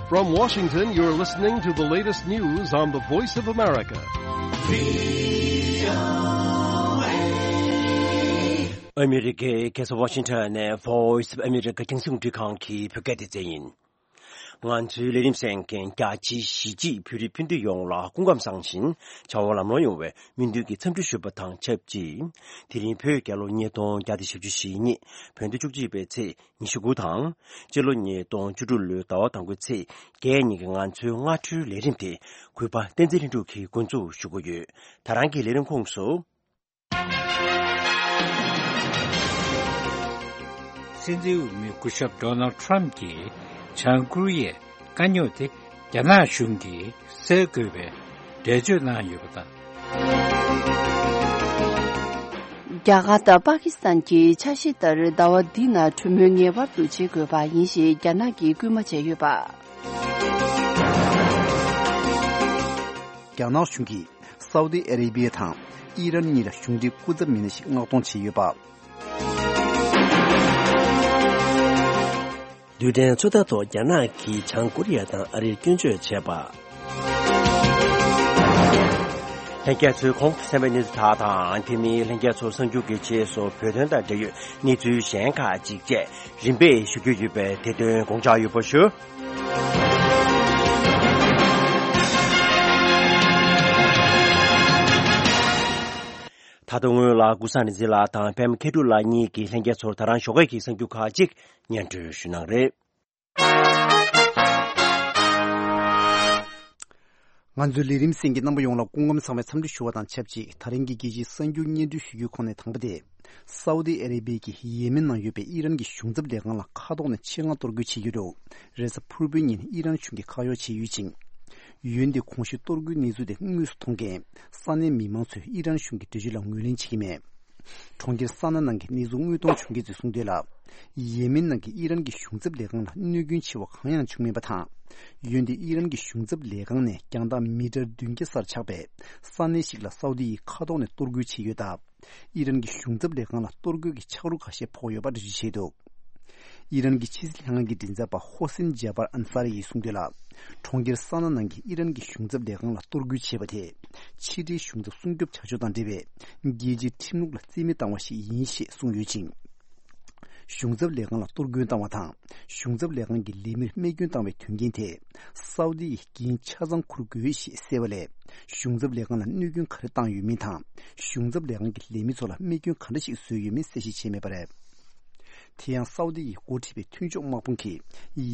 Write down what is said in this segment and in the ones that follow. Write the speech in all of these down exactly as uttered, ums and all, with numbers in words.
From Washington, you're listening to the latest news on the Voice of America. ཨ་མི་རི་ཀའི་རྒྱལ་ས་ཝ་ཤིང་ཊོན་ནས་Voice of America རྒྱང་སྲིང་རླུང་འཕྲིན་ཁང་གི་བོད་སྐད་སྡེ་ཚན་ཡིན། ང་ཚོའི་ལས་རིམ་གསན་མཁན་རྒྱ་ཆེའི་གཞིས་བྱེས་བོད་རིགས་སྤུན་ཟླ་ཡོངས་ལ་སྐུ་ཁམས་བཟང་ཞིང་བྱ་བ་ལམ་ལྷོང་ཡོང་བའི་སྨོན་འདུན་གྱི་འཚམས་འདྲི་ཞུ་བ་དང་ཆབས་ཅིག་དེ་རིང་བོད་རྒྱལ་ལོ་ཉིས་སྟོང་བརྒྱ་དང་བཞི་བཅུ་ཞེ་གཉིས། བོད་ཟླ་བཅུ་གཅིག་པའི་ཚེས་ཉི་ཤུ་དགུ་དང་། སྤྱི་ལོ་ཉིས་སྟོང་བཅུ་དྲུག་ལོའི་ཟླ་བ་དང་པོའི་ཚེས་བརྒྱད་ཉིན་གྱི་ང་ཚོའི་སྔ་དྲོའི་ལས་རིམ་དེ་གུས་པ་བསྟན་འཛིན་ལྷུན་གྲུབ་ཀྱིས་འགོ་འཛུགས་ཞུ་གི་ཡོད། ད་རང་གི་ལས་རིམ་ཁོངས་སུ། སྲིད་འཛིན་འོས་མི་སྐུ་ཞབས་ཌོ་ནལ་ཁྲམ་གྱིས་བྱང་ཀོ་རི་ཡའི་དཀའ་རྙོག་དེ་རྒྱ་ནག་གཞུང་གིས་སེལ་དགོས་པའི་འགྲེལ་བརྗོད་གནང་ཡོད་པ་དང་། རྒྱ་གར་དང་པ་ཀི་སི་ཐན་གྱི་འཆར་གཞི་ལྟར་ཟླ་བ་འདི་ནང་གྲོས་མོལ་ངེས་པར་དུ་བྱེད་དགོས་པ་ཡིན་ཞེས་རྒྱ་ནག་གིས་སྐུལ་མ་བྱས་ཡོད་པ། རྒྱ་ནག་གཞུང་གིས་སའུ་ཏི་ཨ་རེ་བི་ཡ་དང་ཨི་རན་གཉིས་ལ་གཞུང་འབྲེལ་སྐུ་ཚབ་མི་སྣ་ཞིག་མངགས་གཏོང་བྱས་ཡོད་པ། རྡུལ་ཕྲན་ཚོད་ལྟ་ཐོག་རྒྱ་ནག་གིས་བྱང་ཀོ་རི་ཡ་དང་ཨ་རིར་སྐྱོན་བརྗོད་བྱས་པ། ལྷན་རྒྱས་ཚོས་གོང་དུ་གསན་པའི་གནས་ཚུལ་དག་དང་། དེ་མིན་ལྷན་རྒྱས་ཚོ་གསར་འགྱུར་གྱི་རྗེས་སུ་བོད་དོན་དང་འབྲེལ་ཡོད་གནས་ཚུལ་གཞན་ཁག་ཅིག་བཅས་རིམ་པས་ཞུ་རྒྱུ་ཡོད་པས། དེ་དོན་དགོངས་འཇགས་ཡོད་པ་ཞུ། ད་དུང་སྔོན་ལ་ཀུན་བཟང་རིག་འཛིན་ལགས་དང་པད་མ་མཁས་གྲུབ་ལགས་གཉིས་ཀྱིས་ལྷན་རྒྱས་ཚོར་ད་རང་ཞོགས་ཀས་ཀྱི་གསར་འགྱུར་ཁག་ཅིག་སྙན་སྒྲོན་ཞུ་གནང་རེད། ང་ཚོའི་ལས་རིམ་གསན་མཁན་རྣམ་པ་ཡོངས་ལ་སྐུ་ཁམས་བཟང་བའི་འཚམས་འདྲི་ཞུ་བ་དང་ཆབས་ཅིག་ད་རིང་གི་རྒྱལ་སྤྱིའི་གསར་འགྱུར་སྙན་སྒྲོན་ཞུ་རྒྱུའི་ཁོངས་ནས་དང་པོ་དེ། སའུ་ཏི་ཨ་རེ་བི་ཡའི་ཡེ་མེན་ནང་ཡོད་པའི་ཨི་རན་གྱི་གཞུང་ཚབ་ལས་ཁང་ལ་མཁའ་ཐོག་ནས་ཆེད་མངགས་གཏོར་རྒོལ་བྱེད་ཀྱི་འདུག་རེས་གཟའ་ཕུར་བུའི་ཉིན་ཨི་རན་གཞུང་གིས་ཁ་གཡོག་བྱས་ཡོད་ཅིང་། འོན་ཏེ་གོང་ཞུས་གཏོར་རྒོལ་གནས་ཚུལ་དེ་དངོས་སུ་མཐོང་མཁན་ས་གནས་མི་མང་ཚོས་ཨི་རན་གཞུང་གི་འགྲེལ་བརྗོད་ལ་ངོས་ལེན་བྱེད་ཀྱི་མེད། གྲོང་ཁྱེར་ས་ན་ནང་གི་གནས་ཚུལ་དངོས་མཐོང་བྱུང་མཁན་ཚོས་གསུངས་དོན་ལ། ཡེ་མེན་ནང་གི་ཨི་རན་གྱི་གཞུང་ཚབ་ལས་ཁང་ལ་གནོད་སྐྱོན་ཆེ་བ་གང་ཡང་བྱུང་མེད་པ་དང་། འོན་ཏེ་ཨི་རན་གྱི་གཞུང་ཚབ་ལས་ཁང་ནས་རྒྱང་ཐག་མི་ཊར་བདུན་བརྒྱ་སར་ཆགས་པའི་ས་གནས་ཤིག་ལ་སའུ་ཏི་ཡིས་མཁའ་ཐོག་ནས་གཏོར་རྒོལ་བྱས་ཡོད་སྟབས། ཨི་རན་གྱི་གཞུང་ཚབ་ལས་ཁང་ལ་གཏོར་རྒོལ་གྱི་ཆག་རོ་ཁ་ཤས་ཕོག་ཡོད་པ་འགྲེལ་བརྗོད་བྱས་འདུག་ཨི་རན་གྱི་ཕྱི་སྲིད་ལྷན་ཁང་གི་མགྲིན་ཚབ་པ་ཧོ་སིན་ཇཱ་བར་ཨན་ས་རི་ཡིས་གསུངས་དོན་ལ། གྲོང་ཁྱེར་ས་ན་ནང་གི་ཨི་རན་གྱི་གཞུང་ཚབ་ལས་ཁང་ལ་གཏོར་རྒོལ་བྱས་པ་དེ། ཕྱི་འབྲེལ་གཞུང་ཚབ་སྲུང་སྐྱོབ་བྱ་ཕྱོགས་དང་འབྲེལ་བའི་རྒྱལ་སྤྱིའི་ཁྲིམས་ལུགས་ལ་རྩིས་མེད་བཏང་བ་ཞིག་ཡིན་ཞེས་གསུངས་ཡོད་ཅིང་། གཞུང་ཚབ་ལས་ཁང་ལ་གཏོར་སྐྱོན་བཏང་བ་དང་། གཞུང་ཚབ་ལས་ཁང་གི་ལས་མིར་རྨས་སྐྱོན་བཏང་བའི་དོན་རྐྱེན་དེ། སའུ་ཏི་ཡིས་འགན་ཆ་ཚང་འཁུར་དགོས་ཞེས་གསལ་བ་ལས། གཞུང་ཚབ་ལས་ཁང་ལ་གནོད་སྐྱོན་ག་རེ་བཏང་ཡོད་མིན་དང་། གཞུང་ཚབ་ལས་ཁང་གི་ལས་མི་ཚོ་ལ་རྨས་སྐྱོན་ག་འདྲ་ཞིག་བཟོས་ཡོད་མིན་གསལ་བཤད་བྱས་མེད་པ་རེད། དེ་ཡང་སའུ་ཏི་ཡིས་འགོ་ཁྲིད་པའི་མཐུན་ཕྱོགས་དམག་དཔུང་གིས་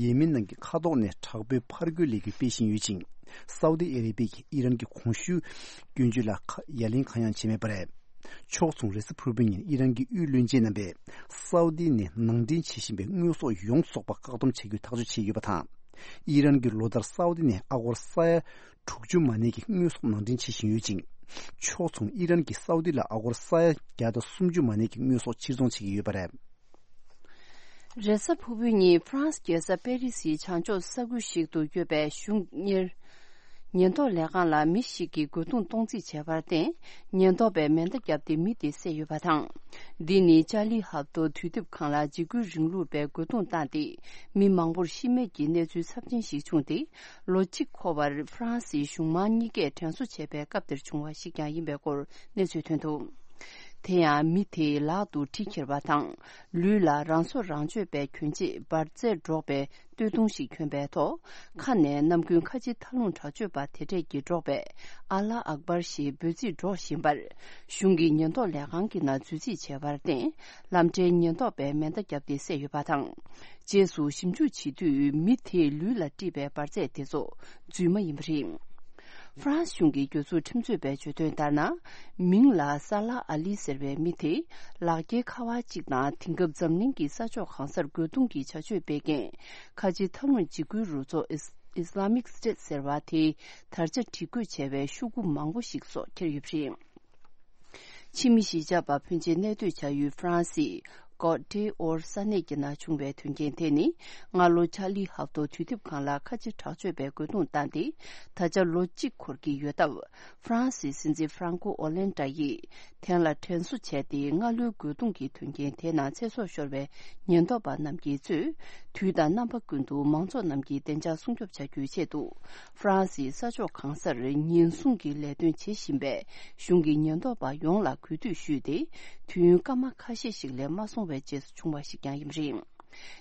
ཡེ་མེན་ནང་གི་མཁའ་ཐོག་ནས་དྲག་པོའི་ཕར་རྒོལ་ལས་འགུལ་སྤེལ་བཞིན་ཡོད་ཅིང་། སའུ་ཏི་ཨ་རེ་བི་ཡས་ཀྱིས་ཨི་རན་གྱི་གོང་ཞུས་སྐྱོན་བརྗོད་ལ་ཁ་ཡ་ལན་གང་ཡང་བྱས་མེད་པ་རེད། ཕྱོགས་མཚུངས་རེས་གཟའ་ཕུར་བུའི་ཉིན་ཨི་རན་གྱི་དབུས་བློན་ཆེན་རྣམ་པས་སའུ་ཏི་ནས་ནང་འདྲེན་བྱེད་བཞིན་པའི་དངོས་ཟོག་ཡོངས་རྫོགས་པ་བཀག་སྡོམ་བྱ་རྒྱུའི་ཐག་གཅོད་བྱས་ཡོད་པ་དང་། ཨི་རན་གྱིས་ལོ་ལྟར་སའུ་ཏི་ནས་ཨ་སྒོར་ས་ཡ་དྲུག་ཅུ་མ་ནས་ཀྱི་དངོས་ཟོག་ནང་འདྲེན་བྱེད་བཞིན་ཡོད་ཅིང་། ཕྱོགས་མཚུངས་ཨི་རན་གྱིས་སའུ་ཏི་ལ་ཨ་སྒོར་ས་ཡ་བརྒྱ་དང་སུམ་ཅུ་མ་ནས་ཀྱི་དངོས་ཟོག་ཕྱིར་ཚོང་བྱེད་ཀྱི་ཡོད་པ་རེད། རེས་གཟའ་ཕུར་བུའི་ཉིན་ཧྥ་རན་སི་རྒྱལ་ས་པེ་རི་སིའི་བྱང་ཕྱོགས་ས་ཁུལ་ཞིག་ཏུ་ཡོད་པའི་གཞུང་གཉེར་ཉེན་རྟོག་ལས་ཁང་ལ་མི་ཞིག་གིས་རྒོལ་རྡུང་གཏོང་རྩིས་བྱས་པར་བརྟེན། ཉེན་རྟོག་པས་མེ་མདའ་བརྒྱབ་སྟེ་མི་དེ་བསད་ཡོད་པ་དང་། འདི་ནི་ཅཱ་ལི་ཧབ་ཏོ་དུས་དེབ་ཁང་ལ་འཇིགས་སྐུལ་རིང་ལུགས་པས་རྒོལ་རྡུང་བཏང་སྟེ། མི་མང་པོར་ཤི་རྨས་ཀྱི་གནས་ཚུལ་ཚབས་ཆེན་ཞིག་བྱུང་སྟེ། ལོ་གཅིག་འཁོར་བར་ཧྥ་རན་སིའི་གཞུང་དམངས་གཉིས་ཀས་དྲན་གསོ་བྱས་པའི་སྐབས་དེར་བྱུང་བ་ཞིག་ཀྱང་ཡིན་པའི་སྐོར་གནས་ཚུལ་ཐོན་འདུག་དེ་ཡང་མི་དེས་ལག་ཏུ་གྲི་འཁྱེར་བ་དང་། ལུས་ལ་རང་སྲོག་རང་གཅོད་པའི་གྱོན་ཆས་འབར་རྫས་སྒྲོག་པའི་སྟོད་ཐུང་ཞིག་གྱོན་པའི་ཐོག་ཁ་ནས་ནམ་རྒྱུན་ཁ་ཆེ་ཐབས་ལུང་དྲག་སྤྱོད་པ་དེ་གྲས་ཀྱིས་སྒྲོག་པའི་ཨ་ལ་ཨག་བར་ཞེས་འབོད་ཚིག་སྒྲོག་བཞིན་པར། གཞུང་གི་ཉེན་རྟོག་ལས་ཁང་གི་ནང་འཛུལ་རྩིས་བྱས་པར་བརྟེན། ལམ་འཕྲལ་ཉེན་རྟོག་པས་མེ་མདའ་བརྒྱབ་སྟེ་བསད་ཡོད་པ་དང་། རྗེས་སུ་ཞིབ་འཇུག་བྱེད་དུས་མི་དེའི་ལུས་ལ་དཀྲིས་པའི་འབར་རྫས་དེ་ཚོ་རྫུན་མ་ཡིན་པ་རེད། ཧྥ་རན་སི་གཞུང་གི་རྒྱལ་ཚུགས་ཁྲིམས་རྩོད་པས་བརྗོད་དོན་ལྟར་ན། མིང་ལ་ས་ལ་ཨ་ལི་ཟེར་བའི་མི་དེ། ལག་འཁྱེར་ཁ་པར་གཅིག་དང་། དེང་སྐབས་འཛམ་གླིང་གི་ས་ཕྱོགས་གང་སར་རྒོལ་རྡུང་གི་བྱ་སྤྱོད་སྤེལ་མཁན། ཁ་ཆེ་ཐབས་ལམ་འཇིགས་སྐུལ་རུ་ཚོགས་ཨིས་ཨིས་ལ་མིག་སི་ཊེ་ཊི་ཟེར་བ་དེའི་དར་ཆ་སྒྲིག་བཀོད་བྱས་པའི་ཤོག་གུ་མང་པོ་ཞིག་སོགས་འཁྱེར་ཡོད་པ་རེད། ཕྱི་མི་གཞིས་ཆགས་པ་ཕོན་ཆེ་གནས་སྡོད་བྱ་ཡུལ་ཧྥ་རན་སིའི་ Côte d'Ivoire ས་གནས་ཀྱི་ནང་བྱུང་བའི་དོན་རྐྱེན་དེ་ནི། སྔ་ལོ་ཆར་ལི་ཧབ་ཏོ་དུས་དེབ་ཁང་ལ་ཁ་ཆེ་དྲག་སྤྱོད་པའི་རྒོལ་རྡུང་བཏང་སྟེ། ད་ཆ་ལོ་གཅིག་འཁོར་གྱི་ཡོད་སྟབས། ཧྥ་རན་སིའི་སྲིད་འཛིན་ཧྥ་རན་ཀོ་ཨོ་ལན་ཏྲ་ཡིས་དེ་ལ་དྲན་གསོ་བྱས་ཏེ། སྔ་ལོའི་རྒོལ་རྡུང་གི་དོན་རྐྱེན་དེའི་ནང་ཚེ་སྲོག་ཤོར་བའི་ཉེན་རྟོག་པ་རྣམས་ཀྱིས་གཙོས། དུས་དང་རྣམ་པ་ཀུན་ཏུ་མང་ཚོགས་རྣམས་ཀྱི་བདེ་འཇགས་སྲུང་སྐྱོབ་བྱ་རྒྱུའི་ཆེད་དུ། ཧྥ་རན་སིའི་ས་ཕྱོགས་གང་སར་ཉེན་སྲུང་གི་ལས་དོན་བྱེད་བཞིན་པའི་གཞུང་གི་ཉེན་རྟོག་པ་ཡོངས་ལ་གུས་འདུད་ཞུས་ཏེ། དུས་ཡུན་སྐར་མ་ཁ་ཤས་ཤིག་ལས་མ་སོང་བའི་རྗེས་སུ་བྱུང་བ་ཞིག་ཀྱང་ཡིན་པ་རེད།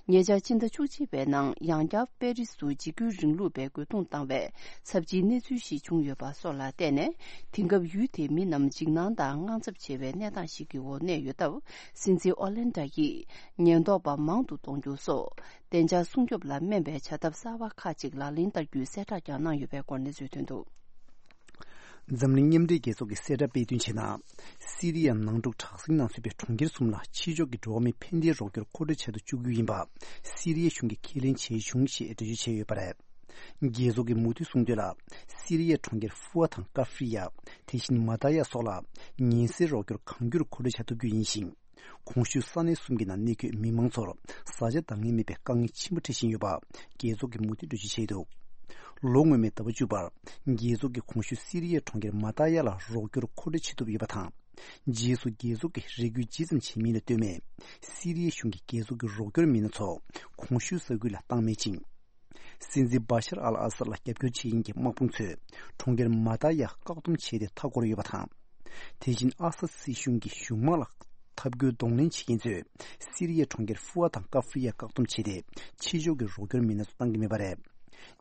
ཉེ་ཆར་ཕྱི་ཟླ་བཅུ་གཅིག་པའི་ནང་ཡང་བསྐྱར་པེ་རིས་སུ་འཇིགས་སྐུལ་རིང་ལུགས་པའི་རྒོལ་རྡུང་བཏང་བའི་ཚབས་ཆེའི་གནས་ཚུལ་ཞིག་བྱུང་ཡོད་པ་སོགས་ལ་བརྟེན་ནས། དེང་སྐབས་ཡུལ་དེའི་མི་རྣམས་འཇིགས་སྣང་དང་དངངས་འཚབ་ཆེ་བའི་གནས་སྟངས་ཤིག་གི་འོག་གནས་ཡོད་སྟབས། སྲིད་འཛིན་ཨོ་ལན་ཏྲ་ཡིས་ཉེན་རྟོག་པ་མང་དུ་གཏོང་རྒྱུ་སོགས་བདེ་འཇགས་སྲུང་སྐྱོབ་ལ་སྨན་པའི་བྱ་ཐབས་གསར་བ་ཁག་ཅིག་ལག་ལེན་བསྟར་རྒྱུའི་གསལ་བསྒྲགས་ཀྱང་གནང་ཡོད་པའི་སྐོར་གནས་ཚུལ་ཐོན་འདུག། འཛམ་གླིང་མཉམ་འབྲེལ་རྒྱལ་ཚོགས་ཀྱིས་གསལ་བསྒྲགས་སྤེལ་དོན་བྱས་ན། སི་རི་ཡའི་ནང་འཁྲུག་དྲག་ཟིང་ནང་ཚུད་པའི་གྲོང་ཁྱེར་གསུམ་ལ་ཕྱི་ཕྱོགས་ཀྱི་འགྲོ་བ་མིའི་ཕན་བདེའི་རོགས་སྐྱོར་མཁོ་སྤྲོད་བྱ་དུ་བཅུག་རྒྱུ་ཡིན་པ། སི་རི་ཡའི་གཞུང་གིས་ཁས་ལེན་བྱས་བྱུང་ཞེས་འགྲེལ་བརྗོད་བྱས་ཡོད་པ་རེད། རྒྱལ་ཚོགས་ཀྱི་མུ་མཐུད་གསུངས་དོན་ལ། སི་རི་ཡའི་གྲོང་ཁྱེར་ཧྥུ་ཨ་དང་ཀ་ཧྥི་ཡ། དེ་བཞིན་མ་ཏཱ་ཡ་སོགས་ལ་ཉེན་སེལ་རོགས་སྐྱོར་གང་འགྱུར་མཁོ་སྤྲོད་བྱ་ཐུབ་རྒྱུ་ཡིན་ཞིང་། གོང་ཞུས་ས་གནས་གསུམ་གྱི་ནང་གནས་འཁོད་མི་མང་ཚོར་བཟའ་བཅའ་འདང་ངེས་མེད་པའི་དཀའ་ངལ་ཆེན་པོ་འཕྲད་བཞིན་ཡོད་པ། རྒྱལ་ཚོགས་ཀྱིས་མུ་མཐུད་འགྲེལ་བརྗོད་བྱས་འདུག། ལོ་སྔོན་མའི་ཟླ་བ་བཅུ་པར། རྒྱལ་ཚོགས་ཀྱིས་གོང་ཞུས་སི་རི་ཡའི་གྲོང་ཁྱེར་མ་ཏཱ་ཡ་ལ་རོགས་སྐྱོར་མཁོ་སྤྲོད་བྱེད་ཐུབ་ཡོད་པ་དང་། རྗེས་སུ་རྒྱལ་ཚོགས་ཀྱིས་རེ་སྐུལ་ཇི་ཙམ་བྱས་མིན་ལ་ལྟོས་མེད། སི་རི་ཡའི་གཞུང་གིས་རྒྱལ་ཚོགས་ཀྱི་རོགས་སྐྱོར་མི་སྣ་ཚོ་གོང་ཞུས་ས་ཁུལ་ལ་བཏང་མེད་ཅིང་། སྲིད་འཛིན་བྷ་ཤར་ཨལ་ཨ་སར་ལ་རྒྱབ་སྐྱོར་བྱེད་མཁན་གྱི་དམག་དཔུང་ཚོས་གྲོང་ཁྱེར་མ་ཏཱ་ཡ་བཀག་སྡོམ་བྱས་ཏེ་མཐའ་བསྐོར་ཡོད་པ་དང་། དེ་བཞིན་ཨ་སད་སྲིད་གཞུང་གི་གཞུང་དམག་ལ་འཐབ་རྒོལ་གདོང་ལེན་བྱེད་མཁན་ཚོས་སི་རི་ཡའི་གྲོང་ཁྱེར་ཧྥུ་ཨ་དང་ཀ་ཧྥི་ཡ་བཀག་སྡོམ་བྱས་ཏེ། ཕྱི་ཕྱོགས་ཀྱི་རོགས་སྐྱོར་མི་སྣ་ཚོ་བཏང་གི་མེད་པ་རེད།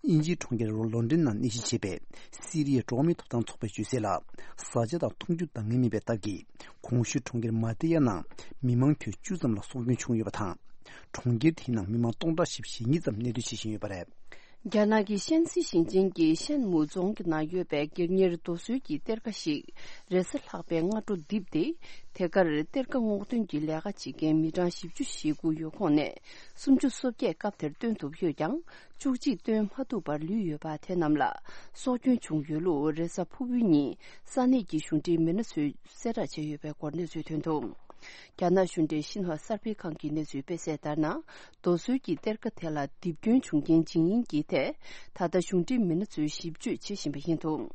དབྱིན་ཇིའི་གྲོང་ཁྱེར་ལོན་ཌོན་ནང་གནས་གཞི་བྱས་པའི་སི་རི་ཡའི་འགྲོ་བ་མིའི་ཐོབ་ཐང་ཚོགས་པས་བརྗོད་གསལ་ལ། བཟའ་བཅའ་དང་འཐུང་ཆུ་འདང་ངེས་མེད་པའི་སྟབས་ཀྱིས། གོང་ཞུས་གྲོང་ཁྱེར་མ་ཏཱ་ཡ་ནང་མི་མང་ཁྱོན་བཅུ་ཙམ་ལ་སྲོག་སྐྱོན་བྱུང་ཡོད་པ་དང་། གྲོང་ཁྱེར་དེའི་ནང་མི་མང་སྟོང་ཕྲག་བཞི་བཅུ་ཞེ་གཉིས་ཙམ་གནས་སྡོད་བྱེད་བཞིན་ཡོད་པ་རེད། རྒྱ་ནག་གི་ཤན་སི་ཞིང་ཆེན་གྱི་ཤན་མུའུ་རྫོང་གི་ནང་ཡོད་པའི་སྒེར་གཉེར་རྡོ་སོལ་གྱི་གཏེར་ཁ་ཞིག་རེས་གཟའ་ལྷག་པའི་སྔ་དྲོ་རྡིབ་སྟེ། དེ་གར་གཏེར་ཁ་སྔོག་འདོན་གྱི་ལས་ཀ་བྱེད་མཁན་མི་གྲངས་བཞི་བཅུ་ཞེ་དགུ་ཡོད་ཁོངས་ནས། སུམ་ཅུ་སོ་བརྒྱད་སྐབས་དེར་བཏོན་ཐུབ་ཡོད་ཀྱང་། བཅུ་གཅིག་བཏོན་མ་ཐུབ་པར་ལུས་ཡོད་པ། དེ་རྣམས་ལ་སྲོག་སྐྱོན་བྱུང་ཡོད་ལུགས་རེས་གཟའ་ཕུར་བུའི་ཉིན་ས་གནས་ཀྱི་གཞུང་འབྲེལ་མི་སྣ་ཚོས་གསལ་བསྒྲགས་བྱས་ཡོད་པའི་སྐོར་གནས་ཚུལ་ཐོན་འདུག། རྒྱ་ནག་གཞུང་འབྲེལ་ཤིན་ཧྭ་གསར་སྤེལ་ཁང་གིས་གནས་ཚུལ་སྤེལ་གསལ་ལྟར་ན། རྡོ་སོལ་གྱི་གཏེར་ཁ་དེ་ལ་རྡིབ་སྐྱོན་བྱུང་རྐྱེན་ཇི་ཡིན་གྱི་ཐད། ད་ལྟ་གཞུང་འབྲེལ་མི་སྣ་ཚོས་ཞིབ་དཔྱོད་བྱེད་བཞིན་པ་ཡིན་འདུག།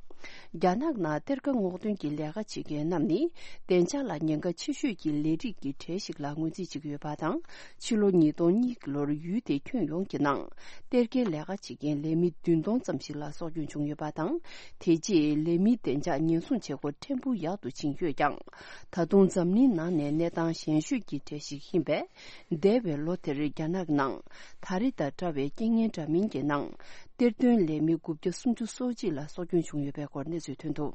རྒྱ་ནག་ནང་གཏེར་ཁ་སྔོག་འདོན་གྱི་ལས་ཀ་བྱེད་མཁན་རྣམས་ནི། བདེ་འཇགས་ལ་ཉེན་ཁ་ཆེ་ཤོས་ཀྱི་ལས་རིགས་ཀྱི་གྲས་ཤིག་ལ་ངོས་འཛིན་བྱེད་ཀྱི་ཡོད་པ་དང་། ཕྱི་ལོ་ཉིས་སྟོང་གཉིས་ཀྱི་ལོར་ཡུལ་དེའི་ཁྱོན་ཡོངས་ཀྱི་ནང་གཏེར་ཁའི་ལས་ཀ་བྱེད་མཁན་ལས་མི་བདུན་སྟོང་ཙམ་ཞིག་ལ་སྲོག་སྐྱོན་བྱུང་ཡོད་པ་དང་། དེ་རྗེས་ལས་མིའི་བདེ་འཇགས་ཉེན་སྲུང་བྱེད་སྒོ་ཕྲན་བུ་ཡག་ཏུ་ཕྱིན་ཡོད་ཀྱང་། ད་དུང་འཛམ་གླིང་ནང་ནས་གནས་སྟངས་ཞན་ཤོས་ཀྱི་གྲས་ཤིག་ཡིན་པས། འདས་པའི་ལོ་དེར་རྒྱ་ནག་ནང་ད་རེས་དང་འདྲ་བའི་རྐྱེན་ངན་འདྲ་མིན་གྱི་ནང་། གཏེར་སྟོན་ལས་མི་དགུ་བརྒྱ་སུམ་ཅུ་སོ་གཅིག་ལ་སྲོག་སྐྱོན་བྱུང་ཡོད་པའི་སྐོར་གནས་ཚུལ་ཐོན་འདུག།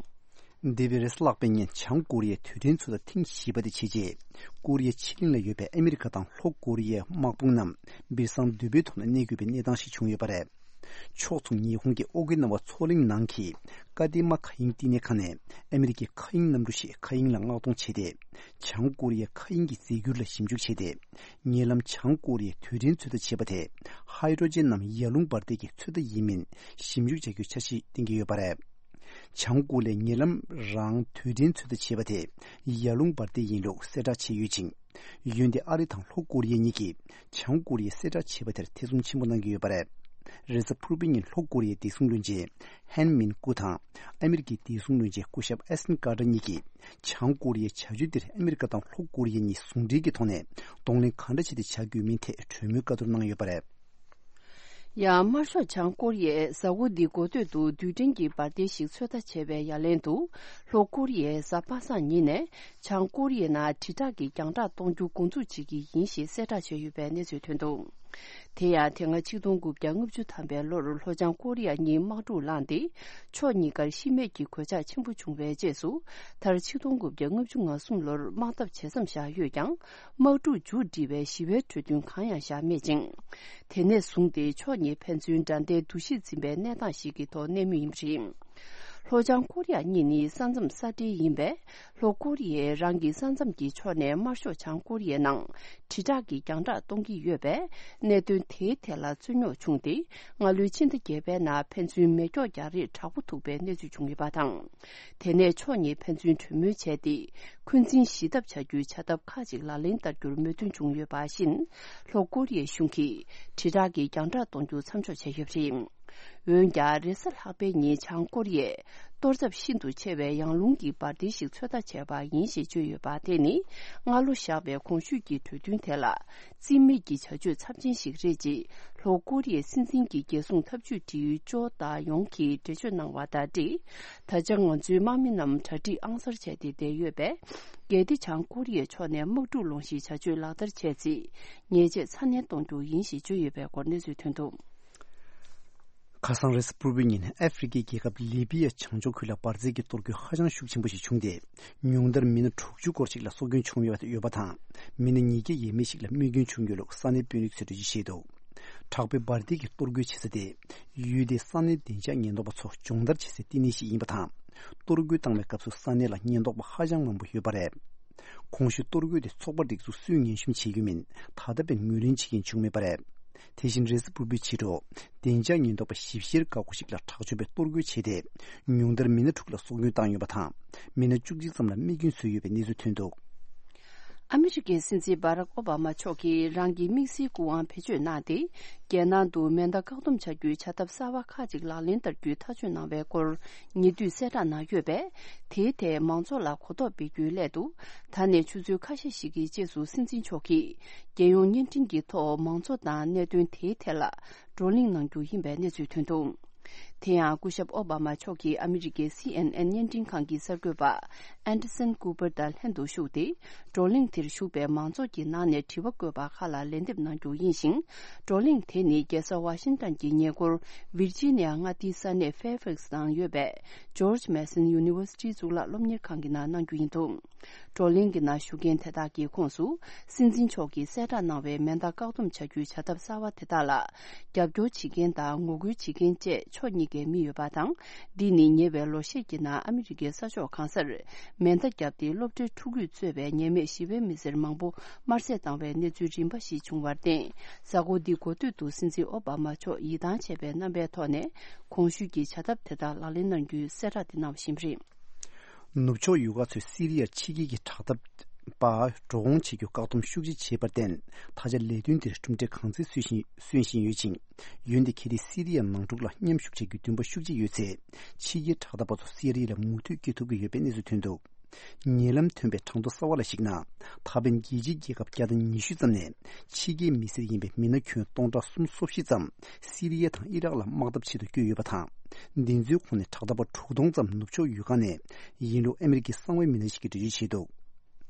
འདས་པའི་རེས་གཟའ་ལྷག་པའི་ཉིན་བྱང་ཀོ་རི་ཡའི་དུས་དྲན་ཚོགས་འདུ་ཐེངས་བཞི་པ་དེ་བྱས་རྗེས། ཀོ་རི་ཡའི་ཕྱེད་གླིང་ལ་ཡོད་པའི་ཨ་མི་རི་ཀ་དང་ལྷོ་ཀོ་རི་ཡའི་དམག་དཔུང་རྣམས་སྦིར་སང་དུད་པའི་ཐོག་ནས་གནས་དགོས་པའི་གནས་སྟངས་ཤིག་བྱུང་ཡོད་པ་རེད། ཕྱོགས་མཚུངས་ཉི་ཧོང་གི་ཨོ་ཀི་ན་ཝ་མཚོ་གླིང་ནང་གི་ཀ་ཏི་མ་མཁའ་དབྱིངས་བསྟི་གནས་ཁང་ནས་ཨ་མི་རི་ཀའི་མཁའ་དབྱིངས་གནམ་གྲུ་ཞིག་མཁའ་དབྱིངས་ལ་མངགས་གཏོང་བྱས་ཏེ། བྱང་ཀོ་རི་ཡའི་མཁའ་དབྱིངས་ཀྱི་རྫས་འགྱུར་ལ་ཞིབ་འཇུག་བྱས་ཏེ། ཉེ་ལམ་བྱང་ཀོ་རི་ཡའི་དུས་དྲན་ཚོད་ལྟ་བྱས་པ་དེ། ཧའི་ཌྲོ་ཇན་ནམ་ཡར་ཀླུང་འབར་མདེལ་གྱི་ཚོད་ལྟ་ཡིན་མིན་ཞིབ་འཇུག་བྱ་རྒྱུའི་འཆར་གཞི་བཏིང་གི་ཡོད་པ་རེད། བྱང་ཀོ་རི་ཡས་ཉེ་ལམ་རང་དུས་དྲན་ཚོད་ལྟ་བྱས་པ་དེ་ཡར་ཀླུང་འབར་མདེལ་ཡིན་ལུགས་གསལ་བསྒྲགས་བྱས་ཡོད་ཅིང་། འོན་ཏེ་ཨ་རི་དང་ལྷོ་ཀོ་རི་ཡ་གཉིས་ཀྱིས་བྱང་ཀོ་རི་ཡས་གསལ་བསྒྲགས་བྱས་པ་དེར་ཐེ་ཚོམ་ཆེན་པོ་གནང་གི་ཡོད་པ་རེད། རེས་གཟའ་ཕུར་བུའི་ཉིན་ལྷོ་ཀོ་རི་ཡའི་བདེ་སྲུང་བློན་ཆེན་ཧན་མིན་ཀུ་དང་ཨ་མི་རི་ཀའི་བདེ་སྲུང་བློན་ཆེན་སྐུ་ཞབས་ཨེ་སན་ཀར་ཏར་གཉིས་ཀྱིས་བྱང་ཀོ་རི་ཡའི་བྱ་སྤྱོད་འདིར་ཨ་མི་རི་ཀ་དང་ལྷོ་ཀོ་རི་ཡ་གཉིས་ཟུང་འབྲེལ་གྱི་ཐོག་ནས་གདོང་ལེན་གང་འདྲ་བྱས་ཏེ་བྱ་དགོས་མིན་ཐད་གྲོས་མོལ་བཀའ་བསྡུར་གནང་ཡོད་པ་རེད། ཡང་དམར་ཤོག་བྱང་ཀོ་རི་ཡས་གཟའ་འཁོར་འདིའི་འགོ་སྟོད་དུ་རྡུལ་ཕྲན་གྱི་འབར་མདེལ་ཞིག་ཚོད་ལྟ་བྱས་པའི་ཡ་ལན་དུ། ལྷོ་ཀོ་རི་ཡས་གཟའ་པ་སངས་ཉིན་ནས་བྱང་ཀོ་རི་ཡའི་ནང་དྲིལ་བསྒྲགས་ཀྱི་རྒྱང་བསྒྲགས་གཏོང་རྒྱུ་འགོ་འཛུགས་བྱེད་ཀྱི་ཡིན་ཞེས་གསལ་བསྒྲགས་བྱས་ཡོད་པའི་གནས་ཚུལ་ཐོན་འདུག། དེ་ཡང་དེ་སྔ་ཆིག་སྟོང་དགུ་བརྒྱ་ལྔ་བཅུ་ཐམ་པའི་ལོར་ལྷོ་བྱང་ཀོ་རི་ཡ་གཉིས་དམག་འཁྲུག་ལངས་ཏེ། ཕྱོགས་གཉིས་ཀར་ཤི་རྨས་ཀྱི་གོད་ཆག་ཆེན་པོ་བྱུང་བའི་རྗེས་སུ། མཐར་ཆིག་སྟོང་དགུ་བརྒྱ་ལྔ་བཅུ་ང་གསུམ་ལོར་དམག་འཐབ་ཇེ་མཚམས་བཞག་ཡོད་ཀྱང་། དམག་འཁྲུག་མཇུག་སྒྲིལ་བའི་ཞི་བའི་གྲོས་མཐུན་གང་ཡང་བཞག་མེད་ཅིང་། དེ་ནས་བཟུང་སྟེ་ཕྱོགས་གཉིས་ཕན་ཚུན་དགྲ་ཟླའི་འདུ་ཤེས་འཛིན་པའི་གནས་སྟངས་ཤིག་གི་ཐོག་གནས་མུས་ཡིན་པ་རེད། ལྷོ་བྱང་ཀོ་རི་ཡ་གཉིས་ནི་ས་མཚམས་ས་འབྲེལ་ཡིན་པས། ལྷོ་ཀོ་རི་ཡས་རང་གི་ས་མཚམས་ཀྱི་ཕྱོགས་ནས་དམར་ཤོག་བྱང་ཀོ་རི་ཡའི་ནང་དྲིལ་བསྒྲགས་ཀྱིས་རྒྱང་བསྒྲགས་གཏོང་གི་ཡོད་པས། གནད་དོན་དེའི་ཐད་ལ་རྩོད་རྙོག་བྱུང་སྟེ། སྔ་ལོའི་ཕྱི་ཟླ་བརྒྱད་པའི་ནང་ཕན་ཚུན་མེ་སྒྱོགས་རྒྱག་རེས་དྲག་པོ་ཐུག་པའི་གནས་ཚུལ་བྱུང་ཡོད་པ་དང་། དེ་ནས་ཕྱོགས་གཉིས་ཕན་ཚུན་གྲོས་མོལ་བྱས་ཏེ། འཁོན་འཛིན་ཞི་ཐབས་བྱ་རྒྱུའི་བྱ་ཐབས་ཁག་ཅིག་ལག་ལེན་བསྟར་རྒྱུར་མོས་མཐུན་བྱུང་ཡོད་པ་བཞིན། ལྷོ་ཀོ་རི་ཡའི་གཞུང་གིས་དྲིལ་བསྒྲགས་ཀྱིས་རྒྱང་བསྒྲགས་གཏོང་རྒྱུ་མཚམས་འཇོག་བྱས་ཡོད་པ་རེད། འོན་ཀྱང་། རེས་གཟའ་ལྷག་པའི་ཉིན་བྱང་ཀོ་རི་ཡས་གཏོར་ཚབས་ཤིན་ཏུ་ཆེ་བའི་ཡང་རླུང་གི་འབར་མདེལ་ཞིག་ཚོད་ལྟ་བྱས་པ་ཡིན་ཞེས་བརྗོད་ཡོད་པ་དེ་ནི། སྔ་ལོ་བཞག་པའི་གོང་ཞུས་ཀྱི་གྲོས་མཐུན་དེ་ལ་རྩིས་མེད་ཀྱི་བྱ་སྤྱོད་ཚབས་ཆེན་ཞིག་རེད་ཅེས། ལྷོ་ཀོ་རི་ཡའི་སྲིད་འཛིན་གྱི་རྒྱལ་སྲུང་ཐབས་ཇུས་སྒྲིག་ཡུལ་ཅོ་ཏཱ་ཡོང་གིས་འགྲེལ་བརྗོད་གནང་བ་དང་འབྲེལ། ད་ཆ་ང་ཚོའི་དམག་མི་རྣམས་གྲ་སྒྲིག་ཨང་གསར་བྱས་ཏེ་བསྡད་ཡོད་པས། གལ་ཏེ་བྱང་ཀོ་རི་ཡའི་ཕྱོགས་ནས་དམག་འཁྲུག་སློང་གཞིའི་བྱ་སྤྱོད་ལག་བསྟར་བྱས་ཚེ། ཉེས་ཆད་ཚ་ནན་གཏོང་རྒྱུ་ཡིན་ཞེས་བརྗོད་ཡོད་པའི་སྐོར་གནས་ཚུལ་ཐོན་འདུག། ཁ་སང་རེས་གཟའ་ཕུར་བུའི་ཉིན་ཨ་ཧྥེ་རི་ཁའི་རྒྱལ་ཁབ་ལི་བི་ཡ་བྱང་ཕྱོགས་ཁུལ་ལ་འབར་རྫས་ཀྱི་གཏོར་རྒོལ་ཧ་ཅང་ཤུགས་ཆེན་པོ་ཞིག་བྱུང་སྟེ། ཉུང་མཐར་མི་སྣ་དྲུག་ཅུ་སྐོར་ཞིག་ལ་སྲོག་སྐྱོན་བྱུང་ཡོད་པ་དང་། མི་སྣ་ཉིས་བརྒྱ་ཡས་མས་ཤིག་ལ་རྨས་སྐྱོན་བྱུང་ཡོད་ལུགས་ས་གནས་དཔོན་རིགས་ཚོས་འགྲེལ་བརྗོད་བྱས་འདུག། དྲག་པོའི་འབར་མདེལ་གྱི་གཏོར་རྒོལ་བྱེད་ས་དེ། ཡུལ་དེའི་ས་གནས་བདེ་འཇགས་ཉེན་རྟོག་པ་ཚོ་སྦྱོང་བརྡར་བྱེད་སའི་བསྟི་གནས་ཤིག་ཡིན་པ་དང་། གཏོར་རྒོལ་བཏང་བའི་སྐབས་སུ་ས་གནས་ལ་ཉེན་རྟོག་པ་ཧ་ཅང་མང་པོ་ཡོད་པ་རེད། གོང་ཞུས་གཏོར་རྒོལ་དེ་ཚོགས་པ་སྒྲིག་འཛུགས་སུས་ངན་ཤོམ་བྱེད་ཀྱི་མིན། ད་ལྟ་བར་ངོས་ལེན་བྱེད་མཁན་བྱུང་མེད་པ་རེད། དེ་བཞིན་རེས་གཟའ་ཕུར་བུའི་ཕྱི་དྲོ། བདེ་འཇགས་ཉེན་རྟོག་པ་ཞིབ་བཤེར་འགག་སྒོ་ཞིག་ལ་དྲག་སྤྱོད་པའི་གཏོར་རྒོལ་བྱས་ཏེ། ཉུང་མཐར་མི་སྣ་དྲུག་ལ་སྲོག་སྐྱོན་བཏང་ཡོད་པ་དང་། མི་སྣ་བཅུ་གཅིག་ཙམ་ལ་རྨས་སྐྱོན་བཟོས་ཡོད་པའི་གནས་ཚུལ་ཐོན་འདུག། ཨ་མི་རི་ཀའི་སྲིད་འཛིན་སྦ་རག་ཨོ་བྷ་མ་མཆོག་གིས་རང་གི་དམིགས་བསལ་སྐུ་དབང་བེད་སྤྱོད་གནང་སྟེ། རྒྱལ་ནང་དུ་མེ་མདའ་བཀག་སྡོམ་བྱ་རྒྱུའི་བྱ་ཐབས་གསར་བ་ཁག་ཅིག་ལག་ལེན་བསྟར་རྒྱུའི་ཐག་གཅོད་གནང་བའི་སྐོར་ཉེ་དུས་གསལ་བསྒྲགས་གནང་ཡོད་པས། དེའི་ཐད་མང་ཚོགས་ལ་གོ་རྟོགས་སྤེལ་རྒྱུའི་སླད་དུ། ད་ནས་ཆུ་ཚོད་ཁ་ཤས་ཤིག་གི་རྗེས་སུ་སྲིད་འཛིན་མཆོག་གིས་རྒྱལ་ཡོངས་བརྙན་འཕྲིན་གྱི་ཐོག་མང་གཙོ་དང་གནད་དོན་དེའི་ཐད་ལ་བགྲོ་གླེང་གནང་རྒྱུ་ཡིན་པའི་གནས་ཚུལ་ཐོན་འདུག། དེ་ཡང་སྐུ་ཞབས་ཨོ་བྷ་མ་མཆོག་གིས་ཨ་མི་རི་ཀའི་སི་ཨེན་ཨེན་བརྙན་འཕྲིན་ཁང་གི་གསར་འགོད་པ་ཨན་ཏེ་སན་ཀུ་པར་དང་ལྷན་དུ་བཞུགས་ཏེ། བགྲོ་གླེང་དེར་ཞུགས་པའི་མང་ཚོགས་ཀྱི་ནང་ནས་དྲི་བ་བཀོད་པ་ཁག་ལ་ལན་འདེབས་གནང་རྒྱུ་ཡིན་ཞིང་། བགྲོ་གླེང་དེ་ནི་རྒྱལ་ས་ཝ་ཤིང་ཏན་གྱི་ཉེ་འཁོར་ཝིར་ཇི་ནི་ཡ་མངའ་སྡེའི་ས་གནས་ཕེར་ཕེག་སི་ནང་ཡོད་པའི་ཇོརྗ་མེ་སོན་ཡུ་ནི་ཝར་སི་ཊིའི་གཙུག་ལག་སློབ་གཉེར་ཁང་གི་ནང་གནང་རྒྱུ་ཡིན་འདུག། བགྲོ་གླེང་གི་ནང་ཞུགས་མཁན་དེ་དག་གི་ཁོངས་སུ། སྲིད་འཛིན་མཆོག་གིས་གསལ་བསྒྲགས་གནང་བའི་མེ་མདའ་བཀག་སྡོམ་བྱ་རྒྱུའི་བྱ་ཐབས་གསར་བ་དེ་དག་ལ། རྒྱབ་སྐྱོར་བྱེད་མཁན་དང་ངོ་རྒོལ་བྱེད་མཁན་བཅས་ཕྱོགས་གཉིས་ཀའི་མི་ཡོད་པ་དང་། འདི་ནི་ཉེ་བའི་ལོ་ཤས་ཀྱི་ནང་ཨ་མི་རི་ཀའི་ས་ཕྱོགས་གང་སར། མེ་མདའ་བརྒྱབ་སྟེ་སློབ་གྲྭའི་ཕྲུ་གུས་གཙོས་པའི་ཉེས་མེད་ཞི་བའི་མི་སེར་མང་པོ་དམར་བསད་བཏང་བའི་གནས་ཚུལ་རིམ་པ་ཞིག་བྱུང་བར་བརྟེན། གཟའ་འཁོར་འདིའི་འགོ་སྟོད་དུ་སྲིད་འཛིན་ཨོ་བྷ་མ་མཆོག་ཡིད་ཐང་ཆད་པའི་རྣམ་པའི་ཐོག་ནས། གོང་ཞུས་ཀྱི་བྱ་ཐབས་དེ་དག་ལག་ལེན་གནང་རྒྱུའི་གསལ་བསྒྲགས་དེ་གནང་བ་ཞིག་རེད། ནུབ་ཕྱོགས་ཡུལ་ཁག་ཚོས་སི་རི་ཡར་ཕྱི་རྒྱལ་གྱི་དྲག་འཐབ་པ་འགྲོ་འོང་བྱེད་རྒྱུ་བཀག་སྡོམ་ཤུགས་ཆེ་བྱས་པར་བརྟེན། ད་ཆ་ལས་དོན་དེར་གྲུབ་འབྲས་གང་ཚད་སོན་བཞིན་སོན་བཞིན་ཡོད་ཅིང་། འོན་ཏེ་གལ་ཏེ་སི་རི་ཡ་ནང་འཁྲུག་ལ་མཉམ་ཞུགས་བྱེད་རྒྱུའི་འདུན་པ་ཤུགས་ཆེ་ཡོད་ཚེ། ཕྱི་རྒྱལ་དྲག་འཐབ་པ་ཚོ་སི་རི་ཡ་ལ་མུ་མཐུད་སྐྱེལ་ཐུབ་ཀྱི་ཡོད་པའི་གནས་ཚུལ་ཐོན་འདུག། ཉེ་ལམ་ཐོན་པའི་གྲངས་ཐོ་གསར་བ་ལ་གཞིགས་ན། ད་ཕན་རྒྱལ་སྤྱིའི་རྒྱལ་ཁབ་བརྒྱ་དང་ཉི་ཤུ་ཙམ་ནས་ཕྱི་རྒྱལ་མི་སེར་ཡིན་པའི་མི་སྣ་ཁྱོན་སྟོང་ཕྲག་སུམ་ཅུ་སོ་བཞི་ཙམ་སི་རི་ཡ་དང་ཨི་རག་ལ་དམག་འཐབ་ཆེད་དུ་བསྐྱོད་ཡོད་པ་དང་། འདི་ཚོའི་ཁོངས་ནས་དྲག་འཐབ་པ་དྲུག་སྟོང་ཙམ་ནུབ་ཕྱོགས་ཡུལ་ཁག་ནས་ཡིན་ལུགས་ཨ་མི་རི་ཀའི་གསང་བའི་མི་སྣ་ཞིག་གིས་འགྲེལ་བརྗོད་བྱས་འདུག།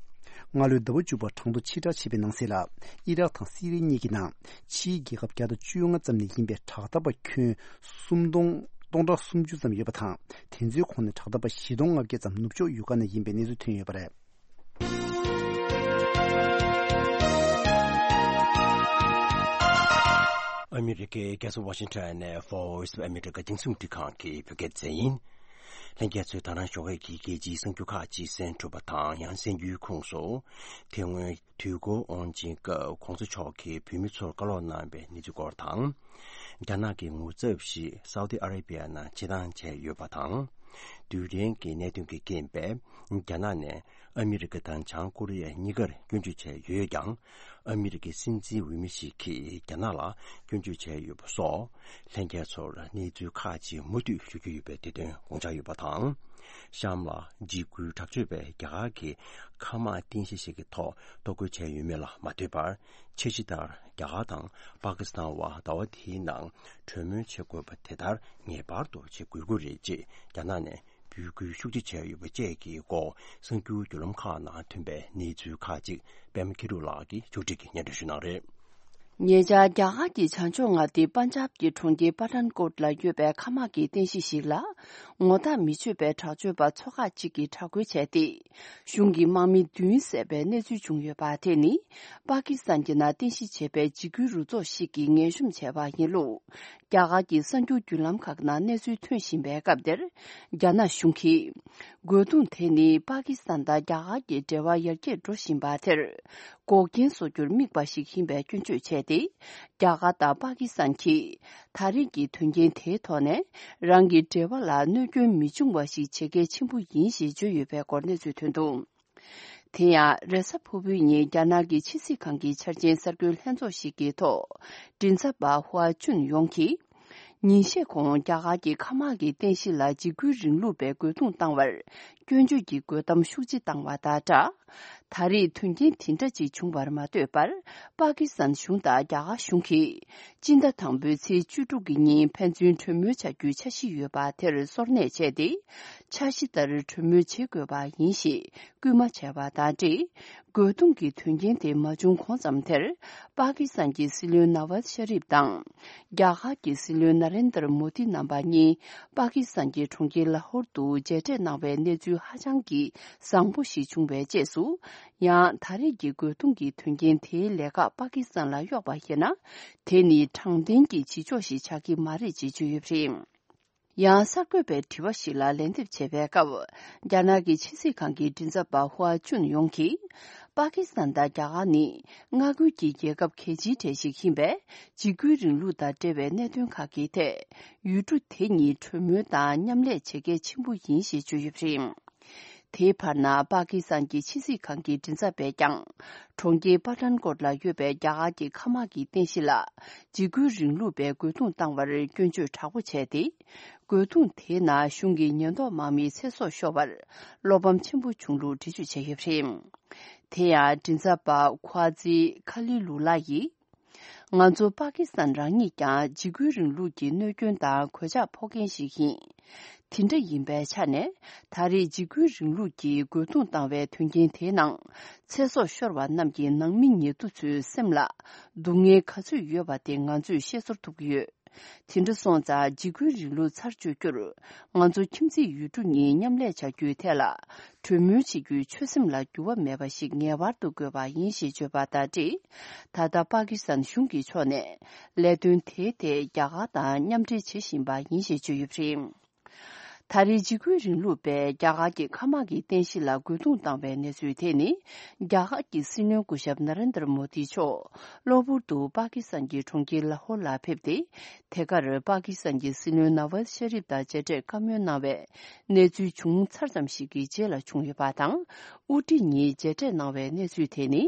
སྔ་ལོའི་ཟླ་བ་མཇུག་པར་གྲངས་ཐོ་ཕྱིར་བསྒྲགས་བྱས་པའི་ནང་གསལ་ལ། ཨི་རག་དང་སི་རི་ཡ་གཉིས་ཀྱི་ནང་ཕྱིའི་རྒྱལ་ཁབ་བརྒྱ་དང་བཅོ་ལྔ་ཙམ་ནས་ཡིན་པའི་དྲག་འཐབ་པ་ཁྱོན་སུམ་སྟོང་སྟོང་ཕྲག་སུམ་ཅུ་ཙམ་ཡོད་པ་དང་། དེ་ཚོའི་ཁོངས་ནས་དྲག་འཐབ་པ་བཞི་སྟོང་ལྔ་བརྒྱ་ཙམ་ནུབ་ཕྱོགས་ཡུལ་ཁག་ནས་ཡིན་པའི་གནས་ཚུལ་ཐོན་ཡོད་པ་རེད། ཨ་མི་རི་ཀའི་རྒྱལ་ས་ཝ་ཤིང་ཊོན་ནས་Voice of America་རྒྱང་སྲིང་རླུང་འཕྲིན་ཁང་གི་བོད་སྐད་སྡེ་ཚན་ཡིན། ལྷན་རྒྱས་ཚོས་ད་རང་ཞོགས་ཀས་ཀྱི་རྒྱལ་སྤྱིའི་གསར་འགྱུར་ཁག་ཅིག་གསན་གྲུབ་པ་དང་། ཡང་གསར་འགྱུར་ཁོངས་སུ། དེ་སྔོན་དུས་འཁོར་དབང་ཆེན་སྐབས་གོང་ས་མཆོག་གིས་བོད་མི་ཚོར་བཀའ་སློབ་གནང་བའི་གནས་ཚུལ་སྐོར་དང་། རྒྱ་ནག་གི་ངོ་ཚབ་ཞིག་སའུ་ཏི་ཨ་རེ་བྷི་ཡ་ནང་བྱེད་སྟངས་བྱས་ཡོད་པ་དང་། རྡུལ་ཕྲན་གྱི་གནད་དོན་གྱི་རྐྱེན་པས་རྒྱ་ནག་ནས་ཨ་མི་རི་ཀ་དང་བྱང་ཀོ་རི་ཡ་གཉིས་ཀར་སྐྱོན་བརྗོད་བྱས་ཡོད་ཀྱང་། ཨ་མི་རི་ཀའི་སྲིད་འཛིན་འོས་མི་ཞིག་གིས་རྒྱ་ནག་ལ་སྐྱོན་བརྗོད་བྱས་ཡོད་པ་སོགས། ལྷན་རྒྱས་ཚོར་གནས་ཚུལ་ཁག་ཅིག་མུ་མཐུད་ཞུ་རྒྱུ་ཡོད་པའི་དེ་དོན་དགོངས་འཇགས་ཡོད་པ་དང་། གཤམ་ལ་འཇིགས་སྐུལ་དྲག་སྤྱོད་པས་རྒྱ་གར་གྱི་མཁའ་དམག་རྟེན་གཞི་ཞིག་གི་ཐོག་གཏོར་རྒོལ་བྱས་ཡོད་མེད་ལ་མ་ལྟོས་པར། འཆར་གཞི་ལྟར་རྒྱ་གར་དང་པ་ཀི་སི་ཐན་བར་ཟླ་བ་འདིའི་ནང་གྲོས་མོལ་བྱེད་དགོས་པ་དེ་ལྟར་ངེས་པར་དུ་བྱེད་དགོས་ཀྱི་རེད་ཅེས་རྒྱ་ནག་ནས་འབོད་སྐུལ་ཤུགས་ཆེ་བྱས་ཡོད་པ་བཅས་ཀྱི་སྐོར་གསར་འགྱུར་བརྒྱུད་ལམ་ཁག་ནང་ཐོན་པའི་གནས་ཚུལ་ཁག་ཅིག་པད་མ་མཁྱེན་གྲུབ་ལགས་ཀྱིས་ཕྱོགས་སྒྲིག་གིས་སྙན་སྒྲོན་ཞུ་གནང་རེད། ཉེ་ཆར་རྒྱ་གར་གྱི་བྱང་ཕྱོགས་མངའ་སྡེ་པན་ཇབ་ཀྱི་གྲོང་ཁྱེར་པ་ཐན་ཀོཊ་ལ་ཡོད་པའི་མཁའ་དམག་གི་རྟེན་གཞི་ཞིག་ལ། ངོ་རྟགས་མི་ཆོད་པའི་དྲག་སྤྱོད་པ་ཚོ་ཁག་ཅིག་གིས་དྲག་རྒོལ་བྱས་ཏེ། གཞུང་གི་དམག་མི་བདུན་བསད་པའི་གནས་ཚུལ་བྱུང་ཡོད་པ་དེ་ནི། པ་ཀི་སི་ཐན་གྱི་ནང་རྟེན་གཞི་བྱས་པའི་འཇིགས་སྐུལ་རུ་ཚོགས་ཤིག་གིས་ངན་ཤོམ་བྱས་པ་ཡིན་ལུགས། རྒྱ་གར་གྱི་གསར་འགྱུར་བརྒྱུད་ལམ་ཁག་ནང་གནས་ཚུལ་ཐོན་བཞིན་པའི་སྐབས་དེར། རྒྱ་ནག་གཞུང་གིས། རྒོལ་རྡུང་དེ་ནི་པ་ཀི་སི་ཐན་དང་རྒྱ་གར་གྱི་འབྲེལ་བ་ཡར་རྒྱས་འགྲོ་བཞིན་པ་དེར། འགོག་རྐྱེན་བཟོ་རྒྱུར་དམིགས་པ་ཞིག་ཡིན་པའི་སྐྱོན་བརྗོད་བྱས་ཏེ། རྒྱ་གར་དང་པ་ཀི་སི་ཐན་གྱིས། ད་རེས་ཀྱི་དོན་རྐྱེན་དེའི་ཐོག་ནས། རང་གི་འབྲེལ་བ་ལ་གནོད་སྐྱོན་མི་འབྱུང་བ་ཞིག་བྱེད་གལ་ཆེན་པོ་ཡིན་ཞེས་བརྗོད་ཡོད་པའི་སྐོར་གནས་ཚུལ་ཐོན་འདུག་དེ་ཡང་། རེས་གཟའ་ཕུར་བུའི་ཉིན་རྒྱ་ནག་གི་ཕྱི་སྲིད་ཁང་གི་འཆར་ཅན་གསར་འགོད་ལྷན་ཚོགས་ཤིག་གི་ཐོག་མགྲིན་ཚབ་པ་ཧུའ་ཅུན་ཡོང་གིས། ཉིན་ཤས་གོང་རྒྱ་གར་གྱི་མཁའ་དམག་གི་རྟེན་གཞི་ལ་འཇིགས་སྐུལ་རིང་ལུགས་པའི་རྒོལ་རྡུང་བཏང་བར་སྐྱོན་བརྗོད་ཀྱི་རྒོལ་གཏམ་ཤུགས་ཆེ་བཏང་བ་དང་སྦྲགས། ད་རེས་དོན་རྐྱེན་དེ་འདྲ་ཅིག་བྱུང་བར་མ་ལྟོས་པར། པ་ཀི་སི་ཐན་གཞུང་དང་རྒྱ་གར་གཞུང་གིས། སྤྱི་ཟླ་དང་པོའི་ཚེས་བཅུ་དྲུག་གི་ཉིན་ཕན་ཚུན་གྲོས་མོལ་བྱ་རྒྱུའི་འཆར་གཞི་ཡོད་པ་དེར་སོར་གནས་བྱས་ཏེ། འཆར་གཞི་ལྟར་གྲོས་མོལ་བྱེད་དགོས་པ་ཡིན་ཞེས་སྐུལ་མ་བྱས་པ་དང་འབྲེལ། རྒོལ་རྡུང་གི་དོན་རྐྱེན་དེ་མ་བྱུང་གོང་ཙམ་དེར། པ་ཀི་སི་ཐན་གྱི་སྲིད་བློན་ནཱ་ཝཱཛ་ཤ་རིབ་དང་། རྒྱ་གར་གྱི་སྲིད་བློན་ན་རེན་དར་མོ་དི་རྣམ་པ་གཉིས། པ་ཀི་སི་ཐན་གྱི་གྲོང་ཁྱེར་ལ་ཧོར་དུ་མཇལ་འཕྲད་གནང་བའི་གནས་ཚུལ་ཧ་ཅང་གི་བཟང་པོ་ཞིག་བྱུང་བའི་རྗེས་སུ། ཡང་ད་རེས་ཀྱི་རྒོལ་རྡུང་གི་དོན་རྐྱེན་དེའི་ལས་ཀ་པ་ཀི་སི་ཐན་ལ་གཡོགས་པ་ཡིན་ན། དེ་ནི་དྲང་བདེན་གྱི་བྱེད་ཕྱོགས་ཤིག་ཆགས་ཀྱི་མ་རེད་ཅེས་བརྗོད་ཡོད་པ་རེད། ཡང་གསར་འགོད་པའི་དྲི་བ་ཞིག་ལ་ལན་འདེབས་བྱས་པའི་སྐབས། རྒྱ་ནག་གི་ཕྱི་སྲིད་ཁང་གི་མགྲིན་ཚབ་པ་ཧུའ་ཅུན་ཡོང་གིས། པ་ཀི་སི་ཐན་དང་རྒྱ་གར་ནི་མངའ་ཁུལ་གྱི་རྒྱལ་ཁབ་གལ་ཆེའི་གྲས་ཤིག་ཡིན་པས། འཇིགས་སྐུལ་རིང་ལུགས་དང་འབྲེལ་བའི་གནད་དོན་ཁག་གི་ཐད། ཡུལ་གྲུ་དེ་གཉིས་གྲོས་མོལ་དང་མཉམ་ལས་བྱེད་གལ་ཆེན་པོ་ཡིན་ཞེས་བརྗོད་ཡོད་པ་རེད། དེའི་བར་ན། པ་ཀི་སི་ཐན་གྱི་ཕྱི་སྲིད་ཁང་གི་མགྲིན་ཚབ་པས་ཀྱང་། གྲོང་ཁྱེར་པ་ཐན་ཀོཊ་ལ་ཡོད་པའི་རྒྱ་གར་གྱི་མཁའ་དམག་གི་རྟེན་གཞི་ལ། འཇིགས་སྐུལ་རིང་ལུགས་པའི་རྒོལ་རྡུང་བཏང་བར་སྐྱོན་བརྗོད་དྲག་པོ་བྱས་ཏེ། རྒོལ་རྡུང་དེའི་ནང་གཞུང་གི་ཉེན་རྟོག་དམག་མིའི་ཚེ་སྲོག་ཤོར་བར། བློ་ཕམ་ཆེན་པོ་བྱུང་ལུགས་འགྲེལ་བརྗོད་བྱས་ཡོད་པ་རེད། དེ་ཡང་། མགྲིན་ཚབ་པ་ཁོ་ཨ་ཛི་ཁ་ལི་ལུ་ལ་ཡིས། ང་ཚོ་པ་ཀི་སི་ཐན་རང་ཉིད་ཀྱང་འཇིགས་སྐུལ་རིང་ལུགས་ཀྱི་གནོད་སྐྱོན་དང་གོད་ཆག་ཕོག་མཁན་ཞིག་ཡིན། དེ་འདྲ་ཡིན་པའི་ཆ་ནས། ད་རེས་འཇིགས་སྐུལ་རིང་ལུགས་ཀྱིས་རྒོལ་རྡུང་བཏང་བའི་དོན་རྐྱེན་དེའི་ནང་། ཚེ་སྲོག་ཤོར་བ་རྣམས་ཀྱི་ནང་མི་ཉེ་དུ་ཚོའི་སེམས་ལ་སྡུག་བསྔལ་ག་ཚོད་ཡོད་པ་དེ་ང་ཚོས་ཤེས་ཚོར་ཐུབ་ཀྱི་ཡོད། དེ་འདྲ་སོང་ཙང་། འཇིགས་སྐུལ་རིང་ལུགས་ཚར་གཅོད་རྒྱུར། ང་ཚོ་ཁྱིམ་མཚེས་ཡུལ་གྲུ་གཉིས་མཉམ་ལས་བྱ་རྒྱུའི་ཐད་ལ། གྲོས་མོལ་བྱེད་རྒྱུའི་ཆོད་སེམས་ལ་འགྱུར་བ་མེད་པ་ཞིག་ངེས་པར་དུ་དགོས་པ་ཡིན་ཞེས་བརྗོད་པ་དང་འབྲེལ། ད་ལྟ་པ་ཀི་སི་ཐན་གཞུང་གི་ཕྱོགས་ནས། ལས་དོན་དེའི་ཐད་རྒྱ་གར་དང་མཉམ་འབྲེལ་བྱེད་བཞིན་པ་ཡིན་ཞེས་བརྗོད་ཡོད་པ་རེད། ད་རེས་འཇིགས་སྐུལ་རིང་ལུགས་པས་རྒྱ་གར་གྱི་མཁའ་དམག་གི་རྟེན་གཞི་ལ་རྒོལ་རྡུང་བཏང་བའི་གནས་ཚུལ་དེ་ནི། རྒྱ་གར་གྱི་སྲིད་བློན་སྐུ་ཞབས་ན་རེན་དར་མོ་དི་མཆོག་གློ་བུར་དུ་པ་ཀི་སི་ཐན་གྱི་གྲོང་ཁྱེར་ལ་ཧོར་ལ་ཕེབས་ཏེ། དེ་གར་པ་ཀི་སི་ཐན་གྱི་སྲིད་བློན་ནཱ་ཝཱཛ་ཤ་རིབ་དང་མཇལ་འཕྲད་བཀའ་མོལ་གནང་བའི་གནས་ཚུལ་བྱུང་ཚར་ཙམ་ཞིག་གི་རྗེས་ལ་བྱུང་ཡོད་པ་དང་། དབུ་ཁྲིད་གཉིས་མཇལ་འཕྲད་གནང་བའི་གནས་ཚུལ་དེ་ནི།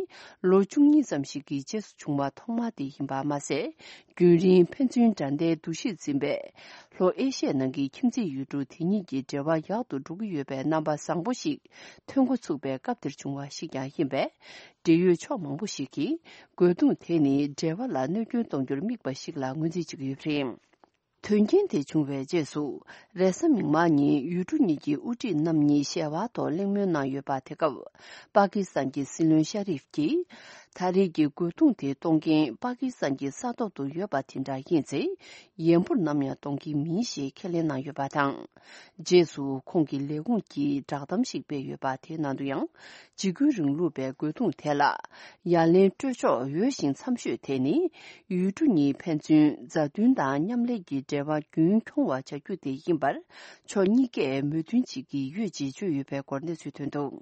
ལོ་བཅུ་གཉིས་ཙམ་ཞིག་གི་རྗེས་སུ་བྱུང་བ་ཐོག་མ་དེ་ཡིན་པ་མ་ཟད། རྒྱུན་རིང་ཕན་ཚུན་དགྲ་ཟླའི་འདུ་ཤེས་འཛིན་པའི་ལྷོ་ཨེ་ཤི་ཡའི་ནང་གི་ཁྱིམ་མཚེས་ཡུལ་གྲུ་དེ་གཉིས་ཀྱི་འབྲེལ་བ་ཡག་ཏུ་འགྲོ་གི་ཡོད་པའི་རྣམ་པ་བཟང་པོ་ཞིག་ཐོན་འགོ་ཚུགས་པའི་སྐབས་དེར་བྱུང་བ་ཞིག་ཀྱང་ཡིན་པས། འབྲེལ་ཡོད་ཕྱོགས་མང་པོ་ཞིག་གིས་རྒོལ་རྡུང་དེ་ནི་འབྲེལ་བ་ལ་གནོད་སྐྱོན་གཏོང་རྒྱུར་དམིགས་པ་ཞིག་ལ་ངོས་འཛིན་བྱེད་ཀྱི་ཡོད་པ་རེད། དོན་རྐྱེན་དེ་བྱུང་བའི་རྗེས་སུ། རེས་གཟའ་མིག་དམར་ཉིན་ཡུལ་གྲུ་གཉིས་ཀྱི་དབུ་ཁྲིད་རྣམ་གཉིས་ཞལ་དབར་ཐོག་གླེང་མོལ་གནང་ཡོད་པ། དེ་སྐབས་པ་ཀི་སི་ཐན་གྱི་སྲིད་བློན་ཤ་རིབ་ཀྱིས། ད་རེས་ཀྱི་རྒོལ་རྡུང་དེ་གཏོང་མཁན་པ་ཀི་སི་ཐན་གྱི་ས་ཐོག་ཏུ་ཡོད་པ་དེ་འདྲ་ཡིན་ཚེ། ཡན་པོར་ནམ་ཡང་གཏོང་གི་མིན་ཞེས་ཁས་ལེན་གནང་ཡོད་པ་དང་། རྗེས་སུ་ཁོང་གི་ལས་ཁུངས་ཀྱིས་བསྒྲགས་གཏམ་ཞིག་སྤེལ་ཡོད་པ། དེའི་ནང་དུ་ཡང་། འཇིགས་སྐུལ་རིང་ལུགས་པའི་རྒོལ་རྡུང་དེ་ལ་ཡ་ལན་སྤྲོད་ཕྱོགས་འོས་ཤིང་འཚམ་ཤོས་དེ་ནི། ཡུལ་གྲུ་གཉིས་ཕན་ཚུན་མཛའ་མཐུན་དང་མཉམ་ལས་ཀྱི་འབྲེལ་བ་རྒྱུན་འཁྱོངས་པ་བྱ་རྒྱུ་དེ་ཡིན་པར། ཕྱོགས་གཉིས་ཀས་མོས་མཐུན་བྱེད་ཀྱི་ཡོད་ཅེས་བརྗོད་ཡོད་པའི་སྐོར་གནས་ཚུལ་ཐོན་འདུག།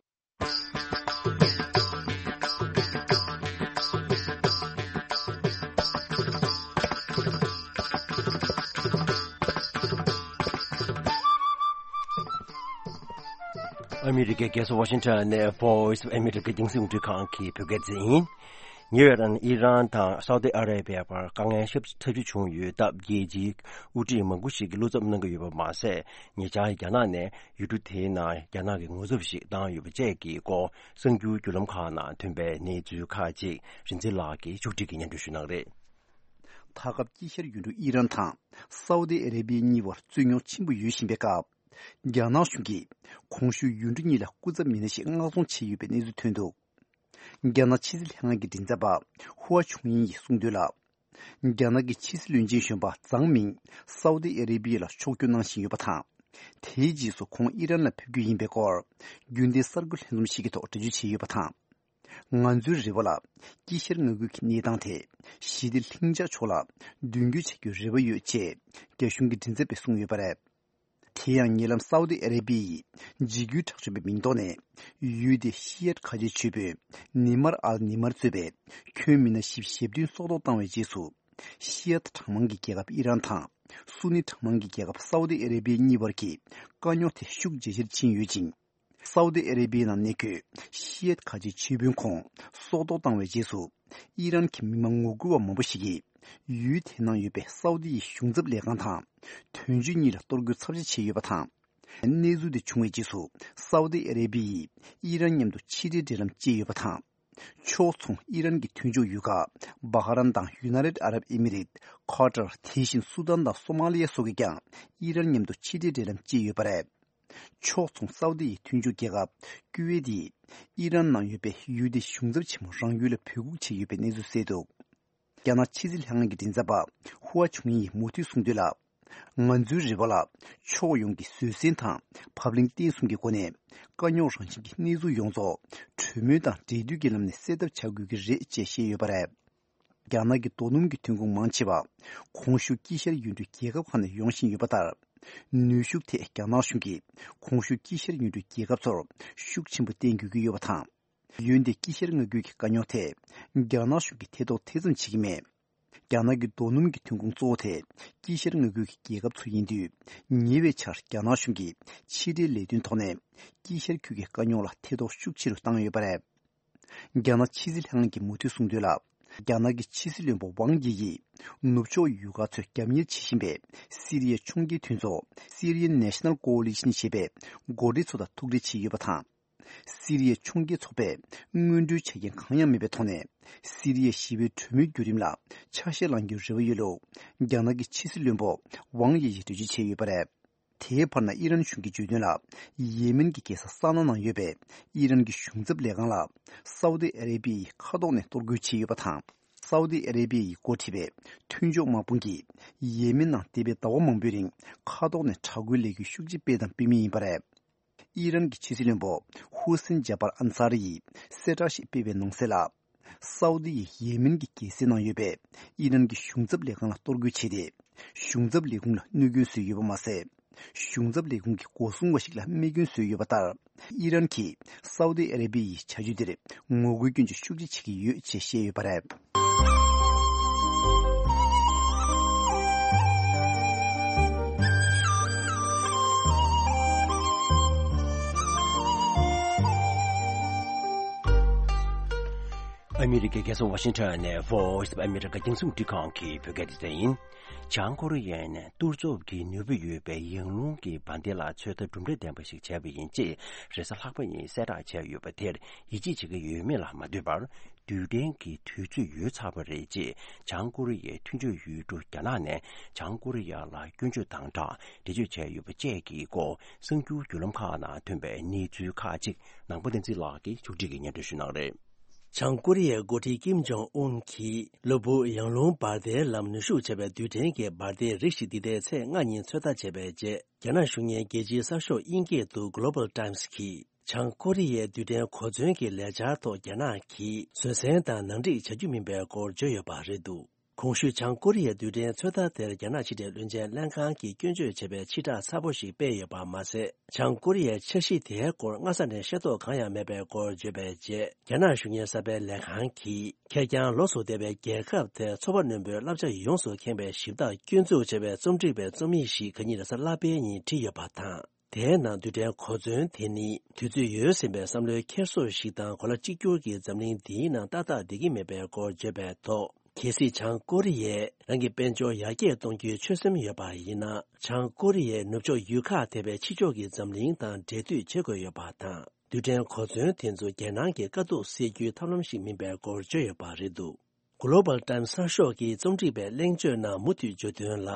ཨ་མི་རི་ཀའི་རྒྱལ་ས་ཝ་ཤིང་ཊོན་ནས་Voice of America རྒྱང་སྲིང་རླུང་འཕྲིན་ཁང་གི་བོད་སྐད་སྡེ་ཚན་ཡིན། ཉེ་བའི་ཨི་རན་དང་སའུ་ཏི་ཨ་རེ་བྷི་ཡ་བར་དཀའ་ངལ་ཞེ་པོ་ཐབས་ཇུས་བྱུང་ཡོད་སྟབས། རྒྱལ་སྤྱིའི་དབུ་ཁྲིད་མང་པོ་ཞིག་གིས་བློ་འཚབ་གནང་གི་ཡོད་པ་མ་ཟད། ཉེ་ཆར་རྒྱ་ནག་ནས་ཡུལ་གྲུ་དེའི་ནང་རྒྱ་ནག་གི་ངོ་ཚབ་ཞིག་བཏང་ཡོད་པ་བཅས་ཀྱི་སྐོར་གསར་འགྱུར་བརྒྱུད་ལམ་ཁག་ནང་ཐོན་པའི་གནས་ཚུལ་ཁག་ཅིག་རིག་འཛིན་ལགས་ཀྱིས་མཇུག་སྒྲིལ་གྱིས་སྙན་སྒྲོན་ཞུ་གནང་གི་རེད། ད་སྐབས་དཀྱིལ་ཤར་ཡུལ་གྲུ་ཨི་རན་དང་སའུ་ཏི་ཨ་རེ་བྷི་ཡ་གཉིས་བར་རྩོད་རྙོག་ཆེན་པོ་ཡོད་བཞིན་པའི་སྐབས། རྒྱ་ནག་གཞུང་གིས་གོང་ཞུས་ཡུལ་གྲུ་གཉིས་ལ་སྐུ་ཚབ་མི་སྣ་ཞིག་མངགས་གཏོང་བྱས་ཡོད་པའི་གནས་ཚུལ་ཐོན་འདུག། རྒྱ་ནག་ཕྱི་སྲིད་ལྷན་ཁང་གི་མགྲིན་ཚབ་པ་ཧུའ་ཆུང་ཡིན་ཡིས་གསུངས་དོན་ལ། རྒྱ་ནག་གི་ཕྱི་སྲིད་བློན་ཆེན་གཞོན་པ་ཛང་མིང་སའུ་ཏི་ཨ་རེ་བི་ཡ་ལ་ཕྱོགས་བསྐྱོད་གནང་བཞིན་ཡོད་པ་དང་། དེའི་རྗེས་སུ་ཁོང་ཨི་རན་ལ་ཕེབས་རྒྱུ་ཡིན་པའི་སྐོར་རྒྱུན་ལྡན་གསར་འགོད་ལྷན་འཛོམས་ཤིག་གི་ཐོག་འགྲེལ་བརྗོད་བྱས་ཡོད་པ་དང་། ང་ཚོའི་རེ་བ་ལ་དཀྱིལ་ཤར་མངའ་ཁུལ་གྱི་གནས་སྟངས་དེ་ཞི་བདེ་ལྷིང་འཇགས་ཕྱོགས་ལ་མདུན་སྐྱོད་བྱ་རྒྱུའི་རེ་བ་ཡོད་ཅེས་རྒྱ་གཞུང་གི་མགྲིན་ཚབ་པས་གསུངས་ཡོད་པ་རེད། དེ་ཡང་ཉེ་ལམ་སའུ་ཏི་ཨ་རེ་བི་ཡིས་འཇིགས་སྐུལ་དྲག་སྤྱོད་པའི་མིང་ཐོག་ནས་ཡུལ་དེའི་ཤི་ཡད་ཁ་ཆེའི་ཆོས་དཔོན་ནི་མར་ཨལ་ནི་མར་གཙོས་པའི་ཁྱོན་མི་སྣ་བཞི་བཅུ་ཞེ་བདུན་སྲོག་ཐོག་བཏང་བའི་རྗེས་སུ། ཤི་ཡད་གྲངས་མང་གི་རྒྱལ་ཁབ་ཨི་རན་དང་སུ་ནི་གྲངས་མང་གི་རྒྱལ་ཁབ་སའུ་ཏི་ཨ་རེ་བི་གཉིས་བར་གྱི་དཀའ་རྙོག་དེ་ཤུགས་ཇེ་ཆེར་ཕྱིན་ཡོད་ཅིང་། སའུ་ཏི་ཨ་རེ་བི་ནང་གནས་འཁོད་ཤི་ཡད་ཁ་ཆེའི་ཆོས་དཔོན་ཁོང་སྲོག་ཐོག་བཏང་བའི་རྗེས་སུ། ཨི་རན་གྱི་མི་མང་ངོ་རྒོལ་བ་མང་པོ་ཞིག་གིས་ཡུལ་དེ་ནང་ཡོད་པའི་སའུ་ཏི་ཡི་གཞུང་ཚབ་ལས་ཁང་དང་དོན་གཅོད་གཉིས་ལ་གཏོར་རྒོལ་ཚབས་ཆེ་བྱས་ཡོད་པ་དང་། གནས་ཚུལ་དེ་བྱུང་བའི་རྗེས་སུ་སའུ་ཏི་ཨ་རེ་བི་ཡིས་ཨི་རན་མཉམ་དུ་ཕྱི་འབྲེལ་འབྲེལ་ལམ་བཅད་ཡོད་པ་དང་། ཕྱོགས་མཚུངས་ཨི་རན་གྱི་མཐུན་ཕྱོགས་ཡུལ་ཁག་བྷ་ཧ་རན་དང་ཡུ་ནའི་ཏེད་ཨ་རབ་ཨི་མི་རེད། ཁ་ཏར། དེ་བཞིན་སུ་དཱན་དང་སོ་མ་ལི་ཡ་སོགས་ཀྱིས་ཀྱང་ཨི་རན་མཉམ་དུ་ཕྱི་འབྲེལ་འབྲེལ་ལམ་བཅད་ཡོད་པ་རེད། ཕྱོགས་མཚུངས་སའུ་ཏི་ཡི་མཐུན་ཕྱོགས་རྒྱལ་ཁབ་ཀུ་ཝེད་ཡིས་ཨི་རན་ནང་ཡོད་པའི་ཡུལ་དེའི་གཞུང་ཚབ་ཆེན་མོ་རང་ཡུལ་ལ་འབོད་འགུག་བྱས་ཡོད་པའི་གནས་ཚུལ་གསལ་འདུག་རྒྱ་ནག་ཕྱི་སྲིད་ལྷན་ཁང་གི་མགྲིན་ཚབ་པ་ཧུའ་ཆུང་ཡིས་མུ་མཐུད་གསུངས་དོན་ལ། ང་ཚོའི་རེ་བ་ལ་ཕྱོགས་ཡོངས་ཀྱིས་བཟོད་བསྲན་དང་བབ་བརླིང་བརྟན་གསུམ་གྱི་སྒོ་ནས་དཀའ་རྙོག་རང་བཞིན་གྱི་གནས་ཚུལ་ཡོངས་རྫོགས་གྲོས་མོལ་དང་འབྲེལ་མཐུད་ཀྱི་ལམ་ནས་སེལ་ཐབས་བྱ་དགོས་ཀྱི་རེད་ཅེས་བཤད་ཡོད་པ་རེད། རྒྱ་ནག་གི་རྡོ་སྣུམ་གྱི་ཐོན་ཁུངས་མང་ཆེ་བ་གོང་ཞུས་དཀྱིལ་ཤར་ཡུལ་གྲུའི་རྒྱལ་ཁབ་ཁག་ནས་ཡོང་བཞིན་ཡོད་པ་ལྟར། ནུས་ཤུགས་ཐད་རྒྱ་ནག་གཞུང་གིས་གོང་ཞུས་དཀྱིལ་ཤར་ཡུལ་གྲུའི་རྒྱལ་ཁབ་ཚོར་ཤུགས་ཆེན་པོ་བརྟེན་དགོས་ཀྱི་ཡོད་པ་དང་། འོན་ཏེ་དཀྱིལ་ཤར་མངའ་ཁུལ་གྱི་དཀའ་རྙོག་ཐད་རྒྱ་ནག་གཞུང་གིས་ཐེ་གཏོགས་ཐེ་ཚོམ་བྱེད་ཀྱི་མེད། རྒྱ་ནག་གི་རྡོ་སྣུམ་གྱི་ཐོན་ཁུངས་གཙོ་བོ་དེ་དཀྱིལ་ཤར་མངའ་ཁུལ་གྱི་རྒྱལ་ཁབ་ཚོ་ཡིན་དུས། ཉེ་བའི་ཆར་རྒྱ་ནག་གཞུང་གིས་ཕྱི་འབྲེལ་ལས་དོན་ཐོག་ནས་དཀྱིལ་ཤར་ཁུལ་གྱི་དཀའ་རྙོག་ལ་ཐེ་གཏོགས་ཤུགས་ཆེ་རུ་བཏང་ཡོད་པ་རེད། རྒྱ་ནག་ཕྱི་སྲིད་ལྷན་ཁང་གིས་མུ་མཐུད་གསུངས་དོན་ལ། རྒྱ་ནག་གི་ཕྱི་སྲིད་བློན་པོ་ཝང་དབྱི་ཡིས་ནུབ་ཕྱོགས་ཡུལ་ཁག་ཚོས་རྒྱབ་གཉེར་བྱེད་བཞིན་པའི་སི་རི་ཡའི་ཕྱོགས་འགལ་མཐུན་ཚོགས་Syrian National Coalition ཞེས་པའི་འགོ་ཁྲིད་ཚོ་དང་ཐུག་འཕྲད་བྱས་ཡོད་པ་དང་། སི་རི་ཡའི་ཕྱོགས་འགལ་ཚོགས་པས་སྔོན་འགྲོའི་ཆ་རྐྱེན་གང་ཡང་མེད་པའི་ཐོག་ནས་སི་རི་ཡའི་ཞི་བའི་གྲོས་མོལ་བརྒྱུད་རིམ་ལ་ཆ་ཤས་བླང་རྒྱུའི་རེ་བ་ཡོད་ལུགས་རྒྱ་ནག་གི་ཕྱི་སྲིད་བློན་པོ་ཝང་དབྱི་ཡིས་འགྲེལ་བརྗོད་བྱས་ཡོད་པ་རེད། དེའི་བར་ན་ཨི་རན་གཞུང་གིས་བརྗོད་དོན་ལ། ཡེ་མེན་གྱི་རྒྱལ་ས་ས་ན་ནང་ཡོད་པའི་ཨི་རན་གྱི་གཞུང་ཚབ་ལས་ཁང་ལ་སའུ་ཏི་ཨ་རེ་བི་ཡིས་མཁའ་ཐོག་ནས་གཏོར་རྒོལ་བྱས་ཡོད་པ་དང་། སའུ་ཏི་ཨ་རེ་བི་ཡིས་འགོ་ཁྲིད་པའི་མཐུན་ཕྱོགས་དམག་དཔུང་གིས་ཡེ་མེན་ནང་འདས་པའི་ཟླ་བ་མང་པོའི་རིང་མཁའ་ཐོག་ནས་དྲག་རྒོལ་ལས་འགུལ་ཤུགས་ཆེ་སྤེལ་དང་སྤེལ་མུས་ཡིན་པ་རེད། ཨི་རན་གྱི་ཕྱི་སྲིད་བློན་པོ་ཧུ་སིན་ཇཱ་པར་ཨན་ས་རི་ཡིས་གསལ་བསྒྲགས་ཤིག་སྤེལ་བའི་ནང་གསལ་ལ། སའུ་ཏི་ཡིས་ཡེ་མེན་གྱི་རྒྱལ་སའི་ནང་ཡོད་པའི་ཨི་རན་གྱི་གཞུང་ཚབ་ལས་ཁང་ལ་གཏོར་རྒོལ་བྱས་ཏེ། གཞུང་ཚབ་ལས་ཁུངས་ལ་གནོད་སྐྱོན་བཟོས་ཡོད་པ་མ་ཟད། གཞུང་ཚབ་ལས་ཁུངས་ཀྱི་སྒོ་སྲུང་བ་ཞིག་ལ་རྨས་སྐྱོན་བཟོས་ཡོད་པ་ལྟར། ཨི་རན་གྱིས་སའུ་ཏི་ཨ་རེ་བི་ཡི་བྱ་སྤྱོད་དེར་ངོ་རྒོལ་སྐྱོན་བརྗོད་ཤུགས་ཆེ་བྱེད་ཀྱི་ཡོད་ཅེས་བཤད་ཡོད་པ་རེད། ཨ་མི་རི་ཀའི་རྒྱལ་ས་ཝ་ཤིང་ཊོན་ནས་Voice of America རྒྱང་སྲིང་རླུང་འཕྲིན་ཁང་གི་བོད་སྐད་སྡེ་ཚན་ཡིན། བྱང་ཀོ་རི་ཡས་ནས་གཏོར་བཅོམ་གྱི་ནུས་པ་ཡོད་པའི་ཡང་རླུང་གི་འབར་མདེལ་ལ་ཚོད་ལྟ་གྲུབ་འབྲས་ལྡན་པ་ཞིག་བྱས་པ་ཡིན་ཅེས་རེས་གཟའ་ལྷག་པ་ཉིན་གསལ་བསྒྲགས་བྱས་ཡོད་པ་དེར་ཡིད་ཆེས་བྱེད་ཀྱི་ཡོད་མེད་ལ་མ་ལྟོས་པར། རྡུལ་ཕྲན་གྱི་དུས་ཚོད་ཡོལ་ཚར་བ་རེད་ཅེས་བྱང་ཀོ་རི་ཡའི་མཐུན་ཕྱོགས་ཡུལ་གྲུ་རྒྱ་ནག་ནས་བྱང་ཀོ་རི་ཡ་ལ་སྐྱོན་བརྗོད་དང་སྦྲགས་འགྲེལ་བརྗོད་བྱས་ཡོད་པ་བཅས་ཀྱི་སྐོར་གསར་འགྱུར་བརྒྱུད་ལམ་ཁག་ནང་ཐོན་པའི་གནས་ཚུལ་ཁག་ཅིག་ནང་པ་བསྟན་འཛིན་ལགས་ཀྱིས་ཕྱོགས་སྒྲིག་གིས་སྙན་སྒྲོན་ཞུ་གནང་རེད། བྱང་ཀོ་རི་ཡའི་འགོ་ཁྲིད་ཀིམ་ཇོང་ཨུན་གྱིས་གློ་བུར་ཡང་རླུང་འབར་མདེལ་ལམ་ནུས་ཤུགས་ཆེ་བའི་རྡུལ་ཕྲན་གྱི་འབར་མདེལ་རིགས་ཤིག་འདི་ཟླའི་ཚེས་ལྔ་ཉིན་ཚོད་ལྟ་བྱས་པའི་རྗེས། རྒྱ་ནག་གཞུང་གཉེར་རྒྱལ་སྤྱིའི་གསར་ཤོག་དབྱིན་སྐད་དུ་Global Times གྱིས། བྱང་ཀོ་རི་ཡའི་རྡུལ་ཕྲན་གོ་མཚོན་གྱི་ལས་འཆར་ཐོག་རྒྱ་ནག་གིས་བཟོད་བསྲན་དང་ནང་འགྲིག་བྱ་རྒྱུ་མིན་པའི་སྐོར་བརྗོད་ཡོད་པ་རེད་འདུག་གོང་ཞུས་བྱང་ཀོ་རི་ཡའི་རྡུལ་ཕྲན་ཚོད་ལྟ་དེར་རྒྱ་ནག་ཕྱི་འབྲེལ་བློན་ཆེན་ལྷན་ཁང་གིས་སྐྱོན་བརྗོད་བྱས་པའི་ཕྱིར་བསྒྲགས་གསལ་པོ་ཞིག་སྤེལ་ཡོད་པ་མ་ཟད། བྱང་ཀོ་རི་ཡའི་འཆར་གཞི་དེའི་སྐོར་སྔ་ས་ནས་ཤེས་རྟོགས་གང་ཡང་མེད་པའི་སྐོར་བརྗོད་པའི་རྗེས། རྒྱ་ནག་གཞུང་གཉེར་གསར་པའི་ལས་ཁང་གིས་ཁེར་རྐྱང་ལོགས་སུ་བསྡད་པའི་རྒྱལ་ཁབ་དེར་ཚོར་བ་རྣོན་པོའི་བསླབ་བྱ་ཡོངས་སུ་ཁེངས་པའི་ཞིབ་ཐག་སྐྱོན་འཛུགས་བྱས་པའི་རྩོམ་སྒྲིག་པའི་རྩོམ་ཡིག་ཞིག་ཁ་ཉིན་རེས་གཟའ་ལྷག་པའི་ཉིན་བྲིས་ཡོད་པ་དང་། དེའི་ནང་རྡུལ་ཕྲན་གོ་མཚོན་དེ་ནི་དུས་ཚོད་ཡོལ་ཟིན་པའི་བསམ་བློའི་འཁྱེར་སོ་ཞིག་དང་གོ་ལ་གཅིག་གྱུར་གྱི་འཛམ་གླིང་འདིའི་ནང་ཏག་ཏག་བསྡད་ཀྱི་མེད་པའི་སྐོར་བརྗོད་པའི་ཐོག་གལ་སྲིད་བྱང་ཀོ་རི་ཡས་རང་གི་དཔལ་འབྱོར་ཡར་རྒྱས་གཏོང་རྒྱུའི་ཆོད་སེམས་ཡོད་པ་ཡིན་ན། བྱང་ཀོ་རི་ཡའི་ནུབ་ཕྱོགས་ཡུལ་ཁག་དེ་བས་ཕྱི་ཕྱོགས་ཀྱི་འཛམ་གླིང་དང་འབྲེལ་མཐུད་བྱེད་དགོས་ཡོད་པ་དང་། རྡུལ་ཕྲན་གོ་མཚོན་དེ་ཚོ་རྒྱལ་ནང་གི་དཀའ་སྡུག་སེལ་རྒྱུའི་ཐབས་ལམ་ཞིག་མིན་པའི་སྐོར་བརྗོད་ཡོད་པ་རེད་འདུག Global Times གསར་ཤོག་གིས་རྩོམ་སྒྲིག་པའི་གླེང་བརྗོད་ནང་མུ་མཐུད་བརྗོད་དོན་ལ།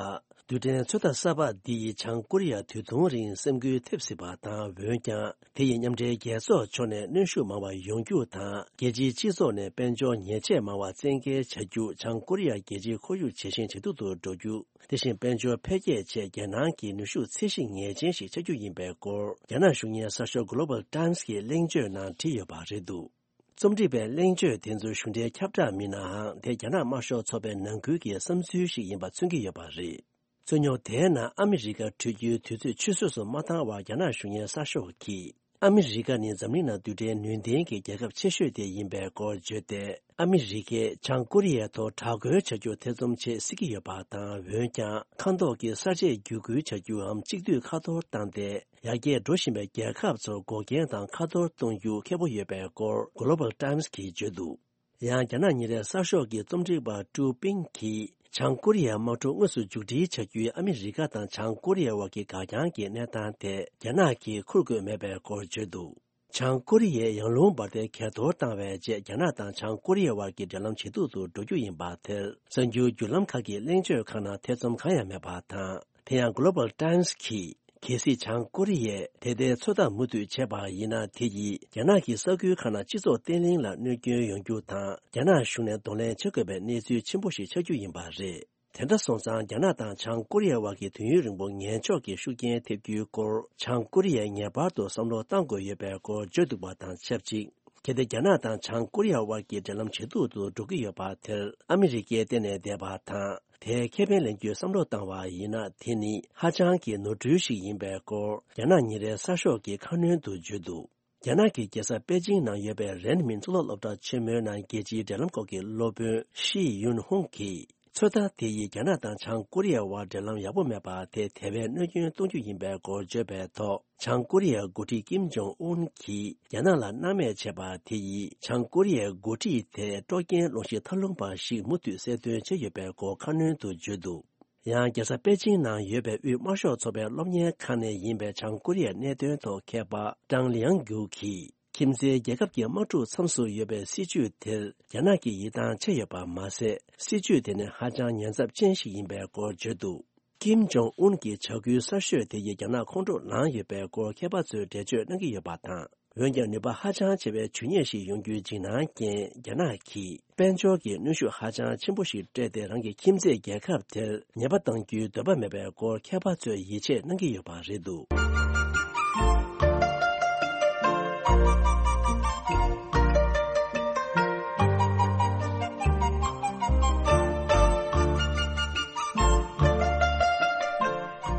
རྡུལ་ཕྲན་ཚོད་ལྟ་གསར་པ་འདི་ཡིས་བྱང་ཀོ་རི་ཡ་དུས་ཐུང་རིང་སེམས་འགུལ་ཐེབས་སྲིད་པ་དང་། འོན་ཀྱང་དེ་ཡིས་མཉམ་འབྲེལ་རྒྱལ་ཚོགས་ཕྱོགས་ནས་གནོན་ཤུགས་མང་བ་ཡོང་རྒྱུ་དང་། རྒྱལ་སྤྱིའི་སྤྱི་ཚོགས་ནས་དཔལ་འབྱོར་ཉེས་ཆད་མང་བ་བཙན་འགེལ་བྱ་རྒྱུ། བྱང་ཀོ་རི་ཡ་རྒྱལ་སྤྱིའི་ཁོར་ཡུག་ཇེ་ཞན་ཇེ་སྡུག་ཏུ་འགྲོ་རྒྱུ། དེ་བཞིན་དཔལ་འབྱོར་འཕེལ་རྒྱས་ཆེད་རྒྱལ་ནང་གི་ནུས་ཤུགས་ཚད་གཞི་ངེས་ཅན་ཞིག་ཆགས་རྒྱུ་ཡིན་པའི་སྐོར། རྒྱ་ནག་གཞུང་གཉེར་གསར་ཤོག་Global Times་གྱི་གླེང་བརྗོད་ནང་བྲིས་ཡོད་པ་རེད་འདུག། རྩོམ་སྒྲིག་པས་གླེང་བརྗོད་དེ་ཚོ་གཞུང་འབྲེལ་ཁྱབ་བསྒྲགས་མིན་ནའང་། དེ་རྒྱ་ནག་དམར་ཤོག་ཚོགས་པའི་ནང་ཁུལ་གྱི་བསམ་ཚུལ་ཞིག་ཡིན་པ་མཚོན་གྱི་ཡོད་པ་རེད། རྩོད་རྙོག་དེའི་ནང་ཨ་མི་རི་ཀ་འཕྲོད་རྒྱུའི་དུས་ཚོད་ཆུད་ཟོས་སུ་མ་བཏང་བར། རྒྱ་ནག་གཞུང་གཉེར་གསར་ཤོག་གིས། ཨ་མི་རི་ཀ་ནི་འཛམ་གླིང་ནང་རྡུལ་ཕྲན་ནུས་ལྡན་གྱི་རྒྱལ་ཁབ་ཆེ་ཤོས་དེ་ཡིན་པའི་སྐོར་བརྗོད་དེ། ཨ་མི་རི་ཀས་བྱང་ཀོ་རི་ཡའི་ཐོག་དྲག་རྒོལ་བྱ་རྒྱུ་ཐེ་ཚོམ་བྱེད་སྲིད་ཀྱི་ཡོད་པ་དང་། འོན་ཀྱང་ཁ་མདོག་གི་གསར་བརྗེ་བརྒྱུད་སྐུལ་བྱ་རྒྱུའམ་གཅིག་སྡུད་ཁ་ཐོར་བཏང་སྟེ། ཡར་རྒྱས་འགྲོ་བཞིན་པའི་རྒྱལ་ཁབ་ཚོར་འགོག་རྐྱེན་དང་ཁ་ཐོར་གཏོང་རྒྱུ་ཁག་པོ་ཡོད་པའི་སྐོར། Global Times་གིས་བརྗོད་འདུག། ཡང་རྒྱ་ནག་ཉིན་རེའི་གསར་ཤོག་གི་རྩོམ་སྒྲིག་པ་ཀྲུའུ་པིང་གིས། བྱང་ཀོ་རི་ཡའི་དམག་འཁྲུག་དངོས་སུ་མཇུག་སྒྲིལ་བྱ་རྒྱུའི་ཨ་མི་རི་ཀ་དང་བྱང་ཀོ་རི་ཡའི་དབར་གྱི་འགག་རྐྱང་གི་གནས་སྟངས་དེ། རྒྱ་ནག་གིས་ཁུར་དགོས་མེད་པའི་སྐོར་བརྗོད་འདུག། བྱང་ཀོ་རི་ཡས་ཡང་རླུང་འབར་མདེལ་གས་གཏོར་བཏང་བའི་རྗེས། རྒྱ་ནག་དང་བྱང་ཀོ་རི་ཡའི་དབར་གྱི་འབྲེལ་ལམ་ཇེ་སྡུག་ཏུ་འགྲོ་རྒྱུ་ཡིན་པ་དེར། གསར་འགྱུར་བརྒྱུད་ལམ་ཁག་གི་གླེང་བརྗོད་ཁག་ནང་ཐེ་ཚོམ་གང་ཡང་མེད་པ་དང་། དེ་ཡང་Global Times་གིས། གལ་སྲིད་བྱང་ཀོ་རི་ཡས་དེ་ལྟའི་ཚོད་ལྟ་མུ་མཐུད་བྱས་པ་ཡིན་ན། དེ་ཡིས་རྒྱ་ནག་གི་ས་ཁུལ་ཁག་ནང་སྤྱི་ཚོགས་བརྟན་ལྷིང་ལ་གནོད་སྐྱོན་ཡོང་རྒྱུ་དང་། རྒྱ་ནག་གཞུང་ནས་གདོང་ལེན་བྱེད་དགོས་པའི་གནས་ཚུལ་ཆེན་པོ་ཞིག་ཆགས་རྒྱུ་ཡིན་པ་རེད། དེ་འདྲ་སོང་ཙང་། རྒྱ་ནག་དང་བྱང་ཀོ་རི་ཡའི་དབར་གྱི་དུས་ཡུན་རིང་པོ་ངན་ཕྱོགས་ཀྱི་ཤུགས་རྐྱེན་ཐེབས་རྒྱུའི་སྐོར། བྱང་ཀོ་རི་ཡས་ངེས་པར་དུ་བསམ་བློ་གཏང་དགོས་ཡོད་པའི་སྐོར་བརྗོད་འདུག་པ་དང་ཆབས་ཅིག། གལ་ཏེ་རྒྱ་ནག་དང་བྱང་ཀོ་རི་ཡའི་དབར་གྱི་འབྲེལ་ལམ་ཇེ་སྡུག་ཏུ་འགྲོ་གི་ཡོད་པ་དེར། ཨ་མི་རི་ཀས་གཏན་ནས་བསྡད་པ་དང་། དེའི་ཁེ་ཕན་ལེན་རྒྱུའི་བསམ་བློ་བཏང་བ་ཡིན་ན། དེ་ནི་ཧ་ཅང་གི་ནོར་འཁྲུལ་ཞིག་ཡིན་པའི་སྐོར། རྒྱ་ནག་ཉིན་རེའི་གསར་ཤོག་གིས་ཁ་སྣོན་དུ་བརྗོད་འདུག། རྒྱ་ནག་གི་རྒྱལ་ས་པེ་ཅིང་ནང་ཡོད་པའི་རེན་མིན་གཙུག་ལག་སློབ་གྲྭ་ཆེན་མོའི་ནང་རྒྱལ་སྤྱིའི་འབྲེལ་ལམ་སྐོར་གྱི་སློབ་དཔོན་ཤི་ཡུན་ཧུང་གིས། ཚོད་ལྟ་དེ་ཡིས་རྒྱ་ནག་དང་བྱང་ཀོ་རི་ཡའི་དབར་འབྲེལ་ལམ་ཡག་པོ་མེད་པ་དེ་དེ་བས་གནོད་སྐྱོན་གཏོང་རྒྱུ་ཡིན་པའི་སྐོར་བརྗོད་པའི་ཐོག། བྱང་ཀོ་རི་ཡའི་འགོ་ཁྲིད་ཀིམ་ཇོང་ཨུན་གྱིས་རྒྱ་ནག་ལ་སྣང་མེད་བྱས་པ་དེ་ཡིས། བྱང་ཀོ་རི་ཡའི་འགོ་ཁྲིད་དེ་སྲོག་རྐྱེན་སློང་གཞི་ཐབས་ལུང་པ་ཞིག་མུ་མཐུད་གསལ་སྟོན་བྱས་ཡོད་པའི་སྐོར་ཁ་སྣོན་དུ་བརྗོད་འདུག། ཡང་རྒྱལ་ས་པེ་ཅིང་ནང་ཡོད་པའི་དབུས་དམར་ཤོག་ཚོགས་པའི་སློབ་གཉེར་ཁང་ནས་ཡིན་པའི་བྱང་ཀོ་རི་ཡའི་གནད་དོན་ཐོག་མཁས་པ་ཀྲང་ལིའང་གུའུ་གིས། ཁྱིམ་མཚེས་རྒྱལ་ཁབ་ཀྱི་དམག་འཁྲུག་མཚམས་སུ་ཡོད་པའི་སྲིད་ཇུས་དེར་རྒྱ་ནག་གིས་ཡིད་ཐང་ཆད་ཡོད་པ་མ་ཟད། སྲིད་ཇུས་དེ་ནི་ཧ་ཅང་ཉེན་ཚབས་ཅན་ཞིག་ཡིན་པའི་སྐོར་བརྗོད་འདུག། ཀིམ་ཇོང་ཨུན་གྱི་བྱ་འགུལ་གསར་ཤོས་དེ་ཡིས་རྒྱ་ནག་ཁོང་ཁྲོ་ལངས་ཡོད་པའི་སྐོར་མཁས་པ་ཚོས་འགྲེལ་བརྗོད་གནང་གི་ཡོད་པ་དང་། འོན་ཀྱང་། ནུས་པ་ཧ་ཅང་ཆེ་བའི་ཇུས་ཉེས་ཤིག་ཡོང་རྒྱུའི་འཇིགས་སྣང་རྐྱེན། རྒྱ་ནག་གིས་དཔལ་འབྱོར་གྱི་གནོན་ཤུགས་ཧ་ཅང་ཆེན་པོ་ཞིག་སྤྲད་དེ། རང་གི་ཁྱིམ་མཚེས་རྒྱལ་ཁབ་དེར་ཉེས་པ་གཏང་རྒྱུའི་འདོད་པ་མེད་པའི་སྐོར་མཁས་པ་ཚོས་ཡིད་ཆེས་གནང་གི་ཡོད་པ་རེད་འདུག།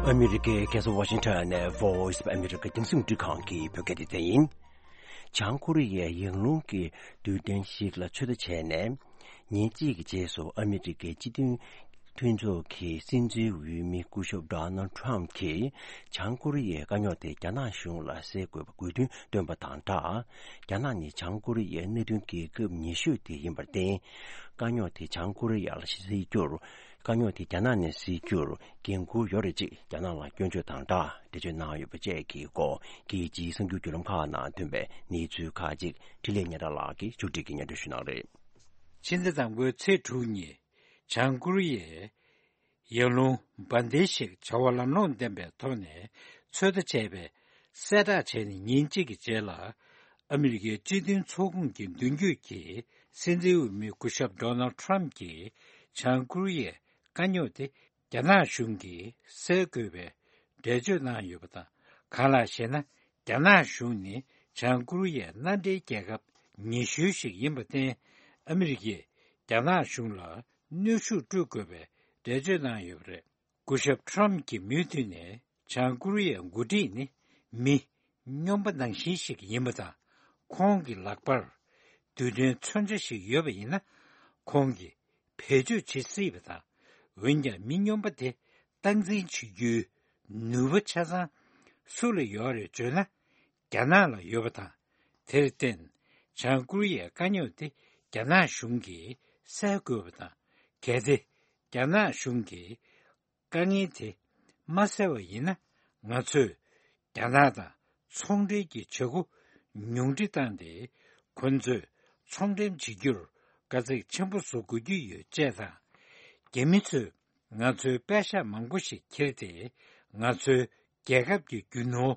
ཨ་མི་རི་ཀའི་རྒྱལ་ས་ཝ་ཤིང་ཊོན་ནས་Voice of America་རྒྱང་སྲིང་རླུང་འཕྲིན་ཁང་གི་བོད་སྐད་སྡེ་ཚན་ཡིན། བྱང་ཀོ་རི་ཡས་ཡང་རླུང་གི་རྡུལ་ཕྲན་ཞིག་ལ་ཚོད་ལྟ་བྱས་ནས། ཉིན་གཅིག་གི་རྗེས་སུ་ཨ་མི་རི་ཀའི་སྤྱི་མཐུན་མཐུན་ཚོགས་ཀྱི་སྲིད་འཛིན་འོས་མི་སྐུ་ཞབས་Donald Trump་གྱིས་བྱང་ཀོ་རི་ཡའི་དཀའ་རྙོག་དེ་རྒྱ་ནག་གཞུང་ལ་སེལ་དགོས་པའི་དགོས་འདུན་བཏོན་པ་དང་སྦྲགས། རྒྱ་ནག་ནི་བྱང་ཀོ་རི་ཡའི་གནད་དོན་གྱི་སྐབས་ཉེ་ཤོས་དེ་ཡིན་པར་བརྟེན། དཀའ་རྙོག་དེ་བྱང་ཀོ་རི་ཡ་ལ་སེལ་རྒྱུར། དཀའ་རྙོག་དེ་རྒྱ་ནག་ནས་སེལ་རྒྱུར་འགན་འཁུར་ཡོད་རེད་ཅེས་རྒྱ་ནག་ལ་སྐྱོན་བརྗོད་དང་སྦྲགས་འགྲེལ་བརྗོད་གནང་ཡོད་པ་བཅས་ཀྱི་སྐོར་རྒྱལ་སྤྱིའི་གསར་འགྱུར་བརྒྱུད་ལམ་ཁག་ནང་ཐོན་པའི་གནས་ཚུལ་ཁག་ཅིག་འཕྲིན་ལས་ཉེ་རང་ལགས་ཀྱིས་ཕྱོགས་སྒྲིག་གིས་སྙན་སྒྲོན་ཞུ་གནང་རེད། ཕྱི་ཟླ་དང་པོའི་ཚེས་དྲུག་ཉིན་བྱང་ཀོ་རི་ཡས་ཡང་རླུང་འབར་མདེལ་ཞིག་བྱ་བ་ལམ་ལྷོངས་ལྡན་པའི་ཐོག་ནས་ཚོད་ལྟ་བྱས་པའི་གསལ་བསྒྲགས་བྱས་ནས་ཉིན་གཅིག་གི་རྗེས་ལ། ཨ་མི་རི་ཀའི་སྤྱི་མཐུན་ཚོགས་ཁོངས་ཀྱི་མདུན་སྐྱོད་ཀྱི་སྲིད་འཛིན་འོས་མི་སྐུ་ཞབས་Donald Trump་གྱིས་བྱང་ཀོ་རི་ཡའི་དཀའ་རྙོག་དེ་རྒྱ་ནག་གཞུང་གིས་སེལ་དགོས་པའི་འགྲེལ་བརྗོད་གནང་ཡོད་པ་དང་། གང་ལགས་ཤེ་ན། རྒྱ་ནག་གཞུང་ནི་བྱང་ཀོ་རི་ཡའི་མནའ་འབྲེལ་རྒྱལ་ཁབ་ཉེ་ཤོས་ཤིག་ཡིན་པར་བརྟེན། ཨ་མི་རི་ཀས་རྒྱ་ནག་གཞུང་ལ་གནོན་ཤུགས་སྤྲོད་དགོས་པའི་འགྲེལ་བརྗོད་གནང་ཡོད་པ་རེད། སྐུ་ཞབས་Trump་གྱི་མུ་མཐུད་ནས་བྱང་ཀོ་རི་ཡའི་འགོ་ཁྲིད་ནི་མི་སྨྱོན་པ་ནང་བཞིན་ཞིག་ཡིན་པ་དང་། ཁོང་གི་ལག་པར་རྡུལ་ཕྲན་མཚོན་ཆ་ཞིག་ཡོད་པ་ཡིན་ན། ཁོང་གིས་བེད་སྤྱོད་བྱེད་སྲིད་པ་དང་། འོན་ཀྱང་། མི་སྨྱོན་པ་དེ་སྟངས་འཛིན་བྱེད་རྒྱུའི་ནུས་པ་ཆ་ཚང་སུ་ལ་ཡོད་རེད་བརྗོད་ན། རྒྱ་ནག་ལ་ཡོད་པ་དང་། དེར་བརྟེན། བྱང་ཀོ་རི་ཡའི་དཀའ་རྙོག་དེ་རྒྱ་ནག་གཞུང་གིས་སེལ་དགོས་པ་དང་། གལ་ཏེ་རྒྱ་ནག་གཞུང་གིས་དཀའ་ངལ་དེ་མ་སེལ་བ་ཡིན་ན། ང་ཚོས་རྒྱ་ནག་དང་ཚོང་འབྲེལ་གྱི་བྱ་སྒོ་ཉུང་འཕྲི་བཏང་སྟེ། ཁོ་ཚོས་ཚོང་འགྲེམས་བྱེད་རྒྱུར་དཀའ་ཚེགས་ཆེན་པོ་བཟོ་དགོས་ཀྱི་ཡོད་ཅེས་དང་། རྒྱ་མི་ཚོས་ ང་ཚོའི་པད་ཤག་མང་པོ་ཞིག་ཁྱེར་ཏེ། ང་ཚོའི་རྒྱལ་ཁབ་ཀྱི་རྒྱུ་ནོར་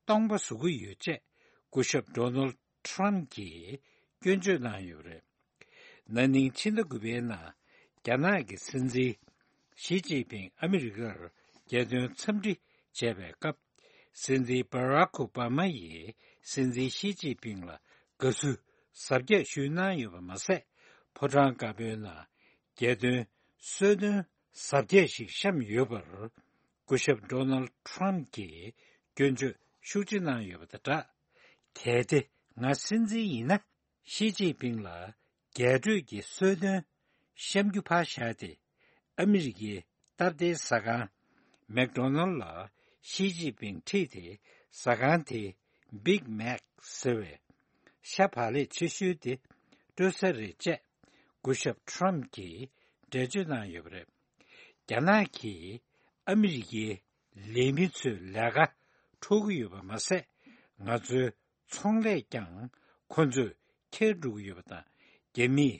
སྟོང་པ་བཟོ་གི་ཡོད་ཅེས། སྐུ་ཞབས་ཌོ་ནལ་ཊམ་གྱིས་སྐྱོན་བརྗོད་གནང་ཡོད་པ་རེད། ན་ནིང་ཕྱི་ཟླ་དགུ་པའི་ནང་རྒྱ་ནག་གི་སྲིད་འཛིན་ཞི་ཅིན་ཕིང་ཨ་མི་རི་ཀར་རྒྱལ་དོན་འཚམས་འདྲི་བྱས་པའི་སྐབས། སྲིད་འཛིན་བྷ་རག་ཨོ་བྷ་མ་ཡིས་སྲིད་འཛིན་ཞི་ཅིན་ཕིང་ལ་དགའ་བསུ་གཟབ་རྒྱས་ཞུས་གནང་ཡོད་པ་མ་ཟད། ཕོ་བྲང་དཀར་པོའི་ནང་རྒྱལ་དོན་གསོལ་སྟོན་གཟབ་རྒྱས་ཤིག་བཤམས་ཡོད་པར། སྐུ་ཞབས་ཌོ་ནལ་ཊམ་གྱིས་སྐྱོན་བརྗོད་ཤུགས་ཆེ་གནང་ཡོད་པ་དང་སྦྲགས། གལ་ཏེ་ང་སྲིད་འཛིན་ཡིན་ན། ཞི་ཅིན་ཕིང་ལ་རྒྱས་སྤྲོས་ཀྱི་གསོལ་སྟོན་བཤམས་རྒྱུ་ཕར་བཞག་སྟེ། ཨ་མི་རི་ཀའི་སྟབས་བདེའི་ཟ་ཁང་མེག་ཌོ་ནལ་ལ་ཞི་ཅིན་ཕིང་ཁྲིད་དེ། ཟ་ཁང་དེའི་བིག་མེག་ཟེར་བའི་ཤ་བག་ལེབ་ཆེ་ཤོས་དེ་སྤྲོད་ས་རེད་ཅེས། སྐུ་ཞབས་ཊམ་གྱིས་འགྲེལ་བརྗོད་གནང་ཡོད་པ་རེད། རྒྱ་ནག་གིས་ཨ་མི་རི་ཀའི་ལས་མི་ཚོའི་ལས་ཀ་འཕྲོག་གི་ཡོད་པ་མ་ཟད། ང་ཚོའི་ཚོང་ལས་ཀྱང་ཁོ་ཚོས་ཁྱེར་འགྲོ་གི་ཡོད་པ་དང་། རྒྱ་མིས་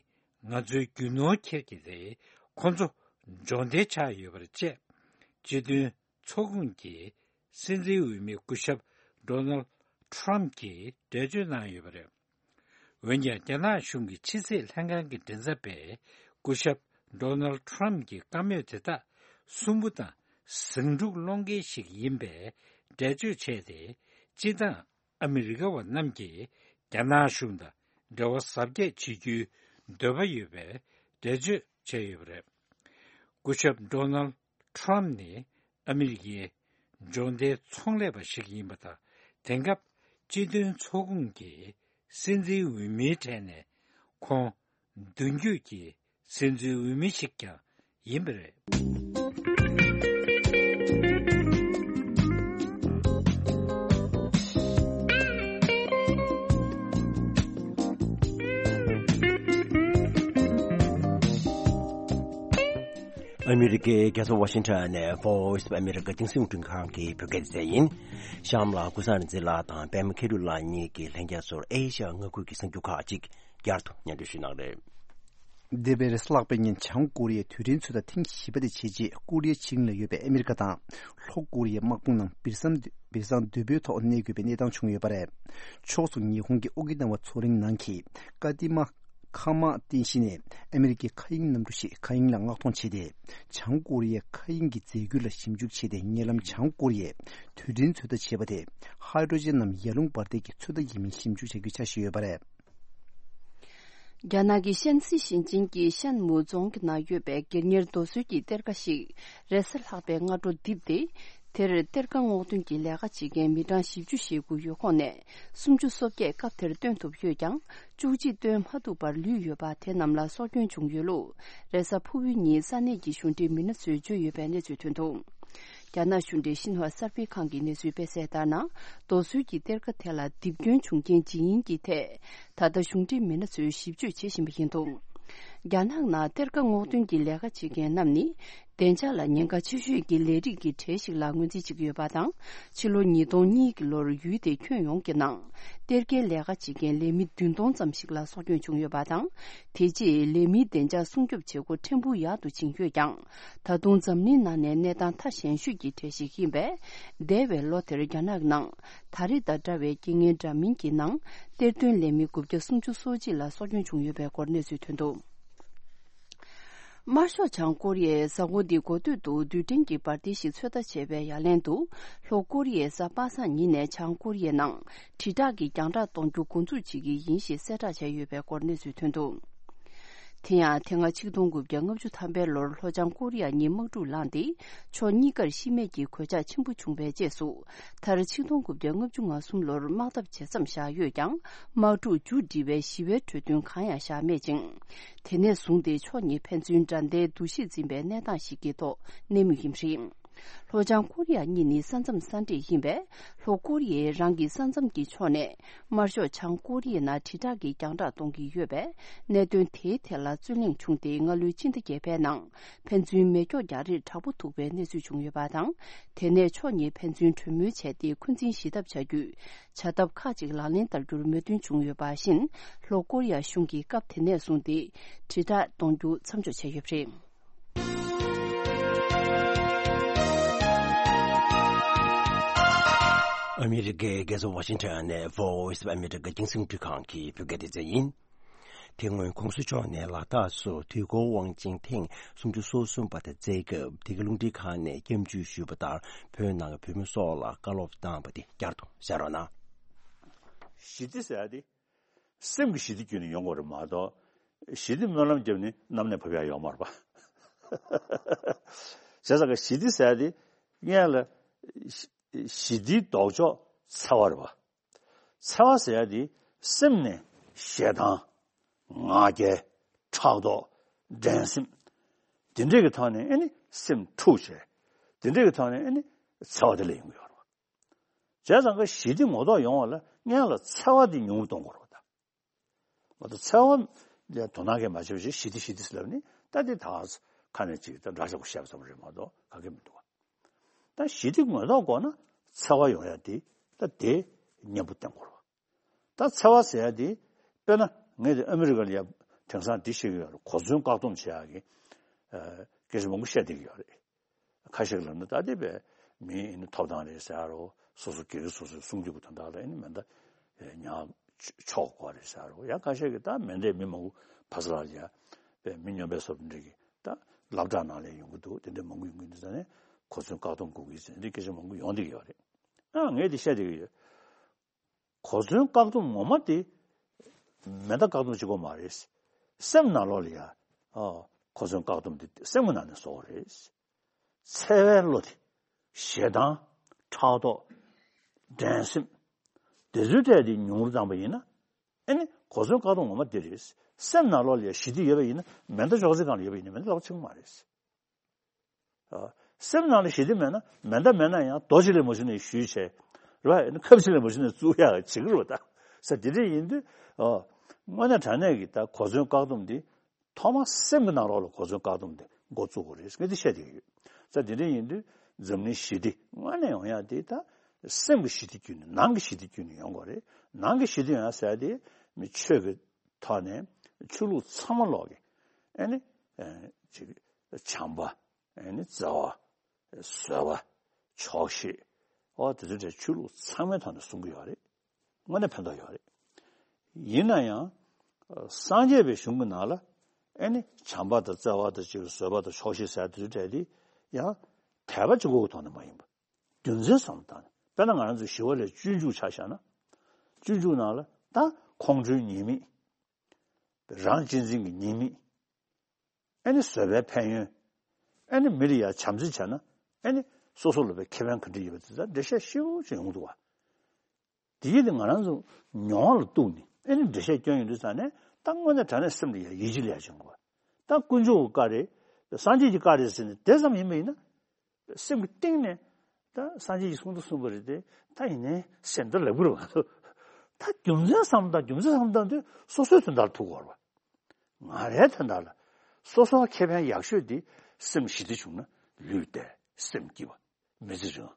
ང་ཚོའི་རྒྱུ་ནོར་ཁྱེར་གྱི་རེད། ཁོ་ཚོ་སྦྱོང་བརྡར་ཆགས་ཡོད་པ་རེད་ཅེས། སྤྱི་མཐུན་ཚོགས་ཁོངས་ཀྱི་སྲིད་འཛིན་འོས་མི་སྐུ་ཞབས་ཌོ་ནལ་ཊམ་གྱིས་འགྲེལ་བརྗོད་གནང་ཡོད་པ་རེད། འོན་ཀྱང་། རྒྱ་ནག་གཞུང་གི་ཕྱི་སྲིད་ལྷན་ཁང་གི་མགྲིན་ཚབ་པས་སྐུ་ཞབས་ཌོ་ནལ་ཊམ་གྱི་བཀའ་མོལ་དེ་དག་སུན་པོ་དང་ཟིང་འཁྲུག་སློང་མཁན་ཞིག་ཡིན་པའི་འགྲེལ་བརྗོད་བྱས་ཏེ། སྤྱིར་བཏང་ཨ་མི་རི་ཀ་བ་རྣམས་ཀྱིས་རྒྱ་ནག་གཞུང་དང་འབྲེལ་བ་གཟབ་རྒྱས་བྱེད་རྒྱུའི་འདོད་པ་ཡོད་པའི་འགྲེལ་བརྗོད་བྱས་ཡོད་པ་རེད། སྐུ་ཞབས་ཌོ་ནལ་ཊམ་ནི་ཨ་མི་རི་ཀའི་སྦྱོང་བརྡར་ཚོང་ལས་པ་ཞིག་ཡིན་པ་དང་། དེང་སྐབས་སྤྱི་མཐུན་ཚོགས་ཁོངས་ཀྱི་སྲིད་འཛིན་འོས་མིའི་གྲས་ནས་ཁོང་མདུན་སྐྱོད་ཀྱི་སྲིད་འཛིན་འོས་མི་ཞིག་ཀྱང་ཡིན་པ་རེད། ཨ་མི་རི་ཀའི་རྒྱལ་ས་ཝ་ཤིང་ཊོན་ནས་Voice of America་རྒྱང་སྲིང་རླུང་འཕྲིན་ཁང་གི་བོད་སྐད་སྡེ་ཚན་ཡིན། གཤམ་ལ་ཀུན་བཟང་རིག་འཛིན་ལགས་དང་པད་མ་མཁས་གྲུབ་ལགས་གཉིས་ཀྱིས་ལྷན་རྒྱས་ཚོར་ཨེ་ཤ་ཡ་མངའ་ཁུལ་གྱི་གསར་འགྱུར་ཁག་ཅིག་བསྐྱར་དུ་སྙན་སྒྲོན་ཞུས་གནང་གི་རེད། འདས་པའི་རེས་གཟའ་ལྷག་པའི་ཉིན་བྱང་ཀོ་རི་ཡས་དུས་དྲན་ཚོད་ལྟ་ཐེངས་བཞི་པ་དེ་བྱེད་ཆེད་ཀོ་རི་ཡའི་ཕྱེད་གླིང་ལ་ཡོད་པའི་ཨ་མི་རི་ཀ་དང་ལྷོ་ཀོ་རི་ཡའི་དམག་དཔུང་རྣམས་སྦིར་སང་སྦིར་སང་དོད་པོའི་ཐོག་གནས་དགོས་པའི་གནས་སྟངས་བྱུང་ཡོད་པ་རེད། ཕྱོགས་མཚུངས་ཉི་ཧོང་གི་ཨོ་ཀི་ན་ཝ་མཚོ་གླིང་ནང་གི་ཀ་ཏི་མ་ཁ་མ་རྟེན་གཞི་ནས་ཨ་མི་རི་ཀའི་མཁའ་དབྱིངས་གནམ་གྲུ་ཞིག་མཁའ་དབྱིངས་ལ་མངགས་གཏོང་བྱས་ཏེ། བྱང་ཀོ་རི་ཡའི་མཁའ་དབྱིངས་ཀྱི་རྫས་འགྱུར་ལ་ཞིབ་འཇུག་བྱས་ཏེ། ཉེ་ལམ་བྱང་ཀོ་རི་ཡས་དུས་དྲན་ཚོད་ལྟ་བྱས་པ་དེ་ཧའི་ཌྲོ་ཇན་ནམ་ཡར་ཀླུང་འབར་མདེལ་གྱི་ཚོད་ལྟ་ཡིན་མིན་ཞིབ་འཇུག་བྱ་རྒྱུའི་འཆར་གཞི་ཡོད་པ་རེད། རྒྱ་ནག་གི་ཤན་སི་ཞིང་ཆེན་གྱི་ཤན་མུའུ་རྫོང་གི་ནང་ཡོད་པའི་སྒེར་གཉེར་རྡོ་སོལ་གྱི་གཏེར་ཁ་ཞིག་རེས་གཟའ་ལྷག་པའི་སྔ་དྲོ་རྡིབ་སྟེ། དེར་གཏེར་ཁ་སྔོག་འདོན་གྱི་ལས་ཀ་བྱེད་མཁན་མི་གྲངས་བཞི་བཅུ་ཞེ་དགུ་ཡོད་ཁོངས་ནས་སུམ་ཅུ་སོ་བརྒྱད་སྐབས་དེར་བཏོན་ཐུབ་ཡོད་ཀྱང་། བཅུ་གཅིག་བཏོན་མ་ཐུབ་པར་ལུས་ཡོད་པ་དེ་རྣམས་ལ་སྲོག་སྐྱོན་བྱུང་ཡོད་ལུགས། རེས་གཟའ་ཕུར་བུའི་ཉིན་ས་གནས་ཀྱི་གཞུང་འབྲེལ་མི་སྣ་ཚོས་བརྗོད་ཡོད་པའི་གནས་ཚུལ་ཐོན་འདུག་རྒྱ་ནག་གཞུང་འབྲེལ་ཤིན་ཧྭ་གསར་སྤེལ་ཁང་གིས་གནས་ཚུལ་སྤེལ་གསལ་ལྟར་ན། རྡོ་སོལ་གྱི་གཏེར་ཁ་དེ་ལ་རྡིབ་སྐྱོན་བྱུང་རྐྱེན་ཇི་ཡིན་གྱི་ཐད། ད་ལྟ་གཞུང་འབྲེལ་མི་སྣ་ཚོས་ཞིབ་དཔྱོད་བྱེད་བཞིན་པ་ཡིན་འདུག་རྒྱ་ནག་ནང་གཏེར་ཁ་སྔོག་འདོན་གྱི་ལས་ཀ་བྱེད་མཁན་རྣམས་ནི། བདེ་འཇགས་ལ་ཉེན་ཁ་ཆེ་ཤོས་ཀྱི་ལས་རིགས་ཀྱི་གྲས་ཤིག་ལ་ངོས་འཛིན་བྱེད་ཀྱི་ཡོད་པ་དང་། ཕྱི་ལོ་ཉིས་སྟོང་གཉིས་ཀྱི་ལོར་ཡུལ་དེའི་ཁྱོན་ཡོངས་ཀྱི་ནང་གཏེར་ཁའི་ལས་ཀ་བྱེད་མཁན་ལས་མི་བདུན་སྟོང་ཙམ་ཞིག་ལ་སྲོག་སྐྱོན་བྱུང་ཡོད་པ་དང་། དེ་རྗེས་ལས་མིའི་བདེ་འཇགས་སྲུང་སྐྱོབ་བྱེད་སྒོ་ཕྲན་བུ་ཡག་ཏུ་ཕྱིན་ཡོད་ཀྱང་། ད་དུང་འཛམ་གླིང་ནང་ནས་གནས་སྟངས་མཐའ་ཞན་ཤོས་ཀྱི་གྲས་ཤིག་ཡིན་པས། འདས་པའི་ལོ་དེར་རྒྱ་ནག་ནང་ད་རེས་དང་འདྲ་བའི་རྐྱེན་ངན་འདྲ་མིན་གྱི་ནང་གཏེར་འདོན་ལས་མི་དགུ་བརྒྱ་སུམ་ཅུ་སོ་གཅིག་ལ་སྲོག་སྐྱོན་བྱུང་ཡོད་པའི་སྐོར་གནས་ཚུལ་ཐོན་འདུག་དམར་ཤོག་བྱང་ཀོ་རི་ཡས་གཟའ་འཁོར་འདིའི་འགོ་སྟོད་དུ་རྡུལ་ཕྲན་གྱི་འབར་མདེལ་ཞིག་ཚོད་ལྟ་བྱས་པའི་ཡ་ལན་དུ། ལྷོ་ཀོ་རི་ཡས་གཟའ་པ་སངས་ཉིན་ནས་བྱང་ཀོ་རི་ཡའི་ནང་དྲིལ་བསྒྲགས་ཀྱི་རྒྱང་བསྒྲགས་གཏོང་རྒྱུ་འགོ་འཛུགས་བྱེད་ཀྱི་ཡིན་ཞེས་གསལ་བསྒྲགས་བྱས་ཡོད་པའི་སྐོར་གནས་ཚུལ་ཐོན་འདུག་དེ་ཡང་། དེ་སྔ་ཆིག་སྟོང་དགུ་བརྒྱ་ལྔ་བཅུ་ཐམ་པའི་ལོར་ལྷོ་བྱང་ཀོ་རི་ཡ་གཉིས་དམག་འཁྲུག་ལངས་ཏེ། ཕྱོགས་གཉིས་ཀར་ཤི་རྨས་ཀྱི་གོད་ཆག་ཆེན་པོ་བྱུང་བའི་རྗེས་སུ། མཐར་ཆིག་སྟོང་དགུ་བརྒྱ་ལྔ་བཅུ་ང་གསུམ་ལོར་དམག་འཐབ་ཇེ་མཚམས་བཞག་ཡོད་ཀྱང་། དམག་འཁྲུག་མཇུག་སྒྲིལ་བའི་ཞི་བའི་གྲོས་མཐུན་གང་ཡང་བཞག་མེད་ཅིང་། དེ་ནས་བཟུང་སྟེ་ཕྱོགས་གཉིས་ཕན་ཚུན་དགྲ་ཟླའི་འདུ་ཤེས་འཛིན་པའི་གནས་སྟངས་ཤིག་གི་ཐོག་གནས་མུས་ཡིན་པ་རེད། ལྷོ་བྱང་ཀོ་རི་ཡ་གཉིས་ནི་ས་མཚམས་ས་འདྲེས་ཡིན་པས། ལྷོ་ཀོ་རི་ཡས་རང་གི་ས་མཚམས་ཀྱི་ཕྱོགས་ནས་དམར་ཤོག་བྱང་ཀོ་རི་ཡའི་ནང་དྲིལ་བསྒྲགས་ཀྱི་རྒྱང་བསྒྲགས་གཏོང་གི་ཡོད་པས། གནད་དོན་དེའི་ཐད་ལ་རྩོད་གླེང་བྱུང་སྟེ། སྔ་ལོའི་སྤྱི་ཟླ་བརྒྱད་པའི་ནང་ཕན་ཚུན་མེ་སྒྱོགས་རྒྱག་རེས་དྲག་པོ་ཐུག་པའི་གནས་ཚུལ་བྱུང་ཡོད་པ་དང་། དེ་ནས་ཕྱོགས་གཉིས་ཕན་ཚུན་གྲོས་མོལ་བྱས་ཏེ། འཁོན་འཛིན་ཞི་ཐབས་བྱ་རྒྱུའི་བྱ་ཐབས་ཁག་ཅིག་ལག་ལེན་བསྟར་རྒྱུར་མོས་མཐུན་བྱུང་ཡོད་པ་བཞིན། ལྷོ་ཀོ་རི་ཡ་གཞུང་གིས་སྐབས་དེ་ནས་བཟུང་སྟེ་དྲིལ་བསྒྲགས་གཏོང་རྒྱུ་མཚམས་འཇོག་བྱས་ཡོད་པ་རེད། ཨ་མི་རི་ཀའི་རྒྱལ་ས་ཝ་ཤིང་ཊོན་ནས་Voice of America རྒྱང་སྲིང་རླུང་འཕྲིན་ཁང་གི་བོད་སྐད་སྡེ་ཚན་ཡིན། དེ་སྔོན་༸གོང་ས་མཆོག་ནས་ལ་དྭགས་སུ་དུས་འཁོར་དབང་ཆེན་ཐེངས་སུམ་ཅུ་སོ་གསུམ་པ་དང་མཇལ་སྐབས། དེ་གའི་རླུང་འཕྲིན་ཁང་ནས་སྐྱབས་འཇུག་ཞུས་པ་ལྟར། བོད་ནང་གི་བོད་མི་སོགས་ལ་བཀའ་སློབ་བཏང་བ་དེ་བསྐྱར་དུ་གསན་རོགས་གནང་། ཞི་བདེ་ཟེར་ཡ་དེ། སེམས་ཀྱི་ཞི་བདེ་བརྒྱུད་ནས་ཡོང་དགོས་རེད་མ་གཏོགས། ཞི་བདེ་སྨོན་ལམ་བརྒྱབ་ནས་གནམ་ནས་བབས་ཡ་ཡོད་མ་རེད་པ། བྱས་ཙང་ཀ་ཞི་བདེ་ཟེར་ཡ་དེ་སྔོན་ལ་ཞི་བདེའི་ལྡོག་ཕྱོགས་འཚེ་བ་རེད་པ། འཚེ་བ་ཟེར་ཡ་དེ་སེམས་ནས་ཞེ་སྡང་། ང་རྒྱལ། ཕྲག་དོག་འགྲན་སེམས། དེ་འདྲས་ཀྱི་ཐོག་ནས་ཨེ་ནི་སེམས་འཁྲུགས་བྱས། དེ་འདྲས་ཀྱི་ཐོག་ནས་ཨེ་ནི་འཚེ་བ་དེ་ལ་ཡོང་གི་ཡོད་རེད་པ། བྱས་ཙང་ཀ་ཞི་བདེ་ངོ་ཐོག་ཡོང་བ་ལ་སྔོན་ལ་འཚེ་བ་དེ་ཉུང་རུ་གཏོང་དགོས་རེད་པ་ད། མ་གཏོགས་འཚེ་བ་ལ་དོ་སྣང་གིས་མ་བྱས་པ་ཞིག་ཞི་བདེ་ཞི་བདེ་ཟེར་ལབ་ནི་ད་དེ་ད་ཁ་ནས་ཅིག་ད་འདྲ་ཆགས་པོ་བཤད་པ་ཙམ་རེད་མ་གཏོགས་ག་གེ་མི་འདུག་བ། ད་ཞི་བདེ་ངོ་ཐོག་དགོས་ན་འཚེ་བ་ཡོང་ཡ་དེ་ད་དེ་མཉམ་པོ་བསྟེན་དགོས་རེད་བ། ད་འཚེ་བ་ཟེར་ཡ་དེ་དཔེར་ན་ངས་དེ་ཨ་མི་རི་ཀ་ལ་ཡ་དེང་སང་འདི་བཤད་ཀྱི་ཡོད་རེད། གོ་མཚོན་བཀག་སྡོམ་བྱེད་ཡ་གི་སྐད་ཆ་མང་པོ་བཤད་བསྡད་ཀྱི་ཡོད་རེད། ཁ་ཤས་ཀྱིས་ལབ་ན་ད་ལྟའི་བའི་མི་ཨེ་ནི་ཐོབ་ཐང་རེད་ཟེར་རོ། སོ་སོ་སྒེར་སོ་སོའི་སྲུང་སྐྱོབ་ཀྱི་དོན་དག་ལ་ཨེ་ནི་མེ་མདའ་ཉར་ཆོག་དགོས་རེད་ཟེར་རོ། ཡང་ཁ་ཤས་ཀྱིས་ད་མེ་མདའི་མི་མང་པོ་ཕ་ས་ལ་ཡ་བའི་མི་སྨྱོན་པའི་སོབ་འདྲ་གི་ད་སློབ་གྲྭ་ནང་ལ་ཡོང་གི་འདུག་དེ་འདྲ་མང་པོ་ཡོང་གི་འདུག་ཟེར་ནས་གོ་མཚོན་བཀག་སྡོམ་དགོས་ཀྱི་ཟེར་འདི་སྐད་ཆ་མང་པོ་ཡོང་བསྡད་ཀྱི་ཡོད་རེད། ཨ་ངས་འདི་བཤད་བསྡད་ཀྱི་ཡོད། གོ་མཚོན་བཀག་སྡོམ་ངོ་མ་དེ་མེ་མདའ་བཀག་སྡོམ་བྱེད་དགོས་མ་རེད། སེམས་ནང་ལོགས་ལ་ཡ། ཨ། གོ་མཚོན་བཀག་སྡོམ་དེ་སེམས་ཀྱི་ནང་ནས་བཟོ་དགོས་རེད། འཚེ་བའི་བློ་དེ། ཞེ་སྡང་། ཕྲག་དོག་འགྲན་སེམས། དེ་ཚོའི་གྲས་དེ་ཉུང་རུ་བཏང་པ་ཡིན་ན། ཨེ་ནི་གོ་མཚོན་བཀག་སྡོམ་ངོ་མ་དེ་རེད། སེམས་ནང་ལོགས་ལ་ཡ་ཞི་བདེ་ཡོད་པ་ཡིན་ན་མེ་མདའ་ཅོག་ཙེ་སྒང་ལ་ཡོད་པ་ཡིན་ན་མེ་མདའ་ལག་པ་འཆང་གི་མ་རེད། ཨ། སེམས་ནང་ལ་ཞི་བདེ་མེད་ན་མེ་མདའ་མེད་ན་ཡང་རྡོ་གཅིག་ལ་མ་གཞི་ནས་གཞུས་བྱས། རེད་བ། ཁབ་གཅིག་ལ་མ་གཞི་ནས་བཙུགས་ཡག་བྱེད་ཀྱི་རེད་བ་ད། ས་དེ་འདྲ་ཡིན་དུས། ཨ། དངོས་གནས་དྲང་གནས་ཀྱི་ད་གོ་མཚོན་བཀག་སྡོམ་འདི། ཐོག་མར་སེམས་ཀྱི་ནང་ལོགས་ལ་གོ་མཚོན་བཀག་སྡོམ་འདི་འགོ་བཙུགས་དགོས་རེད་ངས་འདི་བཤད་བསྡད་ཡོད། ས་དེ་འདྲ་ཡིན་དུས་འཛམ་གླིང་ཞི་བདེ་དངོས་གནས་ཡོང་ཡག་འདི་ད། སེམས་ཀྱི་ཞི་བདེ་བརྒྱུད་ནས་ནང་གི་ཞི་བདེ་བརྒྱུད་ནས་ཡོང་དགོས་རེད། ནང་གི་ཞི་བདེ་ཡོང་ཡག་ཟེར་ཡག་འདི་མི་ཆོས་ཀྱི་ཐོག་ནས་ཆོས་ལུགས་ཚང་མ་ལོག་གི། ཨེ་ནི། ཨེ། ཅིག་བྱམས་པ། ཨེ་ནི་བརྩེ་བ། བཟོད་པ། ཆོག་ཤེས། འོ་དེ་ཚོ་གྲས་ཆོས་ལུགས་ཚང་མའི་ཐོག་ནས་གསུང་གི་ཡོད་རེད། དངོས་གནས་ཕན་ཐོགས་ཡོད་རེད། ཡིན་ན་ཡང་། སངས་རྒྱས་པའི་གཞུང་གི་ནང་ལ། ཨེ་ནི་བྱམས་པ་དང་བརྩེ་བ་དང་ཅིག་བཟོད་པ་དང་ཆོག་ཤེས་ཟེར་དེ་ཚོ་གྲས་དེ། ཡང་། དད་པ་གཅིག་པོའི་ཐོག་ནས་མ་ཡིན་པ། རྒྱུ་མཚན་བསམ་བློ་བཏང་ནས། དཔེར་ན་ང་རང་ཚོ་ཞི་བ་ལྷས་སྤྱོད་འཇུག་ཆ་བཞག་ན། སྤྱོད་འཇུག་ནང་ལ་ད་ཁོང་ཁྲོའི་ཉེས་དམིགས། རང་གཅེས་འཛིན་གྱི་ཉེས་དམིགས། ཨེ་ནི་བཟོད་པའི་ཕན་ཡོན། ཨེ་ནི་མི་ལ་ཡ་བྱམས་བརྩེ་བྱས་ན། ཨེ་ནི་སོ་སོ་ལ་བའི་ཁེ་ཕན་ག་འདྲ་ཡོད་པ་དེ་ཚོ་འགྲེལ་བཤད་ཞིབ་ཅིག་ཡོང་འདུག་བ། དེ་ཡིན་དུས་ང་རང་ཚོ་མྱོང་བ་ལ་གཏུགས་ནས་ཨེ་ནི་འགྲེལ་བཤད་སྐྱོན་ཡོང་དུས་ཙང་ནས་ད་དངོས་གནས་དྲང་གནས་སེམས་ལ་ཡ་ཡིད་ཆེས་ལ་ཡ་བྱུང་དགོས། ད་དཀོན་མཆོག་གི་བཀའ་རེད། སངས་རྒྱས་ཀྱི་བཀའ་རེད་ཟེར་ནས་དེ་ཙམ་ཡིན་པ་ཡིན་ན། སེམས་ཀྱི་གཏིང་ནས་ད་སངས་རྒྱས་ཀྱིས་གསུང་དང་གསུངས་པ་རེད་དེ། ད་ཡིན་ནའི་སེམས་ད་ལབ་ཀྱི་རེད་བ། ད་རྒྱུ་མཚན་བསམ་བློ་བཏང་རྒྱུ་མཚན་བསམ་བློ་བཏང་དུས་སོ་སོའི་དོན་དག་ལ་ཐུག་དགོས་རེད་བ། ང་རའི་དོན་དག་ལ་སོ་སོར་ཁེ་ཕན་ཡག་ཤོས་དེ་སེམས་ཞི་བདེ་བྱུང་ན་ལུས་བདེ་སེམས་སྐྱིད་པ་མི་ཚེ་རིང་།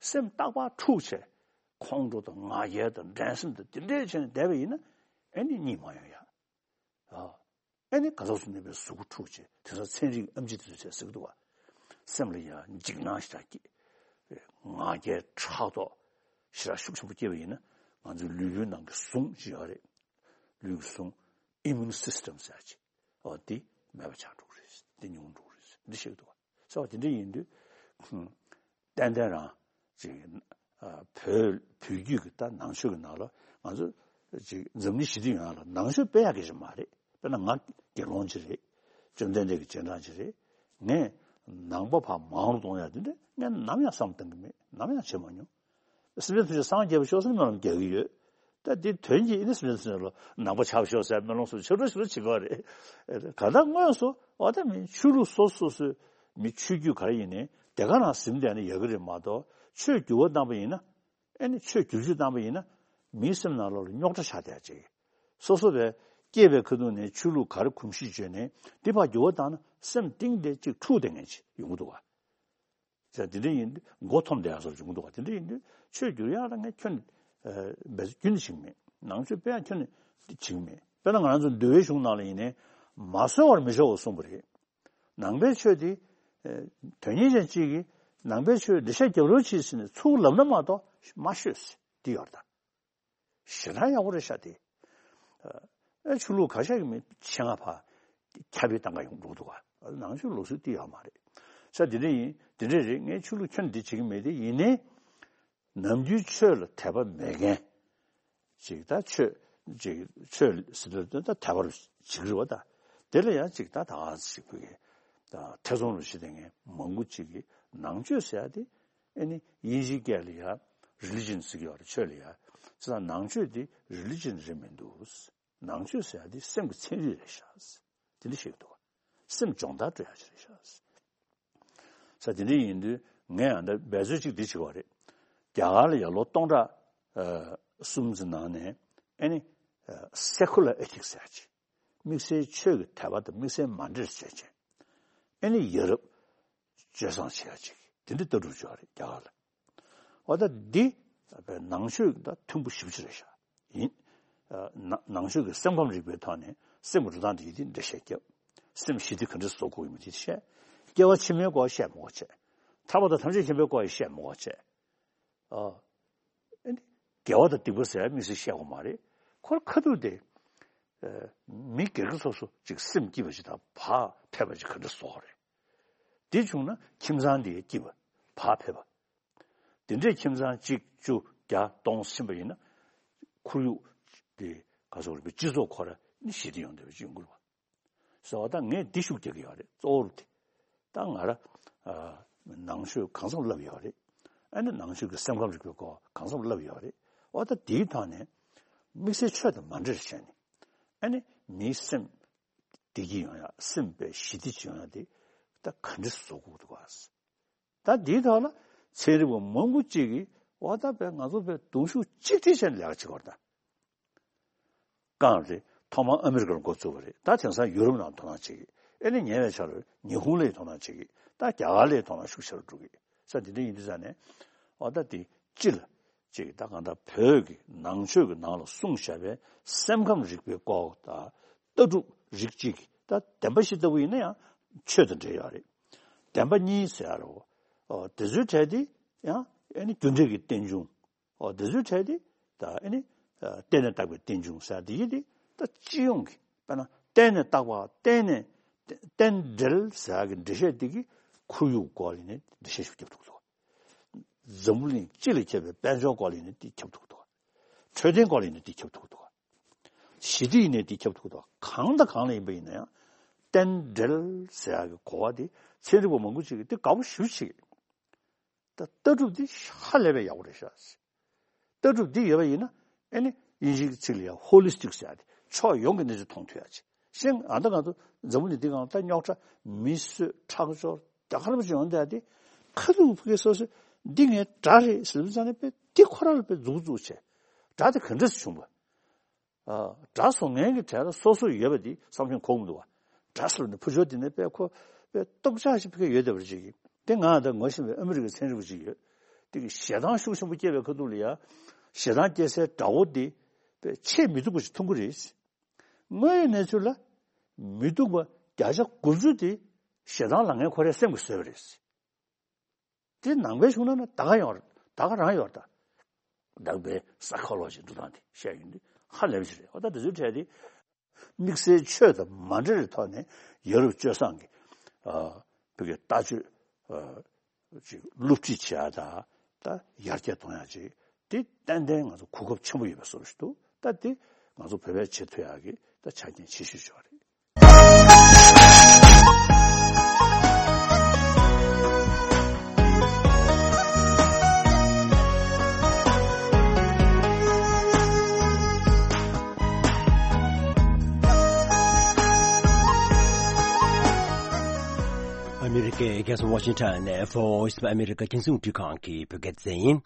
སེམས་རྟག་པར་འཁྲུག་བྱས། ཁོང་ཁྲོ་དང་ང་རྒྱལ་དང་འགྲན་སེམས་དང་དེ་འདྲས་བྱས་ནས་བསྡད་པ་ཡིན་ན་ཨེ་ནི་གཉིད་མ་ཡོང་ཡ། ཨ། ཨེ་ནི་ག་ཚོད་ཚོད་ནས་པའི་གཟུགས་པོ་འཁྲུག་བྱས་དེང་སང་ཚན་རིག་ཨེམ་ཆི་དེ་ཚོས་བྱས་ཟེར་གི་འདུག་བ། སེམས་ལ་ཡང་འཇིགས་སྣང་ཞེ་དྲག་སྐྱེས། ང་རྒྱལ་ཕྲག་དོག་ཞེ་དྲག་ཤུགས་ཆེན་པོ་སྐྱེས་པ་ཡིན་ན་ང་ཚོའི་ལུས་པོའི་ནང་གི་ཟུངས་ཅིག་ཡོད་རེད། ལུས་ཀྱི་ཟུངས་ཨི་མུན་སིས་ཊམ་ཟེར་ཅིག་འོ་དེ་མེད་པ་ཆགས་འགྲོ་གི་རེད། དེ་ཉུང་འགྲོ་གི་རེད་འདི་བཤད་ཀྱི་འདུག་བ། ཟེར་བ་དེ་འདྲ་ཡིན་དུས། ཏན་ཏན་རང་ཅིག་ཨ། བོད་བོད་བརྒྱུད་ཀྱི་ད་ནང་ཆོས་ཀྱི་ནང་ལ་ང་ཚོ་ཅིག་འཛམ་གླིང་ཞི་བདེ་ཡོང་ཡ་ལ་ནང་ཆོས་སྤེལ་ཡག་གི་ཞིག་མ་རེད། དཔེར་ན་ང་དགེ་སློང་ཅིག་རེད། བཅོམ་ལྡན་འདས་ཀྱི་རྗེས་འབྲང་ཅིག་རེད། ངས་ནང་པ་ཕར་མང་རུ་གཏོང་ཡ་དེ་འདྲ་ངས་ནམ་ཡང་བསམ་བཏང་གི་མེད། ནམ་ཡང་བྱེད་མ་མྱོང་། སེམས་ཅན་ཐམས་ཅད་སངས་རྒྱས་པར་ཤོག་ཟེར་སྨོན་ལམ་རྒྱག་གི་ཡོད། ད་འདི་དོན་གྱིས་ཨེ་ནི་སེམས་ཅན་ཐམས་ཅད་ལ་ནང་པ་ཆགས་ཤོག་ཟེར་སྨོན་ལམ་སོགས་ཆེ་འགྲོ་ཞེ་དྲག་བྱེད་ཀྱི་ཡོད་རེད། གང་ལྟར་དངོས་སུ་འོ་ད་མི་ཆོས་ལུགས་སོ་སོ་སོའི་མི་ཆོས་བརྒྱུད་ག་རེ་ཡིན་ནའི་དེ་ག་རང་ཟིན་བསྡད་ན་ཡག་གི་རེད་མ་གཏོགས་ཆོས་འགྱུར་བ་བཏང་པ་ཡིན་ན། ཨེ་ནི་ཆོས་བསྒྱུར་བཅོས་བཏང་པ་ཡིན་ན། མིའི་སེམས་ནང་ལོགས་ལ་རྙོག་དྲ་ཆགས་བསྡད་ཅིག་སོ་སོ་བས་སྐྱེས་པའི་ཁ་ཐུག་ནས་ཆོས་ལུགས་ག་རེ་གོམས་གཤིས་བྱོས་ནའི་འདི་ཕར་འགྱུར་བ་བཏང་ན་སེམས་གཏིང་དེ་ཅིག་འཁྲུགས་བསྡད་མཁན་ཅིག་ཡོང་གི་འདུག་བ། ཟེར་དེ་འདྲ་ཡིན་དུས་མགོ་འཐོམས་བསྡད་ཡག་བཟོ་འབྱུང་གི་འདུག་ག་དེ་འདྲ་ཡིན་དུས་ཆོས་བསྒྱུར་ཡག་ལ་ངས་ཁྱོན་ནས་འབད་རྩོལ་ཁྱོན་ནས་བྱེད་ཀྱི་མེད། ནང་ཆོས་སྤེལ་ཡག་ཁྱོན་ནས་བྱེད་ཀྱི་མེད། དཔེར་ན་ང་རང་ཚོ་འདུལ་བའི་གཞུང་ནང་ལ་ཡིན་ནའི་མ་གསོལ་བར་མི་ཆོག་པར་གསུངས་པ་རེད། ནང་པའི་ཆོས་དེ་དོན་གཉེར་ཅན་གཅིག་གིས་ ནང་པའི་ཆོས་འགྲེལ་བཤད་རྒྱབ་རོགས་བྱེད་ཟེར་ནས་ཚུར་ལབ་ན་མ་གཏོགས་མ་ཤོད་ཟེར་འདི་ཡོད་རེད་ད། ཞེ་དྲག་ཡག་པོ་རེད་ཤག་དེ། ཨེ་ཆོས་ལུགས་ཁ་ཤས་ཀྱི་མི་ཆེད་མངགས་ཕར་ཁྱབ་སྤེལ་བཏང་ག་ཡོང་འགྲོ་འདུག་ག་ནང་ཆོས་ལུགས་སྲོལ་དེ་ཡོད་མ་རེད། ས་དེ་འདྲ་ཡིན་དེ་འདྲ་རེད། ངས་ཆོས་ལུགས་ཁྱོན་འདི་བྱེད་ཀྱི་མེད་དེ། ཡིན་ནའི་ནམ་རྒྱུན་ཆོས་ལ་དད་པ་མེད་མཁན་ཅིག་ད་ཆོས་ཅིག་ཆོས་ཟེར་དུས་ད་དད་པ་རུ་བྱེད་ཀྱི་རེད་བ། ད་དེ་ལ་ཡང་ཅིག་ད་ད་ཅིག་བོད་ཀྱི་ད་ཐེ་ཚོམ་རུ་བྱེད་མཁན་མང་པོ་ཅིག་གིས་ནང་ཆོས་ཟེར་ཡ་དེ་ཨེ་ནི་དབྱིན་ཇིའི་སྐད་ལ་ཡ་རི་ལི་ཇན་ཟེར་གྱི་ཡོད་རེད། ཆོས་ལ་ཡ་ཅི་ད་ནང་ཆོས་དེ་རི་ལི་ཇན་རེད་མི་འདུག་ནང་ཆོས་ཟེར་ཡ་དེ་སེམས་ཀྱི་ཚན་རིག་རེད་ཤག་དེ་འདྲ་ཞིག་འདུག་སེམས་སྦྱོང་བརྡར་སྤྲོད་ཡ་ཞིག་རེད་ཤག་ས་དེ་འདྲ་ཡིན་དུས་ངས་ཨ་འདྲ་འབད་རྩོལ་ཅིག་འདི་བྱེད་པ་རེད། རྒྱ་གར་ལ་ཡ་ལོ་སྟོང་ཕྲག་ཨ་གསུམ་ཙམ་ནང་ནས་ཨེ་ནི་ཨ་སེ་ཁུ་ལར་ཨེ་ཐིག་སི་ཟེར་ཡ་ཅིག་དམིགས་བསལ་ཆོས་ཀྱི་དད་པ་དང་དམིགས་བསལ་མ་འདྲེས་བྱས་བྱས་ཨེ་ནི་ཡ་རབས་སྤྱོད་བཟང་བྱེད་ཡ་ཅིག་དེ་འདྲ་ལྟ་གྲུབ་བྱུང་བ་རེད་རྒྱ་གར་ལ། འོ་ད་འདི་ནང་ཆོས་དང་མཐུན་པོ་ཞེ་པོ་ཅིག་རེད་ཤག་ཡིན། ཨ་ནང་ཆོས་ཀྱི་སེམས་ཁམས་རིག་པའི་ཐོག་ནས་སེམས་ཀྱི་འགྲོ་སྟངས་དེ་ཡིན་དེ་འགྲེལ་བཤད་རྒྱབ། སེམས་ཞི་བདེ་ག་འདྲ་བཟོ་དགོས་ཡིན་མིན་དེ་བཤད། སྐྱེ་བ་ཕྱི་མའི་སྐོར་བཤད་མི་དགོས་བྱས། ཐར་པ་དང་ཐམས་ཅད་མཁྱེན་པའི་སྐོར་ཡང་བཤད་མི་དགོས་བྱས། ཨ་ཨེ་འདི་དགེ་བ་དང་སྡིག་པ་ཟེར་ཡ་དམིགས་བསལ་བཤད་དགོས་མ་རེད། ཁོ་རང་ཁ་ཐུག་དེ་ཨ་མི་སྒེར་གྱི་སོ་སོ་ཅིག་སེམས་སྐྱིད་པ་ཅིག་དང་བག་ཕེབས་པ་ཅིག་ག་འདྲ་བཟོ་དགོས་རེད། དེ་བྱུང་ན་ཁྱིམ་ཚང་དེ་སྐྱིད་པ་བག་ཕེབས་པ། དེ་འདྲའི་ཁྱིམ་ཚང་གཅིག་བཅུ་བརྒྱ་སྟོང་ཕྱིན་པ་ཡིན་ན་ཁོར་ཡུག་དེ་ག་ཚོད་རེད་པས་སྤྱི་ཚོགས་ཁོ་ར་ནི་ཞི་བདེ་ཡོང་བསྡད་པ་ཅིག་ཡོང་གི་རེད་པ། ཟེར་བ་ད་ངས་འདི་ཤུགས་རྒྱག་གི་ཡོད་རེད། གཙོ་བོར་དེ་ད་ང་ར་ཨ་ནང་ཆོས་གང་འཚམ་བསླབས་ཡོད་རེད། ཨ་ནི་ནང་ཆོས་ཀྱི་སེམས་ཁམས་རིག་པའི་སྐོར་གང་འཚམ་བསླབས་ཡོད་རེད། འོ་ད་དེའི་ཐོག་ནས་དམིགས་བསལ་ཆོས་དང་མ་འདྲེས་བྱས་ནས་ཨ་ནི་མིའི་སེམས་བདེ་སྐྱིད་ཡོང་ཡ་སེམས་པའི་ཞི་བདེ་ཅིག་ཡོང་ཡ་དེ་ད་ག་འདྲ་བཟོ་དགོས་འདུག་ག་ད་འདིའི་ཐོག་ལ་ཚན་རིག་པ་མང་པོ་གཅིག་གིས་འོ་ད་པས་ང་ཚོ་པས་གདུང་ཤུགས་གཅིག་སྒྲིལ་བྱས་ནས་ལས་ཀ་བྱེད་དགོས་རེད་ད། རྐང་རེད། ཐོག་མར་ཨ་མི་རི་ཀར་འགོ་བཙུགས་པ་རེད། ད་དེང་སང་ཡུ་རོབ་ནང་དོ་སྣང་བྱེད་ཀྱི། ཨེ་ནི་ཉེ་བའི་ཆར་ཉི་ཧོང་ལ་དོ་སྣང་བྱེད་ཀྱི། ད་རྒྱ་གར་ལ་དོ་སྣང་ཤུགས་ཆེ་རུ་འགྲོ་གི་ས་འདི་འདྲ་ཡིན་དུས་ཙང་ནས་འོ་ད་དེ་སྤྱི་ལ་ཅིག་ད་གང་ལྟར་བོད་ཀྱི་ནང་ཆོས་ཀྱི་ནང་ལ་གསུངས་བཞག་པའི་སེམས་ཁམས་རིག་པའི་སྐོར་དང་ལྟ་གྲུབ་རིགས་གཅིག་གི་ད་བདེན་པ་བཞི་ལྟ་བུ་ཡིན་ན་ཡང་ཆོས་དང་འབྲེལ་ཡོད་རེད། བདེན་པ་གཉིས་ཟེར་ཡ་རེད་བ། དེ་ཚོའི་གྲས་དེ་ཡང་ཨེ་ནི་རྒྱུ་འབྲས་ཀྱི་རྟེན་འབྱུང་། འོ་དེ་ཚོའི་གྲས་དེ་ད་ཨེ་ནི་རྟེན་ནས་བཏགས་པའི་རྟེན་འབྱུང་ཟེར་ཡ་དེ་ཡིན་དེ་ད་སྤྱི་ཡོངས་ཀྱི་དཔེར་ན་རྟེན་ནས་བཏགས་པ་རྟེན་ནས་རྟེན་འབྲེལ་ཟེར་ཡ་གི་འགྲེལ་བཤད་དེ་གི་ཁོར་ཡུག་སྐོར་ལ་ནི་འགྲེལ་བཤད་ཞིག་རྒྱབ་ཐུབ་འདུག་འཛམ་བུ་གླིང་སྤྱི་ལ་ཁྱབ་པའི་དཔལ་འབྱོར་སྐོར་ལ་ནི་དེ་ཁྱབ་ཐུབ་འདུག་འཕྲོད་བསྟེན་སྐོར་ལ་ནི་དེ་ཁྱབ་ཐུབ་འདུག་ཞི་བདེ་ཡིན་ནའི་དེ་ཁྱབ་ཐུབ་འདུག་གང་དང་གང་ལ་ཡིན་པ་ཡིན་ན་ཡང་རྟེན་འབྲེལ་ཟེར་ཡ་གི་གོ་བ་དེ་ཚན་རིག་པ་མང་པོ་ཅིག་གིས་དེ་དགའ་པོ་ཞེ་པོ་ཅིག་ད་ལྟ་གྲུབ་འདི་ཧ་ལས་པའི་ཡག་པོ་རེད་ཤག་ལྟ་གྲུབ་འདི་ཡོད་པ་ཡིན་ན་ཨེ་ནི་དབྱིན་ཇིའི་ཚིག་ལ་ཡང་ཧོ་ལི་སི་ཊིག་ཟེར་ཡ་དེ་ཕྱོགས་ཡོངས་ཀྱི་གནས་ཚུལ་མཐོང་ཐུབ་ཡ་ཅིག་གཞན་ཨ་ད་ང་ཚོ་འཛམ་བུ་གླིང་འདི་སྒང་ད་རྙོག་དྲ་མི་གསོད་ཁྲག་སྦྱོར་རྒྱ་གར་པ་ཅིག་ཡོང་བསྡད་ཡ་དེ་ཁ་ཐུག་ཕ་གི་སོ་སོས་འདི་ངའི་དགྲ་རེད་ཟེར་བ་ཙང་ནས་དཔེ་འདི་ཁོ་རང་ལ་དཔེ་མཛུབ་བཙུགས་བྱས་དགྲ་དེ་ག་འདྲས་བྱུང་བ། ཨ་དགྲ་བཟོ་མཁན་གྱི་གྲས་ལ་སོ་སོ་ཡོད་པ་འདི་བསམ་བློ་འཁོར་གྱི་མི་འདུག་བ། དགྲ་ཟེར་བ་ནི་ཕུ་ཆོ་འདི་ནས་དཔེ་ཁོ་དཔེ་སྟོབས་ཆག་ཞིག་ཕ་གི་ཡོད་བསྡད་པ་རེད་ཅིག་གི་དེ་ང་ད་ངོ་ཤེས་པའི་ཨ་མི་རི་ཀའི་ཚན་རིག་པ་ཅིག་ཡོད། དེ་གི་ཞེ་སྡང་ཤུགས་ཆེན་པོ་སྐྱེས་པའི་ཁ་ཐུག་ལ་ཡ་ཞེ་སྡང་སྐྱེ་སའི་དགྲ་བོ་འདི་དཔེ་ཆེས་མི་སྡུག་པ་ཞིག་མཐོང་གི་རེད། དངོས་ཡོད་གནས་ཚུལ་ལ་མི་སྡུག་པ་བརྒྱ་ཆ་དགུ་བཅུ་དེ་ཞེ་སྡང་ལངས་མཁན་ཁོ་རའི་སེམས་ཀྱིས་བཟོས་པ་རེད། དེ་ནང་པའི་གཞུང་ནང་ན་ད་ག་ཡོང་རེད། ད་ག་རང་ཡོད་རེད་ད། ནང་པའི་སའི་ཁོ་ལོ་ཇི་འགྲོ་སྟངས་དེ་བཤད་ཡོང་དུས་ཧ་ལས་པ་ཞིག་རེད། འོ་ད་དེ་ཚོའི་གྲས་དེ་དམིགས་བསལ་ཆོས་དང་མ་འབྲེལ་བའི་ཐོག་ནས་ཡ་རབས་སྤྱོད་བཟང་གི་ཨ་བོད་ཀྱི་ལྟ་སྤྱོད་ཨ་ཅིག་སློབ་ཁྲིད་བྱེད་ཡ་ད་ད་ཡར་རྒྱས་གཏོང་ཡ་ཅིག་དེ་ཏན་ཏན་ང་ཚོ་གོ་སྐབས་ཆེན་པོ་ཡོད་པའི་བཟོ་འདྲ་ཞིག་འདུག་ད་དེ་ང་ཚོ་བོད་པས་བྱེད་ཐུབ་ཡ་གི་ད་ཆ་རྐྱེན་ཆེ་ཤོས་ཤིག་རེད། ཨ་མི་རི་ཀའི་རྒྱལ་ས་ཝ་ཤིང་ཊོན་ནས་Voice of America རྒྱང་སྲིང་རླུང་འཕྲིན་ཁང་གི་བོད་སྐད་སྡེ་ཚན་ཡིན།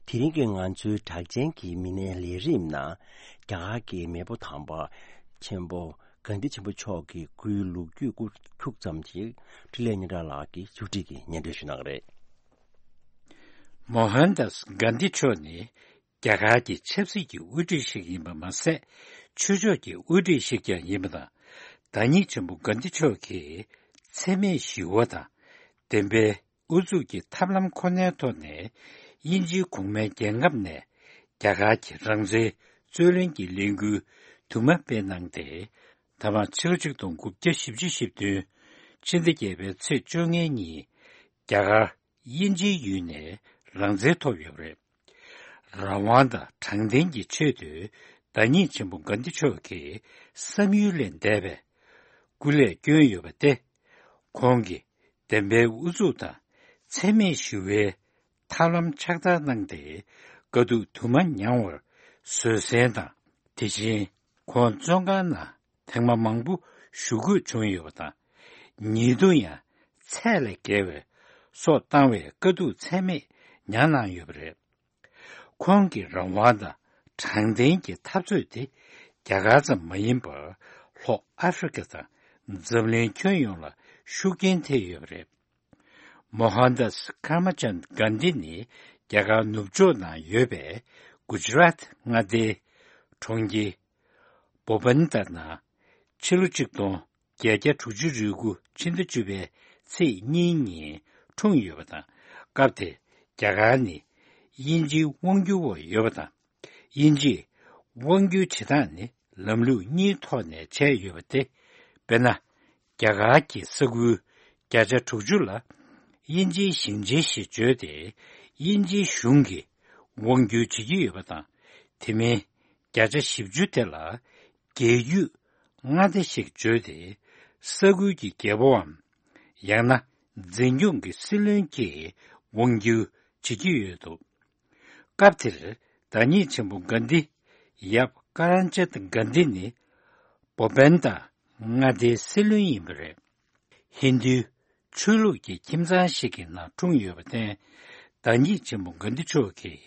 དེ་རིང་གི་ང་ཚོའི་གྲགས་ཅན་གྱི་མི་སྣའི་ལས་རིམ་ནང་རྒྱ་གར་གྱི་མེས་པོ་དམ་པ་ཆེན་པོ་གྷན་དྷི་ཆེན་པོ་མཆོག་གི་སྐུའི་ལོ་རྒྱུས་སྐོར་ཁྱུག་ཙམ་ཞིག་འཕྲིན་ལས་སྙན་གྲགས་ལགས་ཀྱིས་ཕྱོགས་སྒྲིག་གིས་སྙན་སྒྲོན་ཞུ་གནང་གི་རེད། མོ་ཧན་དཱས་གྷན་དྷི་མཆོག་ནི་རྒྱ་གར་གྱི་ཆབ་སྲིད་ཀྱི་དབུ་ཁྲིད་ཞིག་ཡིན་པ་མ་ཟད། ཆོས་ཕྱོགས་ཀྱི་དབུ་ཁྲིད་ཞིག་ཀྱང་ཡིན་པ་དང་། བདག་ཉིད་ཆེན་པོ་གྷན་དྷི་མཆོག་གིས་འཚེ་མེད་ཞི་བ་དང་། བདེན་པའི་ ཨུ་ཚུགས་ཀྱི་ཐབས་ལམ་ཁོ་ནའི་ཐོག་ནས་དབྱིན་ཇིའི་གོང་མའི་རྒྱལ་ཁབ་ནས་རྒྱ་གར་གྱི་རང་བཙན་རྩོད་ལེན་གྱི་ལས་འགུལ་དུ་མ་སྤེལ་གནང་སྟེ། ད་མ་ཕྱི་ལོ་ཆིག་སྟོང་དགུ་བརྒྱ་བཞི་བཅུ་ཞེ་བདུན་ཕྱི་ཟླ་བརྒྱད་པའི་ཚེས་བཅོ་ལྔའི་ཉིན་རྒྱ་གར་དབྱིན་ཇིའི་ཡུལ་ནས་རང་བཙན་ཐོབ་ཡོད་པ་རེད། རང་དབང་དང་དྲང་བདེན་གྱི་ཆེད་དུ་བདག་ཉིད་ཆེན་པོ་གྷན་དྷི་མཆོག་གིས་བསམ་ཡུལ་ལས་འདས་པའི་སྐུ་ལས་བསྐྱོན་ཡོད་པ་སྟེ། ཁོང་གིས་བདེན་པའི་ཨུ་ཚུགས་དང་འཚེ་མེད་ཞི་བའི་ཐབས་ལམ་ཕྱག་བསྟར་གནང་སྟེ། དཀའ་སྡུག་དུ་མ་མྱངས་པར་བཟོད་བསྲན་དང་། དེ་བཞིན་ཁོང་བཙོན་ཁང་ནང་ཐེངས་མ་མང་པོ་བཞུགས་དགོས་བྱུང་ཡོད་པ་དང་། ཉེ་དུ་ཡང་ཚད་ལས་བརྒལ་བའི་སྲོག་བཏང་བའི་དཀའ་སྡུག་ཚད་མེད་མྱངས་གནང་ཡོད་པ་རེད། ཁོང་གི་རང་དབང་དང་དྲང་བདེན་གྱི་འཐབ་རྩོད་དེ་རྒྱ་གར་ཙམ་མ་ཡིན་པར་ལྷོ་ཨ་ཧྥེ་རི་ཁ་དང་འཛམ་གླིང་ཁྱོན་ཡོངས་ལ་ཤུགས་རྐྱེན་ཐེབས་ཡོད་པ་རེད། མོ་ཧན་དཱས་ཀརྨ་ཅན་གྷན་དྷི་ནི་རྒྱ་གར་ནུབ་ཕྱོགས་ནང་ཡོད་པའི་གུ་ཇི་རཱཏ་མངའ་སྡེའི་གྲོང་ཁྱེར་པོ་པན་ཏར་ནང་ཕྱི་ལོ་ཆིག་སྟོང་བརྒྱད་བརྒྱ་དྲུག་ཅུ་རེ་དགུ་ཕྱི་ཟླ་བཅུ་པའི་ཚེས་གཉིས་ཉིན་འཁྲུངས་ཡོད་པ་དང་། སྐབས་དེར་རྒྱ་གར་ནི་དབྱིན་ཇིའི་དབང་སྒྱུར་འོག་ཡོད་པ་དང་། དབྱིན་ཇིས་དབང་སྒྱུར་བྱེད་སྟངས་ནི་ལམ་ལུགས་གཉིས་ཐོག་ནས་བྱས་ཡོད་པ་སྟེ། དཔེར་ན། རྒྱ་གར་གྱི་ས་ཁུལ་བརྒྱ་ཆ་དྲུག་ཅུ་ལ་དབྱིན་ཇིའི་ཞིང་ཆེན་ཞེས་བརྗོད་དེ། དབྱིན་ཇིའི་གཞུང་གིས་དབང་སྒྱུར་བྱེད་ཀྱི་ཡོད་པ་དང་། དེ་མིན་བརྒྱ་ཆ་བཞི་བཅུ་དེ་ལ་རྒྱལ་རྒྱུད་མངའ་སྡེ་ཞེས་བརྗོད་དེ། ས་ཁུལ་གྱི་རྒྱལ་པོའམ། ཡང་ན་འཛིན་སྐྱོང་གི་སྲིད་བློན་གྱིས་དབང་སྒྱུར་བྱེད་ཀྱི་ཡོད་འདུག་སྐབས་དེར་བདག་ཉིད་ཆེན་པོ་གྷན་དྷི། ཡབ་ཀ་རན་ཅད་གྷན་དྷི་ནི་པོ་པན་ཏ་མངའ་སྡེའི་སྲིད་བློན་ཡིན་པ་རེད། ཧིན་རྡུའི་ཆོས་ལུགས་ཀྱི་ཁྱིམ་ཚང་ཞིག་གི་ནང་འཁྲུངས་ཡོད་པར་བརྟེན། བདག་ཉིད་ཆེན་པོ་གྷན་དྷི་མཆོག་གིས་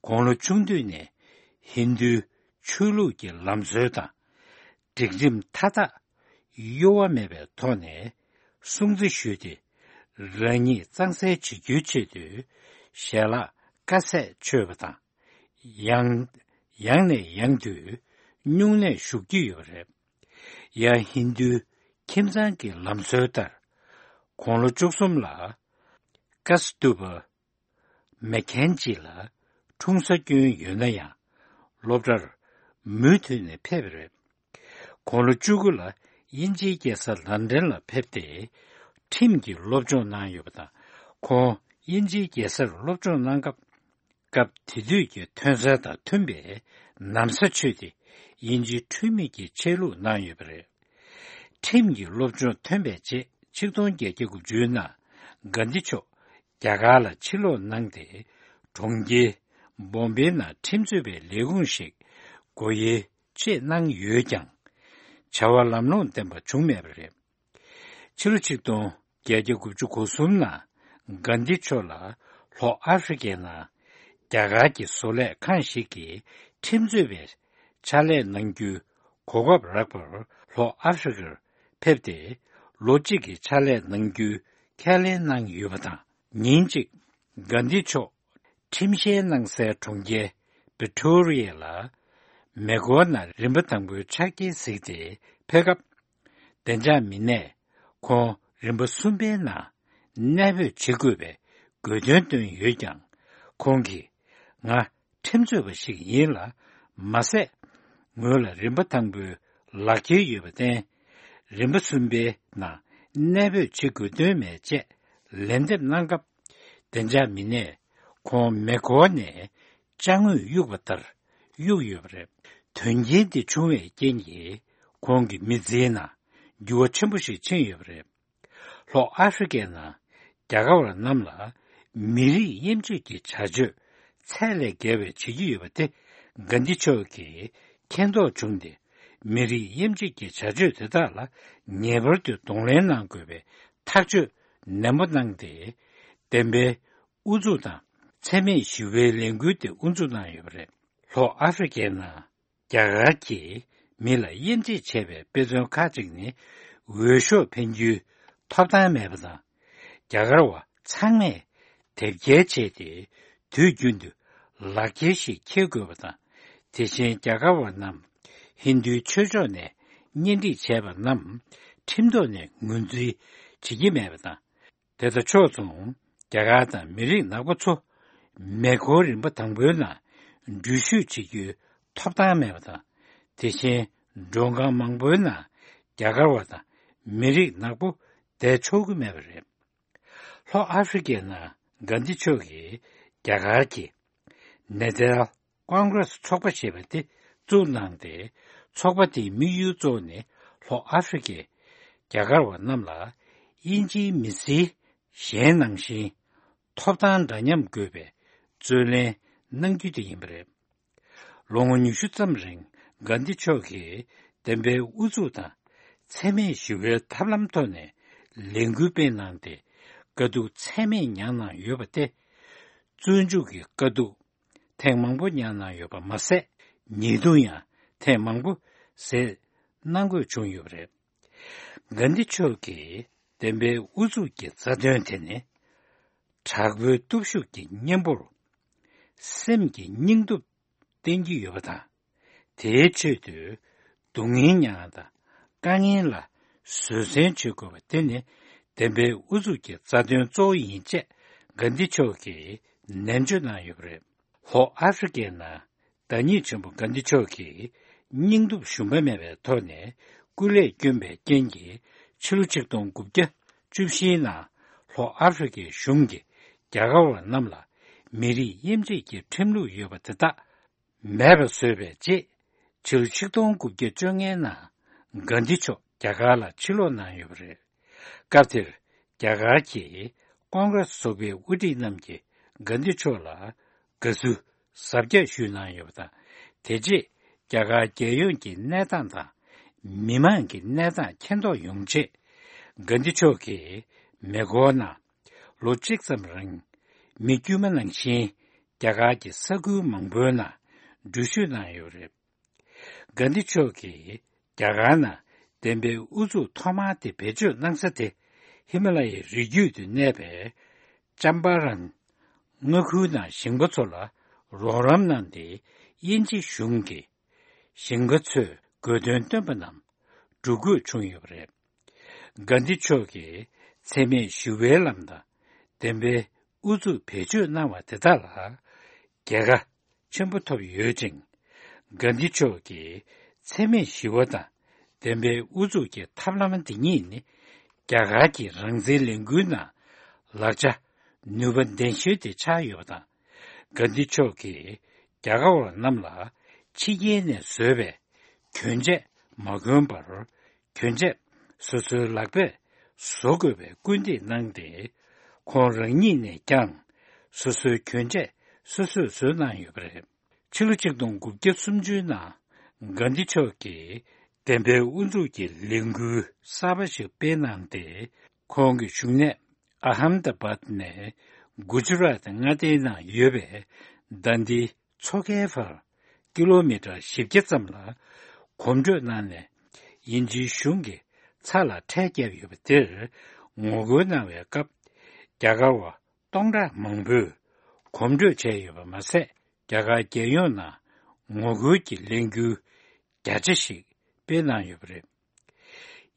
དགུང་ལོ་ཆུང་དུས་ནས་ཧིན་རྡུའི་ཆོས་ལུགས་ཀྱི་ལམ་སྲོལ་དང་སྒྲིག་ཁྲིམས་མཐའ་དག་གཡོ་བ་མེད་པའི་ཐོག་ནས་སྲུང་བརྩི་ཞུས་ཏེ། རང་ཉིད་གཙང་སེལ་བྱེད་རྒྱུའི་ཆེད་དུ་ཞལ་ལག་དཀའ་ཚེགས་ཆོད་པ་དང་། ཡང་ཡང་ནས་ཡང་དུ་སྨྱུང་གནས་བཞུགས་ཀྱི་ཡོད་པ་རེད། ཡང་ཧིན་རྡུའི་ཁྱིམ་ཚང་གི་ལམ་སྲོལ་ལྟར། དགུང་ལོ་བཅུ་གསུམ་ལ་ཀ་སྟུ་པ་མེ་ཁན་ཇི་ལ་འཁྲུངས་ས་སྐྱོན་ཡོད་ན་ཡང་། སློབ་གྲྭར་མུ་མཐུད་ནས་ཕེབས་པ་རེད། དགུང་ལོ་བཅུ་དགུ་ལ་དབྱིན་ཇིའི་རྒྱལ་ས་ལན་ཀྲན་ལ་ཕེབས་ཏེ། ཁྲིམས་ཀྱི་སློབ་སྦྱོང་གནང་ཡོད་པ་དང་། ཁོང་དབྱིན་ཇིའི་རྒྱལ་སར་སློབ་སྦྱོང་གནང་སྐབས། སྐབས་དེ་དུས་ཀྱི་ཐོན་རྫས་དང་མཐུན་པའི་ན་བཟའ་མཆོད་དེ། དབྱིན་ཇིའི་འཁྲུལ་མེད་ཀྱི་ཆས་ལུགས་གནང་ཡོད་པ་རེད། ཁྲིམས་ཀྱི་སློབ་སྦྱོང་ཐོན་པའི་རྗེས། ཆིག་སྟོང་བརྒྱད་བརྒྱ་དགུ་བཅུའི་ནང་གྷན་དྷི་མཆོག་རྒྱ་གར་ལ་ཕྱིར་ལོག་གནང་སྟེ། གྲོང་ཁྱེར་བོམ་བེ་ནང་ཁྲིམས་རྩོད་པའི་ལས་ཁུངས་ཤིག་སྒོ་དབྱེ་ཆེད་གནང་ཡོད་ཀྱང་། བྱ་བ་ལམ་ལྷོང་ལྡན་པ་བྱུང་མེད་པ་རེད། ཕྱི་ལོ་ཆིག་སྟོང་བརྒྱད་བརྒྱ་དགུ་བཅུ་གོ་གསུམ་ནང་གྷན་དྷི་མཆོག་ལ་ལྷོ་ཨ་ཧྥེ་རི་ཁའི་ནང་རྒྱ་གར་གྱི་བཟོ་ལས་ཁང་ཞིག་གིས་ཁྲིམས་རྩོད་པའི་ཕྱག་ལས་གནང་རྒྱུའི་གོ་སྐབས་རག་པར་ལྷོ་ཨ་ཧྥེ་རི་ཁར་ཕེབས་ཏེ། ལོ་གཅིག་གི་ཕྱག་ལས་གནང་རྒྱུའི་ཁས་ལེན་གནང་ཡོད་པ་དང་། ཉིན་གཅིག་གྷན་དྷི་མཆོག་ཁྲིམས་བཤེར་གནང་སའི་གྲོང་ཁྱེར་བི་ཀྲོ་རི་ཡ་ལ་མེ་འཁོར་ནང་རིམ་པ་དང་པོའི་ཆ་རྐྱེན་གཟིགས་ཏེ་ཕེབས་སྐབས། བདེ་འཇགས་མི་སྣས་ཁོང་རིམ་པ་གསུམ་པའི་ནང་གནས་སྤོས་བྱེད་དགོས་པའི་དགོས་འདུན་བཏོན་ཡོད་ཀྱང་། ཁོང་གིས། ང་ཁྲིམས་རྩོད་པ་ཞིག་ཡིན་ལ། མ་ཟད། ངོས་ལ་རིམ་པ་དང་པོའི་ལག་འཁྱེར་ཡོད་པར་བརྟེན། རིམ་པ་གསུམ་པའི་ནང་གནས་སྤོས་བྱེད་དགོས་དོན་མེད་ཅེས་ལན་འདེབས་གནང་སྐབས། བདེ་འཇགས་མི་སྣས་ཁོང་མེ་འཁོར་ནས་ཅ་དངོས་གཡུགས་པ་ལྟར་གཡུགས་ཡོད་པ་རེད། དོན་རྐྱེན་འདི་བྱུང་བའི་རྐྱེན་གྱིས་ཁོང་གི་མི་ཚེའི་ནང་འགྱུར་བ་ཆེན་པོ་ཞིག་ཕྱིན་ཡོད་པ་རེད། ལྷོ་ཨ་ཧྥེ་རི་ཁའི་ནང་རྒྱ་གར་བ་རྣམས་ལ་མི་རིགས་དབྱེ་འབྱེད་ཀྱི་བྱ་སྤྱོད་ཚད་ལས་བརྒལ་བའི་བྱེད་ཀྱི་ཡོད་པ་དེ་གྷན་དྷི་མཆོག་གིས་མཁྱེན་རྟོགས་བྱུང་སྟེ། མི་རིགས་དབྱེ་འབྱེད་ཀྱི་བྱ་སྤྱོད་དེ་དག་ལ་ངེས་པར་དུ་གདོང་ལེན་གནང་དགོས་པའི་ཐག་གཅོད་ནན་པོ་གནང་སྟེ། བདེན་པའི་ཨུ་ཚུགས་དང་འཚེ་མེད་ཞི་བའི་ལས་འགུལ་དེ་དབུ་འཛུགས་གནང་ཡོད་པ་རེད། ལྷོ་ཨ་ཧྥེ་རི་ཁའི་ནང་རྒྱ་གར་གྱིས་མི་ལ་དབྱེ་འབྱེད་བྱས་པའི་དཔེ་མཚོན་ཁག་ཅིག་ནི། འོས་ཤོག་འཕེན་རྒྱུའི་ཐོབ་ཐང་མེད་པ་དང་། རྒྱ་གར་བ་ཚང་མས་དེབ་སྐྱེལ་བྱས་ཏེ། དུས་རྒྱུན་དུ་ལག་འཁྱེར་ཞིག་འཁྱེར་དགོས་པ་དང་། དེ་བཞིན་རྒྱ་གར་བ་རྣམས་ཧིན་རྡུའི་ཆོས་ཕྱོགས་ནས་གཉེན་སྒྲིག་བྱས་པ་རྣམས་ཁྲིམས་ཐོག་ནས་ངོས་འཛིན་བྱེད་ཀྱི་མེད་པ་དང་། དེ་དང་ཕྱོགས་མཚུངས། རྒྱ་གར་དང་མི་རིགས་ནག་པོ་ཚོ་མེ་འཁོར་རིམ་པ་དང་པོའི་ནང་འགྲུལ་བཞུད་བྱེད་རྒྱུའི་ཐོབ་ཐང་མེད་པ་དང་། དེ་བཞིན་མགྲོན་ཁང་མང་པོའི་ནང་རྒྱ་གར་བ་དང་མི་རིགས་ནག་པོ་བསྡད་ཆོག་གི་མེད་པ་རེད། ལྷོ་ཨ་ཧྥེ་རི་ཀའི་ནང་གྷན་དྷི་མཆོག་གིས་རྒྱ་གར་གྱི་ནེ་ཏཱལ་ཀོང་གྷི་རེ་སི་ཚོགས་པ་ཞེས་པ་དེ་བཙུགས་གནང་སྟེ། ཚོགས་པ་དེའི་དམིགས་ཡུལ་གཙོ་བོ་ནི་ལྷོ་ཨ་ཧྥེ་རི་ཀའི་རྒྱ་གར་བ་རྣམས་ལ་དབྱིན་ཇིའི་མི་སེར་གཞན་ནང་བཞིན་ཐོབ་ཐང་འདྲ་མཉམ་དགོས་པའི་རྩོད་ལེན་གནང་རྒྱུ་དེ་ཡིན་པ་རེད། ལོ་ངོ་ཉི་ཤུ་ཙམ་རིང་གྷན་དྷི་མཆོག་གིས་བདེན་པའི་ཨུ་ཚུགས་དང་འཚེ་མེད་ཞི་བའི་ཐབས་ལམ་ཐོག་ནས་ལས་འགུལ་སྤེལ་གནང་སྟེ། དཀའ་སྡུག་ཚད་མེད་མྱངས་གནང་ཡོད་པ་སྟེ། བཙོན་འཇུག་གི་དཀའ་སྡུག་ཐེངས་མང་པོ་མྱངས་གནང་ཡོད་པ་མ་ཟད། ཉེས་རྡུང་ཡང་ཐེངས་མང་པོ་བཟོས་གནང་དགོས་བྱུང་ཡོད་པ་རེད། གྷན་དྷི་མཆོག་གིས་བདེན་པའི་ཨུ་ཚུགས་ཀྱི་རྩ་དོན་དེ་ནི། དྲག་པོའི་སྟོབས་ཤུགས་ཀྱི་གཉེན་པོར་སེམས་ཀྱི་སྙིང་སྟོབས་བསྟེན་གྱི་ཡོད་པ་དང་། དེའི་ཆེད་དུ་སྡུག་བསྔལ་མྱངས་དང་དཀའ་ངལ་ལ་བཟོད་བསྲན་བྱེད་དགོས་པ་དེ་ནི་བདེན་པའི་ཨུ་ཚུགས་ཀྱི་རྩ་དོན་གཙོ་བོ་ཡིན་ཅེས་གྷན་དྷི་མཆོག་གིས་ནན་བརྗོད་གནང་ཡོད་པ་རེད། ལྷོ་ཨ་ཧྥེ་རི་ཀའི་ནང་བདག་ཉིད་ཆེན་པོ་གྷན་དྷི་མཆོག་གིས་སྙིང་སྟོབས་ཞུམ་པ་མེད་པའི་ཐོག་ནས་སྐུ་ལས་བསྐྱོན་པའི་རྐྱེན་གྱིས། ཕྱི་ལོ་ཆིག་སྟོང་དགུ་བརྒྱ་བཅུ་བཞིའི་ནང་ལྷོ་ཨ་ཧྥེ་རི་ཀའི་གཞུང་གིས་རྒྱ་གར་བ་རྣམས་ལ་མི་རིགས་དབྱེ་འབྱེད་ཀྱི་ཁྲིམས་ལུགས་ཡོད་པ་དེ་དག་མེད་པ་བཟོས་པའི་རྗེས། ཕྱི་ལོ་ཆིག་སྟོང་དགུ་བརྒྱ་བཅོ་ལྔའི་ནང་གྷན་དྷི་མཆོག་རྒྱ་གར་ལ་ཕྱིར་ལོག་གནང་ཡོད་པ་རེད། སྐབས་དེར་རྒྱ་གར་གྱི་ཀོང་གྷི་རེ་སི་ཚོགས་པའི་དབུ་ཁྲིད་རྣམས་ཀྱིས་གྷན་དྷི་མཆོག་ལ་དགའ་བསུ་གཟབ་རྒྱས་ཞུས་གནང་ཡོད་པ་དང་། དེ་རྗེས་རྒྱ་གར་རྒྱལ་ཡོངས་ཀྱི་གནས་སྟངས་དང་མི་མང་གི་གནས་སྟངས་མཁྱེན་རྟོགས་ཡོང་ཆེད། གྷན་དྷི་མཆོག་གིས་མེ་འཁོར་ནང་ལོ་གཅིག་ཙམ་རིང་མི་དཀྱུས་མ་ནང་བཞིན་རྒྱ་གར་གྱི་ས་ཁུལ་མང་པོའི་ནང་འགྲུལ་བཞུད་གནང་ཡོད་པ་རེད། གྷན་དྷི་མཆོག་གིས་རྒྱ་གར་ནང་བདེན་པའི་ཨུ་ཚུགས་ཐོག་མ་དེ་བེད་སྤྱོད་གནང་ས་དེ་ཧི་མ་ལ་ཡའི་རི་རྒྱུད་དུ་གནས་པའི་ཅམ་པ་རན་མངའ་ཁུལ་ནང་ཞིང་པ་ཚོ་ལ་རོགས་རམ་གནང་སྟེ། དབྱིན་ཇི་གཞུང་གིས་ཞིང་པ་ཚོས་དགོས་འདུན་བཏོན་པ་རྣམས་སྒྲུབ་དགོས་བྱུང་ཡོད་པ་རེད། གྷན་དྷི་མཆོག་གིས་འཚེ་མེད་ཞི་བའི་ལམ་དང་བདེན་པའི་ཨུ་ཚུགས་བེད་སྤྱོད་གནང་བ་དེ་དག་ལ་རྒྱལ་ཁ་ཆེན་པོ་ཐོབ་ཡོད་ཅིང་། གྷན་དྷི་མཆོག་གིས་འཚེ་མེད་ཞི་བ་དང་བདེན་པའི་ཨུ་ཚུགས་ཀྱི་ཐབས་ལམ་འདི་ཉིད་ནི་རྒྱ་གར་གྱི་རང་བཙན་ལས་འགུལ་ནང་ལག་ཆ་ནུས་པ་ལྡན་ཤོས་དེ་ཆགས་ཡོད་པ་དང་། གྷན་དྷི་མཆོག་གིས་རྒྱ་གར་བ་རྣམས་ལ་ཕྱི་རྒྱལ་ནས་བཟོས་པའི་གྱོན་ཆས་མ་གོན་པར། གྱོན་ཆས་སོ་སོའི་ལག་པས་བཟོ་དགོས་པའི་སྐུལ་འདེད་གནང་སྟེ། ཁོང་རང་ཉིད་ནས་ཀྱང་སོ་སོའི་གྱོན་ཆས་སོ་སོས་བཟོས་གནང་ཡོད་པ་རེད། ཕྱི་ལོ་ཆིག་སྟོང་དགུ་བརྒྱ་སུམ་ཅུའི་ནང་གྷན་དྷི་མཆོག་གིས་བདེན་པའི་དབུ་འཛུགས་ཀྱི་ལས་འགུལ་གསར་པ་ཞིག་སྤེལ་གནང་སྟེ། ཁོང་གི་བཞུགས་གནས་ཨ་ཧམ་ད་བཱད་ནས་གུ་ཇི་རཱཏ་མངའ་སྡེའི་ནང་ཡོད་པའི་དཱན་དི་མཚོ་ཁའི་བར་ཀི་ལོ་མི་ཊར་བཞི་བརྒྱ་ཙམ་ལ་གོམ་བགྲོད་གནང་ནས། དབྱིན་ཇིའི་གཞུང་གིས་ཚྭ་ལ་ཁྲལ་བརྒྱབ་ཡོད་པ་དེར་ངོ་རྒོལ་གནང་བའི་སྐབས། རྒྱ་གར་བ་སྟོང་ཕྲག་མང་པོས་གོམ་བགྲོད་བྱས་ཡོད་པ་མ་ཟད། རྒྱ་གར་རྒྱལ་ཡོངས་ནང་ངོ་རྒོལ་གྱི་ལས་འགུལ་བརྒྱ་ཆ་ཞིག་སྤེལ་གནང་ཡོད་པ་རེད།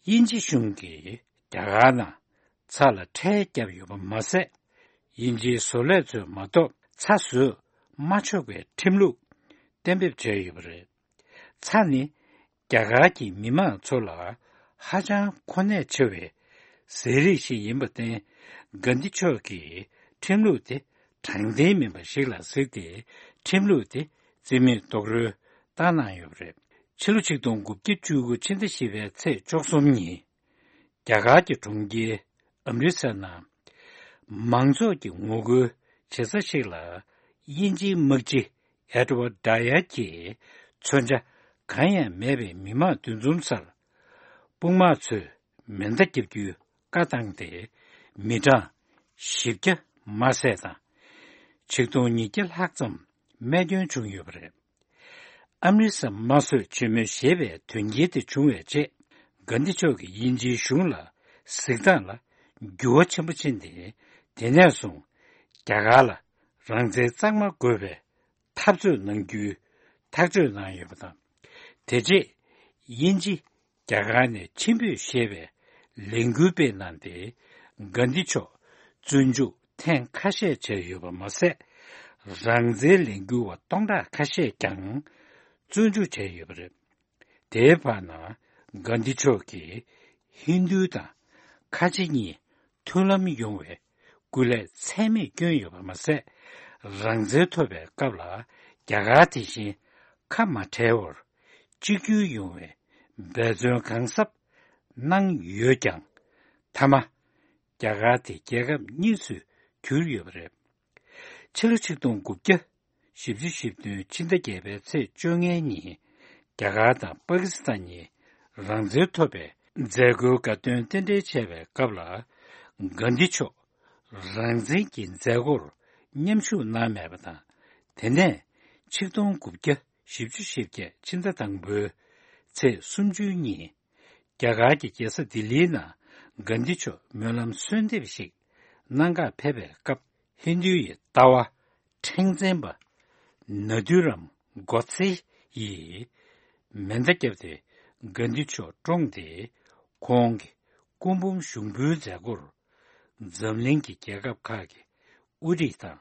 དབྱིན་ཇི་གཞུང་གིས་རྒྱ་གར་ནང་ཚྭ་ལ་ཁྲལ་བརྒྱབ་ཡོད་པ་མ་ཟད། དབྱིན་ཇིའི་བཟོ་ལས་ཚོས་མ་གཏོགས་ཚྭ་བཟོས་མ་ཆོག་པའི་ཁྲིམས་ལུགས་གཏན་འབེབས་བྱས་ཡོད་པ་རེད། ཚྭ་ནི་རྒྱ་གར་གྱི་མི་མང་ཚོ་ལ་ཧ་ཅང་གོ་གནད་ཆེ་བའི་ཟས་རིགས་ཤིག་ཡིན་པར་བརྟེན། གྷན་དྷི་མཆོག་གིས་ཁྲིམས་ལུགས་དེ་དྲང་བདེན་མིན་པ་ཞིག་ལ་གཟིགས་ཏེ། ཁྲིམས་ལུགས་དེ་རྩིས་མེད་རྡོག་རོལ་བཏང་གནང་ཡོད་པ་རེད། ཕྱི་ལོ་ཆིག་སྟོང་དགུ་བརྒྱ་བཅུ་དགུ་ཕྱི་ཟླ་བཞི་པའི་ཚེས་བཅུ་གསུམ་ཉིན། རྒྱ་གར་གྱི་གྲོང་ཁྱེར་ཨམ་རི་སར་ནང་མང་ཚོགས་ཀྱི་ངོ་རྒོལ་བྱེད་ས་ཞིག་ལ། དབྱིན་ཇིའི་དམག་སྤྱི་ཨེ་ཌི་ཝར་ཌ་ཡར་གྱིས་མཚོན་ཆ་གང་ཡང་མེད་པའི་མི་མང་འདུ་འཛོམས་སར། དཔུང་དམག་ཚོས་མེ་མདའ་བརྒྱབ་རྒྱུའི་བཀའ་བཏང་སྟེ། མི་གྲངས་བཞི་བརྒྱ་མ་ཟད་དང་། ཆིག་སྟོང་ཉིས་བརྒྱ་ལྷག་ཙམ་རྨས་སྐྱོན་བྱུང་ཡོད་པ་རེད། ཨམ་རི་སར་དམར་གསོད་ཆེན་མོ་ཞེས་པའི་དོན་རྐྱེན་དེ་བྱུང་བའི་རྗེས། གྷན་དྷི་མཆོག་གིས་དབྱིན་ཇིའི་གཞུང་ལ་གཟིགས་སྟངས་ལ་འགྱུར་བ་ཆེན་པོ་ཕྱིན་ཏེ། དེ་ནས་བཟུང་རྒྱ་གར་ལ་རང་བཙན་གཙང་མ་དགོས་པའི་འཐབ་རྩོད་གནང་རྒྱུའི་ཐག་གཅོད་གནང་ཡོད་པ་དང་། དེ་རྗེས་དབྱིན་ཇི་རྒྱ་གར་ནས་ཕྱིར་འབུད་ཞེས་པའི་ལས་འགུལ་སྤེལ་གནང་སྟེ། གྷན་དྷི་མཆོག་བཙོན་འཇུག་ ཐེངས་ཁ་ཤས་བྱས་ཡོད་པ་མ་ཟད། རང་བཙན་ལས་འགུལ་བ་སྟོང་ཕྲག་ཁ་ཤས་ཀྱང་བཙོན་འཇུག་བྱས་ཡོད་པ་རེད། དེའི་བར་ན་གྷན་དྷི་མཆོག་གིས་ཧིན་རྡུ་དང་ཁ་ཆེ་གཉིས་མཐུན་ལམ་ཡོང་བའི་སྐུ་ལས་ཚད་མེད་བསྐྱོན་ཡོད་པ་མ་ཟད། རང་བཙན་ཐོབ་པའི་སྐབས་ལ་རྒྱ་གར་དེ་བཞིན་ཁ་མ་བྲལ་བར་གཅིག་གྱུར་ཡོང་བའི་འབད་བརྩོན་གང་གཟབ་གནང་ཡོད་ཀྱང་། མཐའ་མ་རྒྱ་གར་དེ་རྒྱལ་ཁབ་གཉིས་སུ་གྱུར་ཡོད་པ་རེད། ཕྱི་ལོ་ཆིག་སྟོང་དགུ་བརྒྱ་བཞི་བཅུ་ཞེ་བདུན་ཕྱི་ཟླ་བརྒྱད་པའི་ཚེས་བཅོ་ལྔའི་ཉིན། རྒྱ་གར་དང་པ་ཀི་སི་ཐན་གཉིས་རང་བཙན་ཐོབ་པའི་མཛད་སྒོའི་དགའ་སྟོན་རྟེན་འབྲེལ་བྱས་པའི་སྐབས་ལ། གྷན་དྷི་མཆོག་རང་བཙན་གྱི་མཛད་སྒོར་མཉམ་ཞུགས་གནང་མེད་པ་དང་། དེ་ནས་ཆིག་སྟོང་དགུ་བརྒྱ་བཞི་བཅུ་ཞེ་བརྒྱད་ཕྱི་ཟླ་དང་པོའི་ཚེས་སུམ་ཅུ་ཉིན། རྒྱ་གར་གྱི་རྒྱལ་ས་ལྡི་ལིའི་ནང་གྷན་དྷི་མཆོག་སྨོན་ལམ་གསོལ་འདེབས་ཤིག་གནང་གར་ཕེབས་པའི་སྐབས། ཧིན་རྡུའི་ལྟ་བ་ཕྲེང་འཛིན་པ་ནཱ་དྷུ་རམ་གོ་ཚེ་ཡིས་མེ་མདའ་བརྒྱབ་སྟེ་གྷན་དྷི་མཆོག་བཀྲོངས་ཏེ། ཁོང་གི་སྐུ་འབུམ་ཞུགས་འབུལ་མཛད་སྒོར་འཛམ་གླིང་གི་རྒྱལ་ཁབ་ཁག་གི་དབུ་ཁྲིད་དང་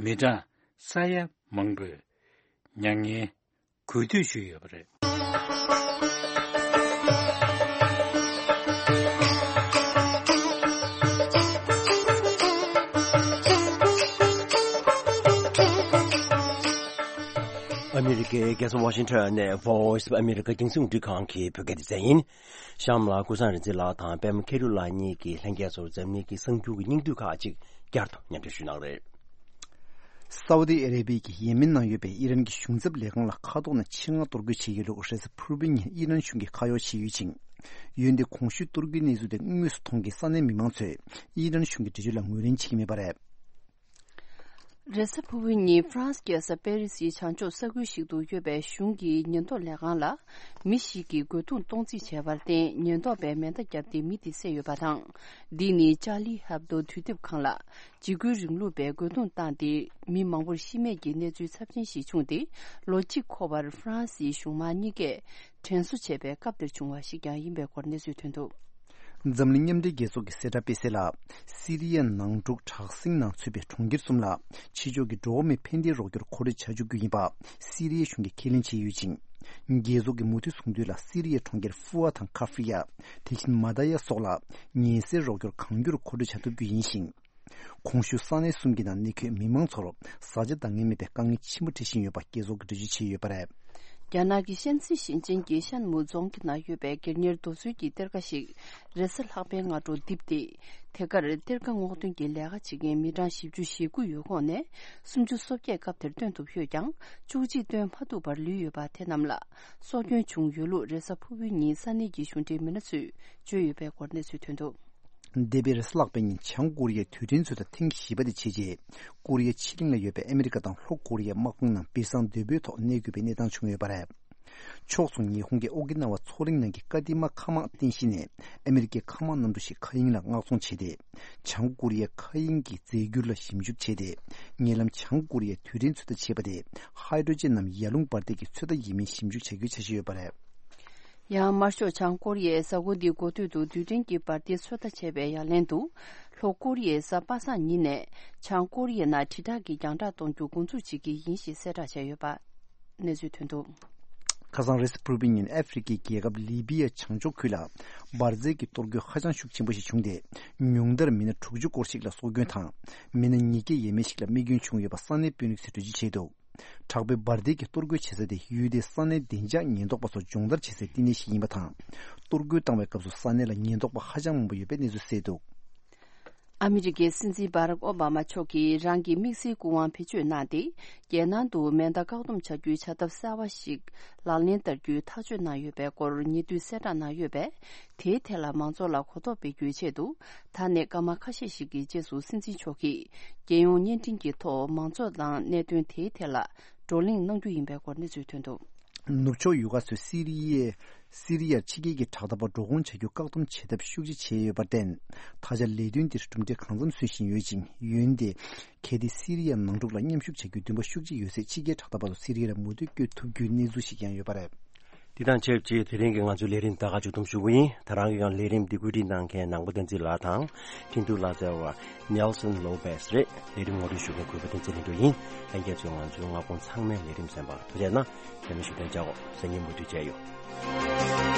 མི་གྲངས་ས་ཡ་མང་པོས་མྱ་ངན་གུས་འདུད་ཞུས་ཡོད་པ་རེད། ཨ་མི་རི་ཀའི་རྒྱལ་ས་ཝ་ཤིང་ཊོན་ནས་Voice of America་རྒྱང་སྲིང་རླུང་འཕྲིན་ཁང་གི་བོད་སྐད་སྡེ་ཚན་ཡིན། གཤམ་ལ་ཀུན་བཟང་རིག་འཛིན་ལགས་དང་པད་མ་མཁས་གྲུབ་ལགས་གཉིས་ཀྱིས་ལྷན་རྒྱས་ཚོར་འཛམ་གླིང་གི་གསར་འགྱུར་གྱི་སྙིང་བསྡུས་ཁག་ཅིག་བསྐྱར་དུ་སྙན་སྒྲོན་ཞུ་གནང་རེད། སའུ་ཏི་ཨ་རེ་བྷི་ཡའི་ཡེ་མེན་ནང་ཡོད་པའི་ཨི་རན་གྱི་གཞུང་ཚབ་ལས་ཁང་ལ་མཁའ་ཐོག་ནས་ཆེད་མངགས་གཏོར་རྒོལ་བྱས་ཡོད་ལུགས་རེས་གཟའ་ཕུར་བུའི་ཉིན་ཨི་རན་གཞུང་གིས་ཁ་གཡོག་བྱས་ཡོད་ཅིང་། འོན་ཏེ་གོང་ཞུས་གཏོར་རྒོལ་གནས་ཚུལ་དེ་དངོས་སུ་མཐོང་མཁན་ས་གནས་མི་མང་ཚོས་ཨི་རན་གཞུང་གི་འགྲེལ་བརྗོད་ལ་ངོས་ལེན་བྱེད་ཀྱི་མེད་པ་རེད། རེས་གཟའ་ཕུར་བུའི་ཉིན་ཧྥ་རན་སི་རྒྱལ་ས་པེ་རི་སིའི་བྱང་ཕྱོགས་ས་ཁུལ་ཞིག་ཏུ་ཡོད་པའི་གཞུང་གི་ཉེན་རྟོག་ལས་ཁང་ལ་མི་ཞིག་གིས་རྒོལ་རྡུང་གཏོང་རྩིས་བྱས་པར་བརྟེན་ཉེན་རྟོག་པས་མེ་མདའ་བརྒྱབ་སྟེ་མི་དེ་བསད་ཡོད་པ་དང་། འདི་ནི་ཅཱ་ལི་ཧེབ་དོ་དུས་དེབ་ཁང་ལ་འཇིགས་སྐུལ་རིང་ལུགས་པས་རྒོལ་རྡུང་བཏང་སྟེ་མི་མང་པོར་ཤི་རྨས་ཀྱི་གནས་ཚུལ་ཚབས་ཆེན་ཞིག་བྱུང་སྟེ། ལོ་གཅིག་འཁོར་བར་ཧྥ་རན་སིའི་གཞུང་མང་གཉིས་ཀས་དྲན་གསོ་བྱས་པའི་སྐབས་དེར་བྱུང་བ་ཞིག་ཀྱང་ཡིན་པའི་སྐོར་གནས་ཚུལ་ཐོན་འདུག། འཛམ་གླིང་མཉམ་འབྲེལ་རྒྱལ་ཚོགས་ཀྱི་གསལ་བསྒྲགས་སྤེལ་གསལ་ལ། སི་རི་ཡའི་ནང་འཁྲུག་དྲག་ཟིང་ནང་ཚུད་པའི་གྲོང་ཁྱེར་གསུམ་ལ་ཕྱི་ཕྱོགས་ཀྱི་འགྲོ་བ་མིའི་ཕན་བདེའི་རོགས་སྐྱོར་མཁོ་སྤྲོད་བྱ་བཅུག་རྒྱུ་ཡིན་པ་སི་རི་ཡའི་གཞུང་གིས་ཁས་ལེན་བྱས་ཡོད་ཅིང་། རྒྱལ་ཚོགས་ཀྱིས་མུ་མཐུད་གསུང་དོན་ལ། སི་རི་ཡའི་གྲོང་ཁྱེར་ཧྥུ་ཨ་དང་ཁ་ཧྥི་ཡ། དེ་བཞིན་མ་ད་ཡ་སོགས་ལ་ཉེན་སེལ་རོགས་སྐྱོར་གང་འགྱུར་མཁོ་སྤྲོད་བྱ་ཐུབ་རྒྱུ་ཡིན་ཞིང་། གོང་ཞུས་ས་གནས་གསུམ་གྱི་ནང་གནས་འཁོད་མི་མང་ཚོར་བཟའ་བཅའ་འདང་ངེས་མེད་པའི་དཀའ་ངལ་ཆེན་པོ་འཕྲད་བཞིན་ཡོད་པ་རྒྱལ་ཚོགས་ཀྱིས་འགྲེལ་བརྗོད་བྱས་ཡོད་པ་རེད། རྒྱ་ནག་གི་ཤན་སི་ཞིང་ཆེན་གྱི་ཤན་མུའུ་རྫོང་གི་ནང་ཡོད་པའི་སྒེར་གཉེར་རྡོ་སོལ་གྱི་གཏེར་ཁ་ཞིག་རེས་གཟའ་ལྷག་པའི་སྔ་དྲོ་རྡིབ་སྟེ། དེ་གར་གཏེར་ཁ་སྔོག་འདོན་གྱི་ལས་ཀ་བྱེད་མཁན་མི་གྲངས་བཞི་བཅུ་ཞེ་དགུ་ཡོད་ཁོངས་ནས་སུམ་ཅུ་སོ་བརྒྱད་སྐབས་དེར་བཏོན་ཐུབ་ཡོད་ཀྱང་། བཅུ་གཅིག་བཏོན་མ་ཐུབ་པར་ལུས་ཡོད་པ་དེ་རྣམས་ལ་སྲོག་སྐྱོན་བྱུང་ཡོད་ལུགས་རེས་གཟའ་ཕུར་བུའི་ཉིན་ས་གནས་ཀྱི་གཞུང་འབྲེལ་མི་སྣ་ཚོས་བརྗོད་ཡོད་པའི་སྐོར་གནས་ཚུལ་ཐོན་འདུག། འདས་པའི་རེས་གཟའ་ལྷག་པའི་ཉིན་བྱང་ཀོ་རི་ཡའི་དུས་དྲན་ཚོད་ལྟ་ཐེངས་བཞི་པ་དེ་བྱས་རྗེས། ཀོ་རི་ཡའི་ཕྱེད་གླིང་ལ་ཡོད་པའི་ཨ་མི་རི་ཀ་དང་ལྷོ་ཀོ་རི་ཡའི་དམག་དཔུང་རྣམས་སྦིར་སང་རྡོ་སྦིས་ཐོག་གནས་དགོས་པའི་གནས་སྟངས་བྱུང་ཡོད་པ་རེད། ཕྱོགས་མཚུངས་ཉི་ཧོང་གི་ཨོ་ཀི་ན་ཝ་མཚོ་གླིང་ནང་གི་ཀ་ཏི་མ་མཁའ་དམག་རྟེན་གཞི་ནས་ཨ་མི་རི་ཀའི་མཁའ་དམག་གནམ་གྲུ་ཞིག་མཁའ་དབྱིངས་ལ་མངགས་ཚོང་བྱས་ཏེ། བྱང་ཀོ་རི་ཡའི་མཁའ་དབྱིངས་ཀྱི་རྫས་འགྱུར་ལ་ཞིབ་འཇུག་བྱས་ཏེ། ཉེ་ལམ་བྱང་ཀོ་རི་ཡའི་དུས་དྲན་ཚོད་ལྟ་བྱས་པ་དེ་ཧའི་ཌྲོ་ཇེན་ནམ་ཡར་ཀླུང་འབར་མདེལ་གྱི་ཚོད་ལྟ་ཡིན་མིན་ཞིབ་འཇུག་བྱ་རྒྱུའི་འཆར་གཞི་ཡོད་པ་རེད། ཡང་དམར་ཤོག་བྱང་ཀོ་རི་ཡས་གཟའ་འཁོར་འདིའི་འགོ་སྟོད་དུ་རྡུལ་ཕྲན་གྱི་འབར་མདེལ་ཚོད་ལྟ་བྱས་པའི་ཡ་ལན་དུ། ལྷོ་ཀོ་རི་ཡས་གཟའ་པ་སངས་ཉིན་ནས་བྱང་ཀོ་རི་ཡའི་ནང་དྲིལ་བསྒྲགས་ཀྱི་རྒྱང་བསྒྲགས་གཏོང་རྒྱུ་འགོ་འཛུགས་བྱེད་ཀྱི་ཡིན་ཞེས་གསལ་བསྒྲགས་བྱས་ཡོད་པ་གནས་ཚུལ་ཐོན་འདུག། ཁ་སང་རེས་གཟའ་ཕུར་བུའི་ཉིན་ཨ་ཧྥེ་རི་ཁའི་རྒྱལ་ཁབ་ལི་བི་ཡའི་བྱང་ཕྱོགས་ཁུལ་ལ་འབར་རྫས་ཀྱི་གཏོར་རྒོལ་ཧ་ཅང་ཤུགས་ཆེན་པོ་ཞིག་བྱུང་སྟེ། ཉུང་མཐར་མི་སྣ་དྲུག་ཅུ་སྐོར་ཞིག་ལ་སྲོག་སྐྱོན་དང་། མི་སྣ་ཉིས་བརྒྱ་ཡས་མས་ཤིག་ལ་རྨས་སྐྱོན་བྱུང་ཡོད་པ་ས་གནས་དཔོན་རིགས་ཚོས་འགྲེལ་བརྗོད་བྱས་འདུག། དྲག་པོའི་འབར་མདེལ་གྱི་གཏོར་རྒོལ་བྱེད་ས་དེ་ཡུལ་དེའི་ས་གནས་བདེ་འཇགས་ཉེན་རྟོག་པ་ཚོ་སྦྱོང་བརྡར་བྱེད་སའི་བསྟི་གནས་ཤིག་ཡིན་པ་དང་། གཏོར་རྒོལ་བཏང་བའི་སྐབས་སུ་ས་གནས་ལ་ཉེན་རྟོག་པ་ཧ་ཅང་མང་པོ་ཡོད་པའི་གནས་ཚུལ་གསལ་འདུག། ཨ་མི་རི་ཀའི་སྲིད་འཛིན་བྷ་རག་ཨོ་བྷ་མ་མཆོག་གིས་རང་གི་དམིགས་བསལ་སྐུ་དབང་བེད་སྤྱོད་གནང་སྟེ། རྒྱལ་ནང་དུ་མེ་མདའ་བཀག་སྡོམ་བྱ་རྒྱུའི་བྱ་ཐབས་གསར་བ་ཞིག་ལག་ལེན་བསྟར་རྒྱུའི་ཐག་གཅོད་གནང་ཡོད་པའི་སྐོར་ཉེ་དུས་གསལ་བསྒྲགས་གནང་ཡོད་པས། དེའི་ཐད་ལ་མང་ཚོགས་ལ་གོ་རྟོགས་སྤེལ་རྒྱུའི་ཆེད་དུ། ད་ནས་སྐར་མ་ཁ་ཤས་ཤིག་གི་རྗེས་སུ་སྲིད་འཛིན་མཆོག་གིས་རྒྱལ་ཡོངས་བརྙན་འཕྲིན་གྱི་ཐོག་མང་ཚོགས་དང་གནད་དོན་དེའི་ཐད་ལ་བགྲོ་གླེང་གནང་རྒྱུ་ཡིན་པའི་སྐོར་གནས་ཚུལ་ཐོན་འདུག། ནུབ་ཕྱོགས་ཡུལ་ཁག་ཚོས་སི་རི་ཡའི་སི་རི་ཡར་ཕྱི་རྒྱལ་གྱི་དྲག་འཐབ་པ་འགྲོ་སྒོ་བྱ་རྒྱུ་བཀག་སྡོམ་བྱེད་ཐབས་ཤུགས་ཆེ་བྱས་ཡོད་པར་བརྟེན། ད་ཆ་ལས་དོན་འདིར་གྲུབ་འབྲས་གང་འཚམ་སོན་བཞིན་ཡོད་ཅིང་། འོན་ཏེ། གལ་ཏེ་སི་རི་ཡའི་ནང་འཁྲུག་ལ་མཉམ་ཞུགས་བྱ་རྒྱུའི་འདུན་པ་ཤུགས་ཆེ་ཡོད་ཚེ་ཕྱི་རྒྱལ་དྲག་འཐབ་པ་ཚོ་སི་རི་ཡ་ལ་མུ་མཐུད་བསྐྱོད་ཐུབ་རྒྱུའི་གནས་ཚུལ་ཞིག་ཀྱང་ཡོད་པ་རེད། འདི་དང་ཆབས་ཅིག་དེ་རིང་གི་ང་ཚོའི་ལས་རིམ་ད་ག་མཇུག་བསྡོམས་ཞུ་གི་ཡིན། ད་རང་གི་ཡང་ལས་རིམ་འདི་བཀོད་སྒྲིག་གནང་མཁན་ནང་པ་བསྟན་འཛིན་ལགས་དང་ཁྲིན་ཏུ་ལག་རྩལ་བ་Nelson Lopez་རེད། ལས་རིམ་ངོ་སྤྲོད་ཞུ་མཁན་གུས་པ་བསྟན་འཛིན་ལྷུན་གྲུབ་ཡིན། ལྷན་རྒྱས་ཚོས་ང་ཚོའི་མངའ་ཁོངས་ཚང་མའི་ལས་རིམ་གསན་པར་ཐུགས་རྗེ་གནང་། རྒྱ་མི་ཞུ་དོན་བྱ་འོ་སང་ཉིན་མུ་མཐུད་བྱས་ཡོད།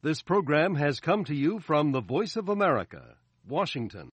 This program has come to you from the Voice of America, Washington.